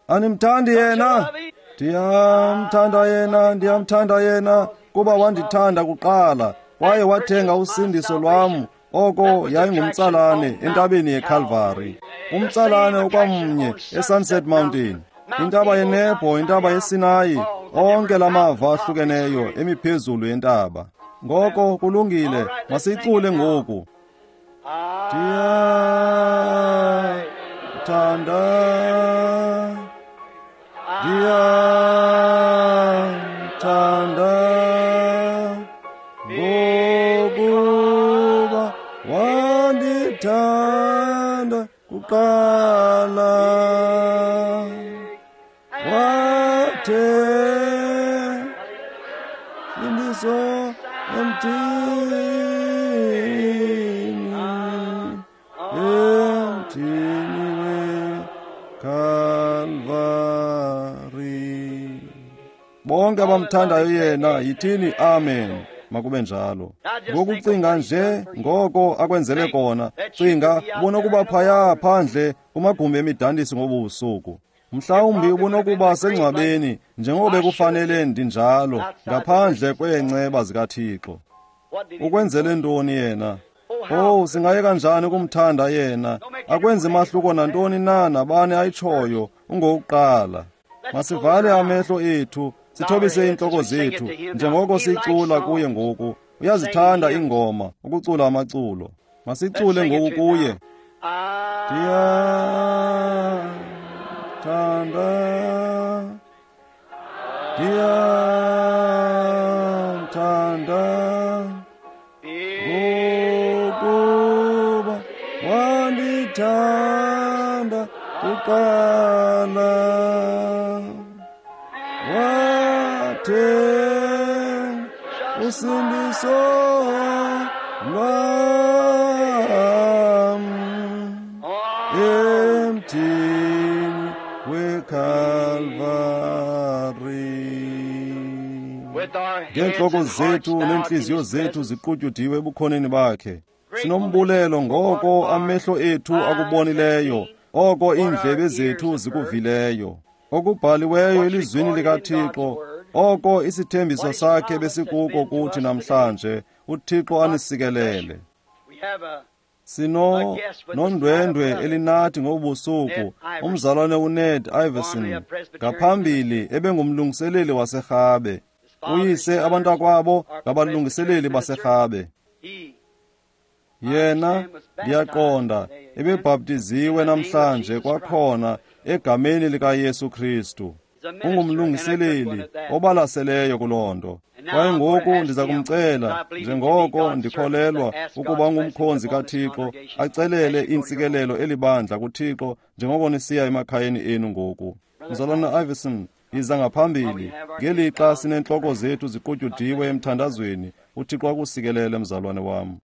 Animthandi yena? Ndiyamthanda yena, ndiyamthanda yena, kuba wandithanda kuqala, kwaye wathenga usindiso lwam. Oko yayingumtsalane entabeni yeKalvari. Umtsalane okwamnye eSunset Mountain, intaba yeNebho, intaba yeSinayi, onke lamava ahlukeneyo emiphezulu yentaba. Ngoko kulungile, masicule ngoku. Ndiyamthanda, ndiyamthanda, ngokuba wandithanda kuqala, wathe sindiso emthini, emthini weKalvari. Bonke abamthandayo yena yithini amen. Makube njalo. Ngokucinga nje ngoko akwenzele kona, cinga ubonokuba phaya phandle kumagumbi emidandiso ngobu busuku. Mhlawumbi ubonokuba sengcwabeni njengoko bekufanele ndinjalo, ngaphandle kweenceba zikaThixo. Ukwenzele ntoni yena? Oh, singaye kanjani ukumthanda yena? Akwenzi mahluko nantoni na nabani ayitshoyo, ungokuqala. Masivale amehlo ethu, sithobise iintloko zethu njengoko sicula kuye ngoku. Uyazithanda iingoma, ukucula amaculo. Masicule ngoku kuye. Ndiyamthanda, ndiyamthanda, ngokuba wandithanda kuqala, wathe usindiso lwam emthini weKalvari. Ngeentloko zethu neentliziyo zethu ziqutyudiwe ebukhoneni bakhe, sinombulelo ngoko amehlo ethu akubonileyo, oko iindlebe zethu zikuvileyo, okubhaliweyo elizwini likaThixo, oko isithembiso sakhe besikuko kuthi namhlanje. uThixo anisikelele. Sino nondwendwe elinathi ngobusuku, umzalwane uNed Iverson, ngaphambili ebengumlungiseleli waseRhabe. Uyise abantakwabo ngabalungiseleli baserhabe. Yena, ndiyaqonda, ebebhaptiziwe namhlanje kwakhona egameni likaYesu Kristu. Ungumlungiseleli obalaseleyo kuloo nto. Kwaye ngoku ndiza kumcela, njengoko ndikholelwa ukuba ungumkhonzi kaThixo, acelele iintsikelelo elibandla kuThixo njengoko nisiya emakhayeni enu ngoku. Mzalwana Iverson, yiza ngaphambili ngelixa sineentloko zethu ziqutyudiwe emthandazweni. UThixo akusikelele, mzalwane wam.